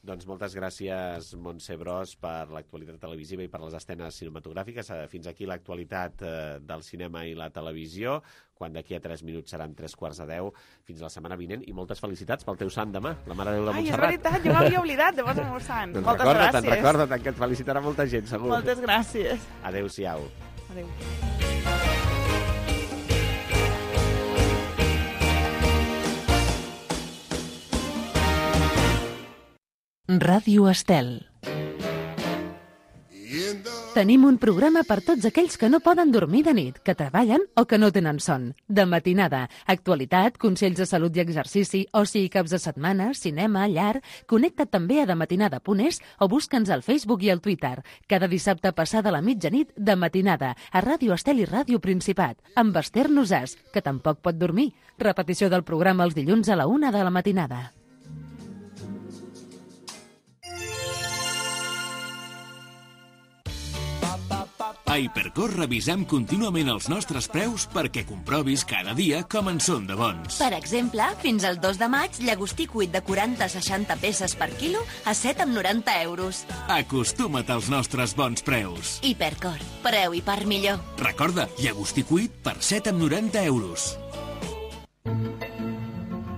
Doncs moltes gràcies, Montse Bros, per l'actualitat televisiva i per les escenes cinematogràfiques. Fins aquí l'actualitat del cinema i la televisió, quan d'aquí a 3 minuts seran 3:15. Fins la setmana vinent i moltes felicitats pel teu sant demà, la Mare de Déu de Montserrat. Ai, és veritat, jo m'havia oblidat de posar el meu sant. Doncs moltes gràcies. Recorda't, que et felicitarà molta gent, segur. Moltes gràcies. Adéu-siau. Adéu. Ràdio Estel. Tenim un programa per tots aquells que no poden dormir de nit, que treballen o que no tenen son. De matinada, actualitat, consells de salut i exercici, oci i caps de setmana, cinema, llar... Connecta't també a dematinada.es o busca'ns al Facebook i al Twitter. Cada dissabte passada la mitjanit, de matinada, a Ràdio Estel i Ràdio Principat, amb Esther Nosàs, que tampoc pot dormir. Repetició del programa els dilluns a la 1 de la matinada. A Hipercor revisem contínuament els nostres preus perquè comprovis cada dia com en són de bons. Per exemple, fins al 2 de maig, llagostí cuit de 40-60 peces per quilo a 7,90 euros. Acostuma't als nostres bons preus. Hipercor, preu i part millor. Recorda, llagostí cuit per 7,90 euros.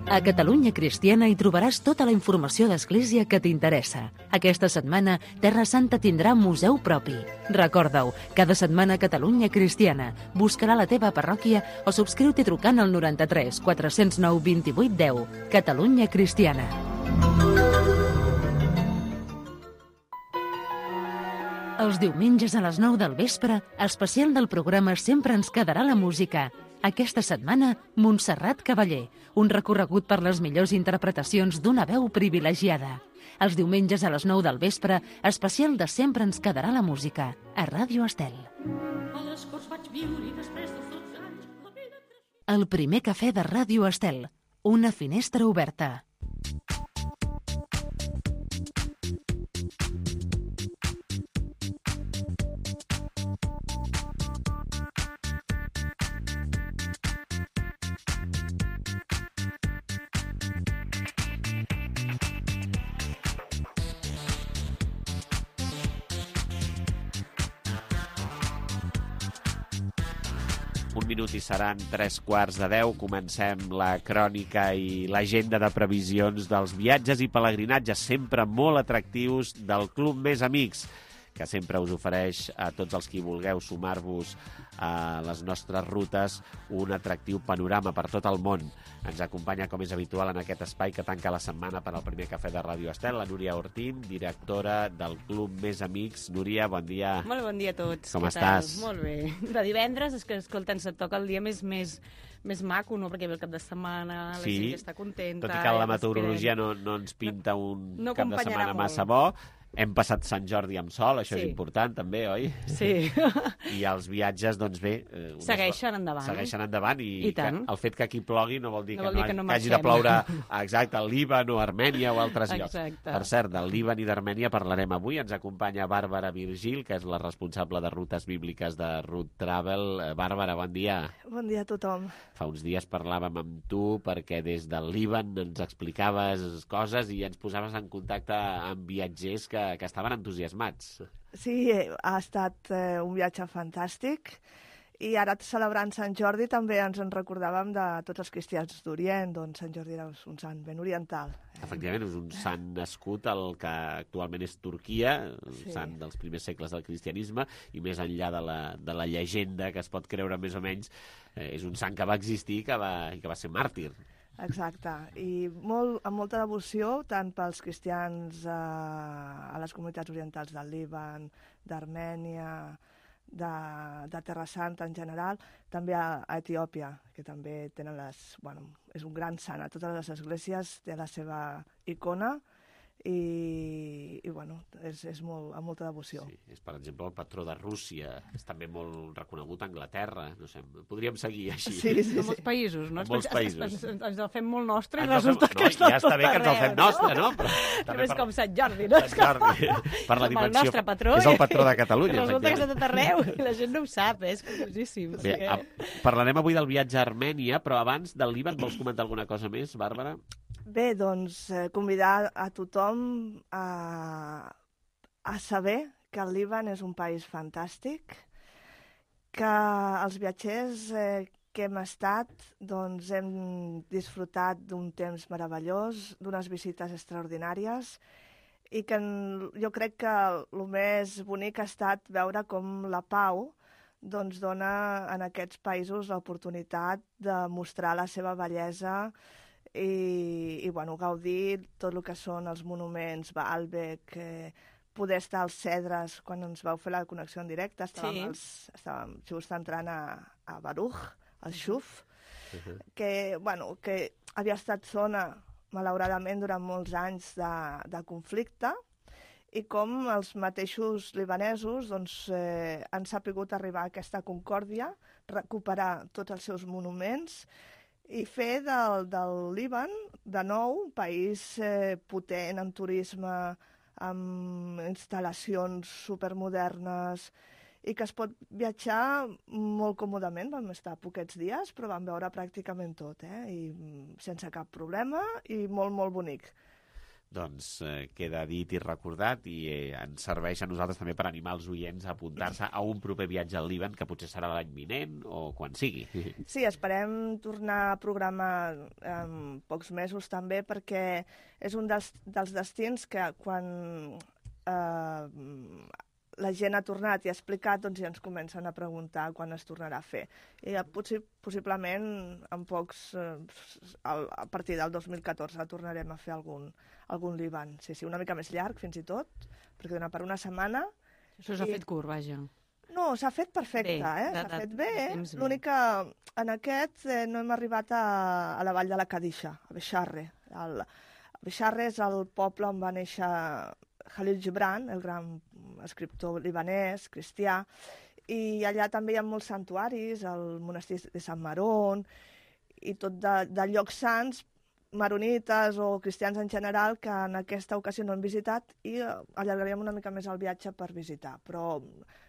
A Catalunya Cristiana hi trobaràs tota la informació d'Església que t'interessa. Aquesta setmana, Terra Santa tindrà museu propi. Recorda-ho, cada setmana Catalunya Cristiana. Buscarà la teva parròquia o subscriu-t'hi trucant al 93 409 28 10. Catalunya Cristiana. Els diumenges a les 9 del vespre, especial del programa Sempre ens quedarà la música. Aquesta setmana, Montserrat Cavaller, un recorregut per les millors interpretacions d'una veu privilegiada. Els diumenges a les 9 del vespre, especial de Sempre ens quedarà la música, a Ràdio Estel. El primer cafè de Ràdio Estel, una finestra oberta. Un minut i seran 9:45. Comencem la crònica i l'agenda de previsions dels viatges i pelegrinatges sempre molt atractius del Club Més Amics, que sempre us ofereix a tots els qui vulgueu sumar-vos a les nostres rutes un atractiu panorama per tot el món. Ens acompanya, com és habitual, en aquest espai que tanca la setmana per al primer cafè de Ràdio Estel, la Núria Ortín, directora del Club Més Amics. Núria, bon dia. Molt bon dia a tots. Com estàs? Molt bé. De divendres és que, escolta, se't toca el dia més maco, no? Perquè ve el cap de setmana, la gent està contenta. Tot i que la meteorologia no ens pinta un cap de setmana massa bo. Hem passat Sant Jordi amb sol, això és important també, oi? Sí. I els viatges, doncs bé... Segueixen endavant. Segueixen endavant i el fet que aquí plogui no vol dir que hagi marxem. de ploure exacte al Líban o Armènia o altres llocs. Exacte. Per cert, del Líban i d'Armènia parlarem avui. Ens acompanya Bàrbara Virgil, que és la responsable de rutes bíbliques de Route Travel. Bàrbara, bon dia. Bon dia a tothom. Fa uns dies parlàvem amb tu perquè des del Líban ens explicaves coses i ens posaves en contacte amb viatgers que estaven entusiasmats. Sí, ha estat un viatge fantàstic i ara celebrant Sant Jordi també ens en recordàvem de tots els cristians d'Orient, doncs Sant Jordi era un sant ben oriental. Efectivament, és un sant nascut al que actualment és Turquia, un sant dels primers segles del cristianisme, i més enllà de la llegenda que es pot creure més o menys, és un sant que va existir i que va ser màrtir. Exacte, i amb molta devoció tant pels cristians a les comunitats orientals del Líban, d'Armènia, de Terra Santa en general, també a Etiòpia, que també tenen és un gran sant. A totes les esglésies té la seva icona i és amb molta devoció. Sí, és, per exemple, el patró de Rússia, és també molt reconegut a Anglaterra, no sé, podríem seguir així. Sí. En molts països, no? En molts països. Ens el fem molt nostre i resulta que està ja està bé que ens el fem nostre, no? Però és com Sant Jordi, no? Sant Jordi, per la dimensió. El nostre patró. És el patró de Catalunya. Resulta que està tot arreu i la gent no ho sap, és curiosíssim. Bé, parlarem avui del viatge a Armènia, però abans del Líban vols comentar alguna cosa més, Bàrbara? Bé, doncs convidar a tothom a saber que el Líban és un país fantàstic, que els viatgers que hem estat doncs hem disfrutat d'un temps meravellós, d'unes visites extraordinàries i que jo crec que el més bonic ha estat veure com la pau doncs dona en aquests països l'oportunitat de mostrar la seva bellesa i gaudir tot el que són els monuments, Baalbek, poder estar als Cedres quan ens vau fer la connexió en directe, estàvem just entrant a Baruch, al Xuf, que havia estat zona, malauradament, durant molts anys de conflicte, i com els mateixos libanesos han sapigut arribar a aquesta concòrdia, recuperar tots els seus monuments i fer del Líban, de nou, un país potent en turisme, amb instal·lacions supermodernes i que es pot viatjar molt còmodament. Vam estar poquets dies, però vam veure pràcticament tot, i sense cap problema i molt, molt bonic. Doncs queda dit i recordat i ens serveix a nosaltres també per animar els oients a apuntar-se a un proper viatge al Líban, que potser serà l'any vinent o quan sigui. Sí, esperem tornar a programar en pocs mesos també, perquè és un dels destins que quan la gent ha tornat i ha explicat, doncs ja ens comencen a preguntar quan es tornarà a fer. I possiblement en pocs, a partir del 2014 tornarem a fer algun Líban. Sí, una mica més llarg fins i tot, perquè dona per una setmana. Això s'ha fet curt, vaja. No, s'ha fet perfecte, s'ha fet bé. L'únic que en aquest no hem arribat a la vall de la Kadisha, a Bexarre. Bexarre és el poble on va néixer Khalil Gibran, el gran escriptor libanès, cristià, i allà també hi ha molts santuaris, el monestir de Sant Marón, i tot de llocs sants, maronites o cristians en general, que en aquesta ocasió no hem visitat i allargaríem una mica més el viatge per visitar, però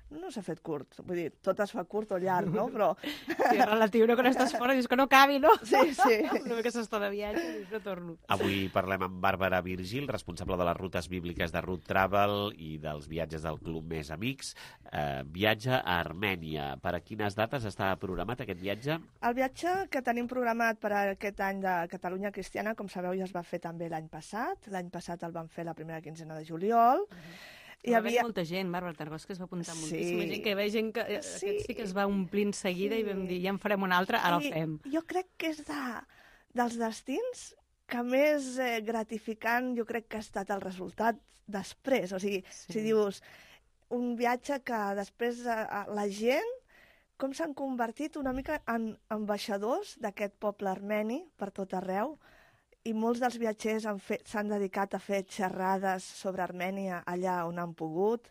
no s'ha fet curt. Vull dir, tot es fa curt o llarg, no? Però... Sí, és relatiu, no? Quan estàs fora dius que no acabi, no? Sí, sí. Una mica s'està de viatge i dius no torno. Avui parlem amb Bàrbara Virgil, responsable de les rutes bíbliques de Route Travel i dels viatges del Club Més Amics. Viatge a Armènia. Per a quines dates està programat aquest viatge? El viatge que tenim programat per a aquest any de Catalunya Cristiana, com sabeu, ja es va fer també l'any passat. L'any passat el vam fer la primera quinzena de juliol. Hi havia molta gent, Bàrbara Targós, que es va apuntar moltíssima gent, que hi havia gent que aquest sí que es va omplint seguida i vam dir, ja en farem un altre, ara el fem. Jo crec que és dels destins que més gratificant jo crec que ha estat el resultat després. O sigui, si dius, un viatge que després la gent, com s'han convertit una mica en ambaixadors d'aquest poble armeni per tot arreu, i molts dels viatgers s'han dedicat a fer xerrades sobre Armènia allà on han pogut,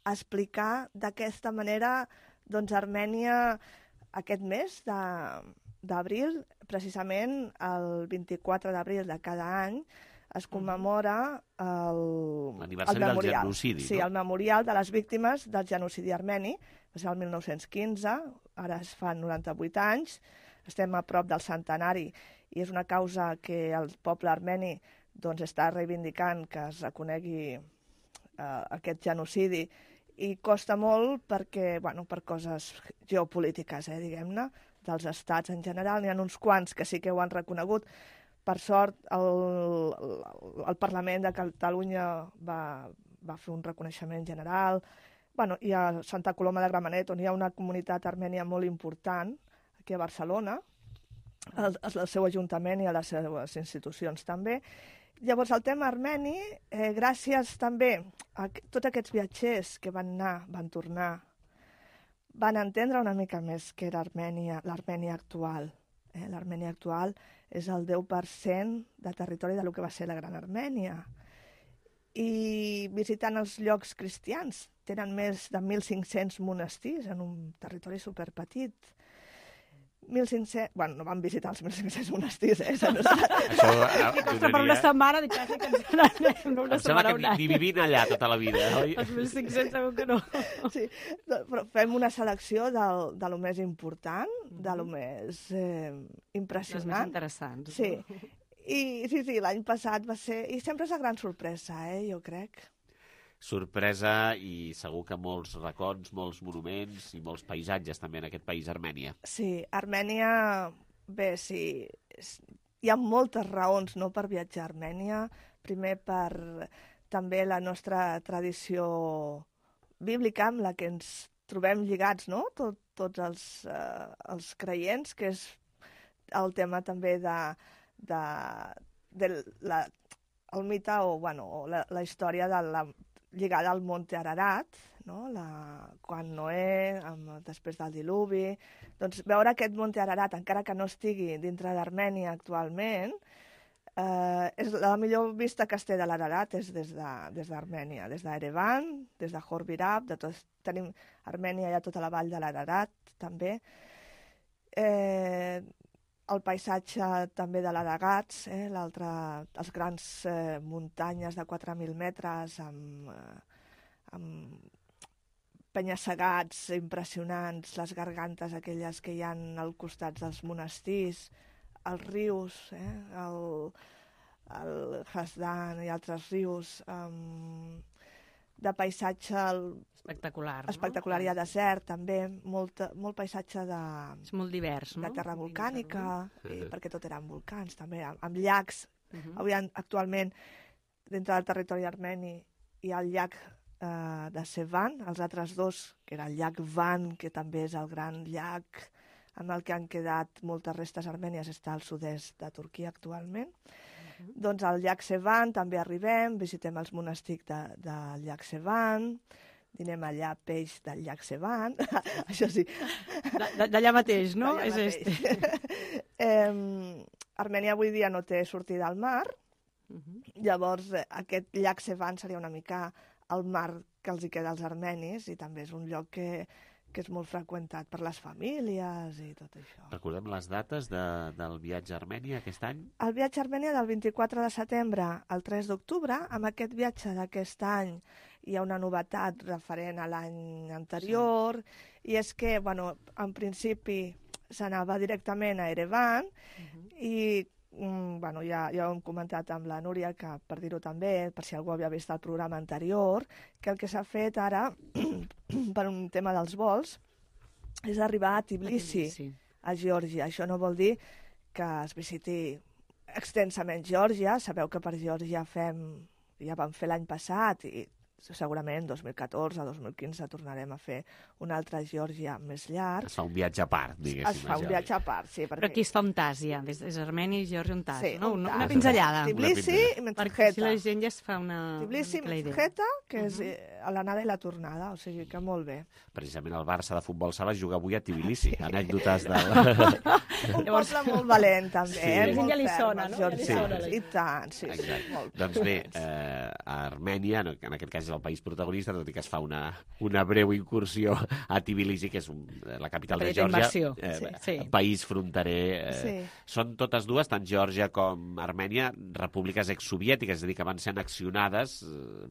a explicar d'aquesta manera doncs, Armènia aquest mes d'abril, precisament el 24 d'abril de cada any, es commemora l'aniversari del genocidi. Sí, el memorial de les víctimes del genocidi armeni, va ser el 1915, ara es fan 98 anys, estem a prop del centenari, i és una causa que el poble armeni doncs, està reivindicant que es reconegui aquest genocidi, i costa molt perquè, per coses geopolítiques, diguem-ne, dels estats en general. N'hi ha uns quants que sí que ho han reconegut. Per sort, el Parlament de Catalunya va fer un reconeixement general. I a Santa Coloma de Gramenet, on hi ha una comunitat armènia molt important, aquí a Barcelona, al seu ajuntament i a les seves institucions també. Llavors, el tema armeni, gràcies també a tots aquests viatgers que van anar, van tornar, van entendre una mica més què era l'Armènia actual. L'Armènia actual és el 10% de territori del que va ser la Gran Armènia. I visitant els llocs cristians, tenen més de 1.500 monestirs en un territori superpetit. 1.500... no vam visitar els 1.500 monestirs, Això per una setmana, dic quasi que ens n'anem una setmana un any. Ni vivint allà tota la vida, oi? Els 1.500 segur que no. Sí, però fem una selecció de lo més important, de lo més impressionant. Les més interessants. Sí, i l'any passat va ser... I sempre és una gran sorpresa, jo crec. Sorpresa i segur que molts records, molts monuments i molts paisatges també en aquest país, Armènia. Sí, Armènia, bé, sí, hi ha moltes raons per viatjar a Armènia. Primer per també la nostra tradició bíblica amb la que ens trobem lligats, no? Tots els creients, que és el tema també del mite o la història lligada al Monte Ararat, no? Quan Noé, després del diluvi. Doncs veure aquest Monte Ararat, encara que no estigui dintre d'Armènia actualment, és la millor vista que es té de l'Ararat és des d'Armènia, des d'Erevan, des de Khor-Virab, tenim Armènia, hi ha tota la vall de l'Ararat, també. El paisatge també de l'Aragats, les grans muntanyes de 4.000 metres amb penya-segats impressionants, les gargantes aquelles que hi ha al costat dels monestirs, els rius, el Hasdan i altres rius, de paisatge espectacular. Hi ha desert, també, molt paisatge de... És molt divers, no? De terra volcànica, perquè tot eren volcans, també, amb llacs. Avui, actualment, dintre del territori armeni, hi ha el llac de Sevan, els altres dos, que era el llac Van, que també és el gran llac en el que han quedat moltes restes armènies, està al sud-est de Turquia actualment. Doncs al llac Sevan també arribem, visitem els monestirs del llac Sevan, dinem allà peix del llac Sevan, això sí. D'allà mateix, no? Armènia avui dia no té sortida al mar, llavors aquest llac Sevan seria una mica el mar que els hi queda als armenis i també és un lloc que és molt freqüentat per les famílies i tot això. Recordem les dates del viatge a Armènia aquest any? El viatge a Armènia del 24 de setembre al 3 d'octubre. Amb aquest viatge d'aquest any hi ha una novetat referent a l'any anterior, i és que, en principi s'anava directament a Erevan i ja ho hem comentat amb la Núria, que per dir-ho també, per si algú havia vist el programa anterior, que el que s'ha fet ara, per un tema dels vols, és arribar a Tbilisi, a Geòrgia. Això no vol dir que es visiti extensament Geòrgia. Sabeu que per Geòrgia ja vam fer l'any passat i segurament 2014 o 2015 tornarem a fer una altra Geòrgia més llarg. Es fa un viatge a part, diguéssim. Es fa un viatge a part, sí. Però aquí està un tas, ja. És Armènia i Geòrgia un tas, sí, no? Una pinzellada. Tbilisi i Metskheta. Perquè si la gent ja es fa una Tbilisi i Metskheta, que és l'anada i la tornada, o sigui que molt bé. Precisament el Barça de futbol sala juga avui a Tbilisi. Anècdotes del... Un poble molt valent, també. La gent ja li sona, no? I tant, sí. Doncs bé, a Armènia, en aquest cas és el país protagonista, tot i que es fa una breu incursió a Tbilisi, que és la capital de Geòrgia, país fronterer. Són totes dues, tant Geòrgia com Armènia, repúbliques exsoviètiques, és a dir, que van ser annexionades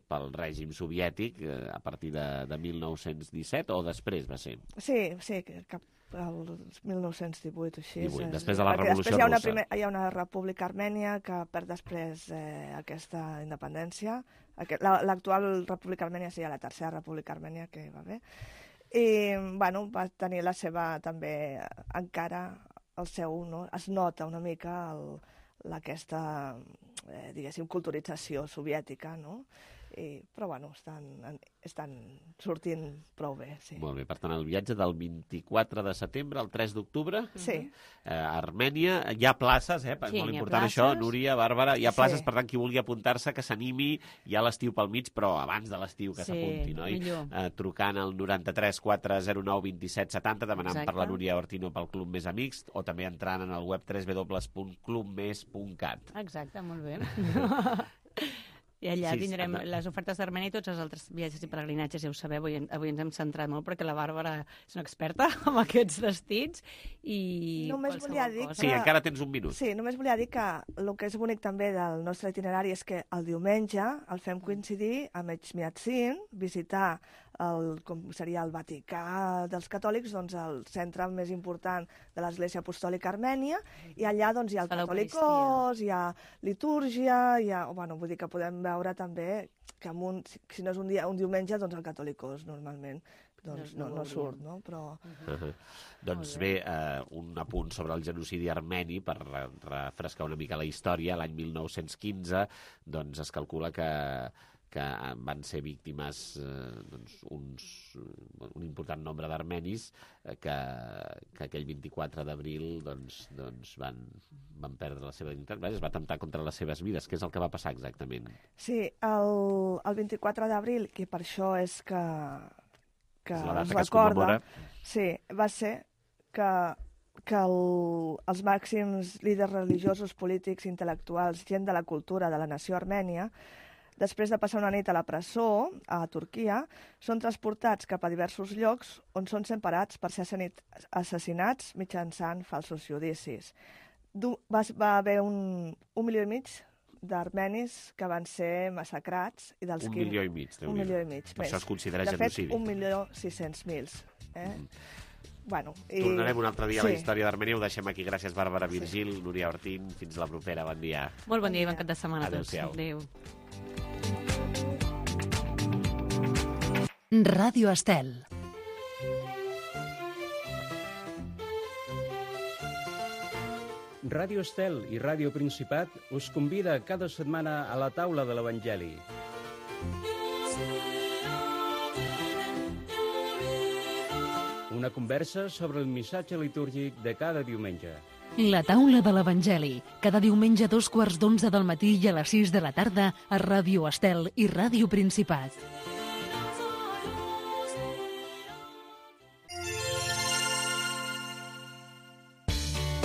pel règim soviètic a partir de 1917, o després va ser? Sí, cap el 1918 així. Després de la Revolució Russa. Hi ha una república armènia que perd després aquesta independència. L'actual república armènia seria la tercera república armènia, que va bé. I, va tenir la seva, també, encara el seu, es nota una mica aquesta, diguéssim, culturització soviètica, no? Però, estan sortint prou bé, sí. Molt bé, per tant, el viatge del 24 de setembre al 3 d'octubre a Armènia. Hi ha places, molt important això, Núria, Bàrbara, hi ha places, per tant, qui vulgui apuntar-se, que s'animi, hi ha l'estiu pel mig, però abans de l'estiu que s'apunti, no? Trucant al 93 409 27 70, demanant per la Núria Ortino pel Club Més Amics, o també entrant en el web www.clubmes.cat. Exacte, molt bé. I allà tindrem les ofertes d'Armènia i tots els altres viatges i peregrinatges, ja ho sabeu, avui ens hem centrat molt perquè la Bàrbara és una experta en aquests destins i qualsevol cosa. Sí, encara tens un minut. Sí, només volia dir que el que és bonic també del nostre itinerari és que el diumenge el fem coincidir amb Echmiadzin, visitar com seria el Vaticà dels catòlics, doncs el centre més important de l'Església Apostòlica Armènia, i allà doncs hi ha el Catòlicos, hi ha litúrgia, vull dir que podem veure també que si no és un diumenge, doncs el Catòlicos normalment no surt, no? Doncs bé, un apunt sobre el genocidi armeni, per refrescar una mica la història. L'any 1915 doncs es calcula que van ser víctimes un important nombre d'armenis que aquell 24 d'abril van perdre la seva dignitat. Es va atemptar contra les seves vides. Què és el que va passar exactament? Sí, el 24 d'abril, que per això és que es recorda, va ser que els màxims líders religiosos, polítics, intel·lectuals, gent de la cultura de la nació armènia, després de passar una nit a la presó, a Turquia, són transportats cap a diversos llocs on són separats per ser assassinats mitjançant falsos judicis. Va haver 1,5 milió d'armenis que van ser massacrats. I dels 1,5 milió. 1,5 milió. Per això es considera genocidi. De fet, 1.600.000. Bueno, tornarem un altre dia a la història d'Armènia. Ho deixem aquí. Gràcies, Bàrbara Virgil, Núria Ortín. Fins la propera. Bon dia. Molt bon dia i bon cap de setmana a tots. Adéu-siau. Ràdio Estel. Ràdio Estel i Ràdio Principat us convida cada setmana a la taula de l'Evangeli. Una conversa sobre el missatge litúrgic de cada diumenge. La taula de l'Evangeli, cada diumenge a 11:15 del matí i a les 6 de la tarda a Ràdio Estel i Ràdio Principat.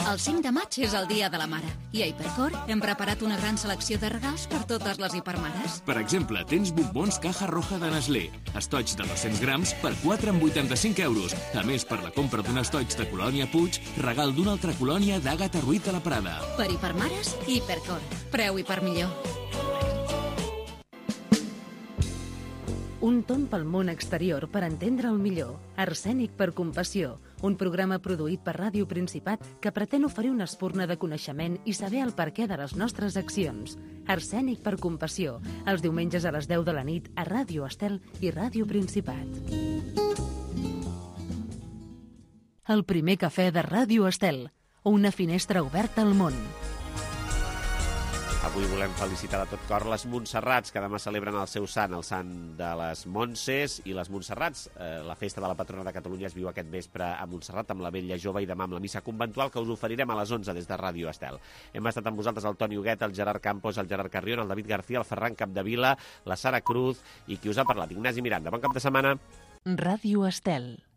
El 5 de maig és el Dia de la Mare i a Hipercor hem preparat una gran selecció de regals per totes les hipermares. Per exemple, tens bombons Caja Roja de Nestlé, estoig de 200 grams per 4,85 euros. A més, per la compra d'un estoig de Colònia Puig, regal d'una altra colònia d'Àgata Ruiz de la Prada. Per hipermares, Hipercor. Preu i per millor. Un tomb pel món exterior per entendre'l millor. Arsènic per compassió. Un programa produït per Ràdio Principat que pretén oferir una espurna de coneixement i saber el perquè de les nostres accions. Arsènic per compassió. Els diumenges a les 10 de la nit a Ràdio Estel i Ràdio Principat. El primer cafè de Ràdio Estel. Una finestra oberta al món. Avui volem felicitar de tot cor les Montserrats, que demà celebren el seu sant, el sant de les Montses i les Montserrats. La festa de la patrona de Catalunya es viu aquest vespre a Montserrat amb la Vetlla Jove i demà amb la missa conventual que us oferirem a les 11 des de Ràdio Estel. Hem estat amb vosaltres el Toni Huguet, el Gerard Campos, el Gerard Carrión, el David García, el Ferran Capdevila, la Sara Cruz i qui us ha parlat, Ignasi Miranda. Bon cap de setmana. Ràdio Estel.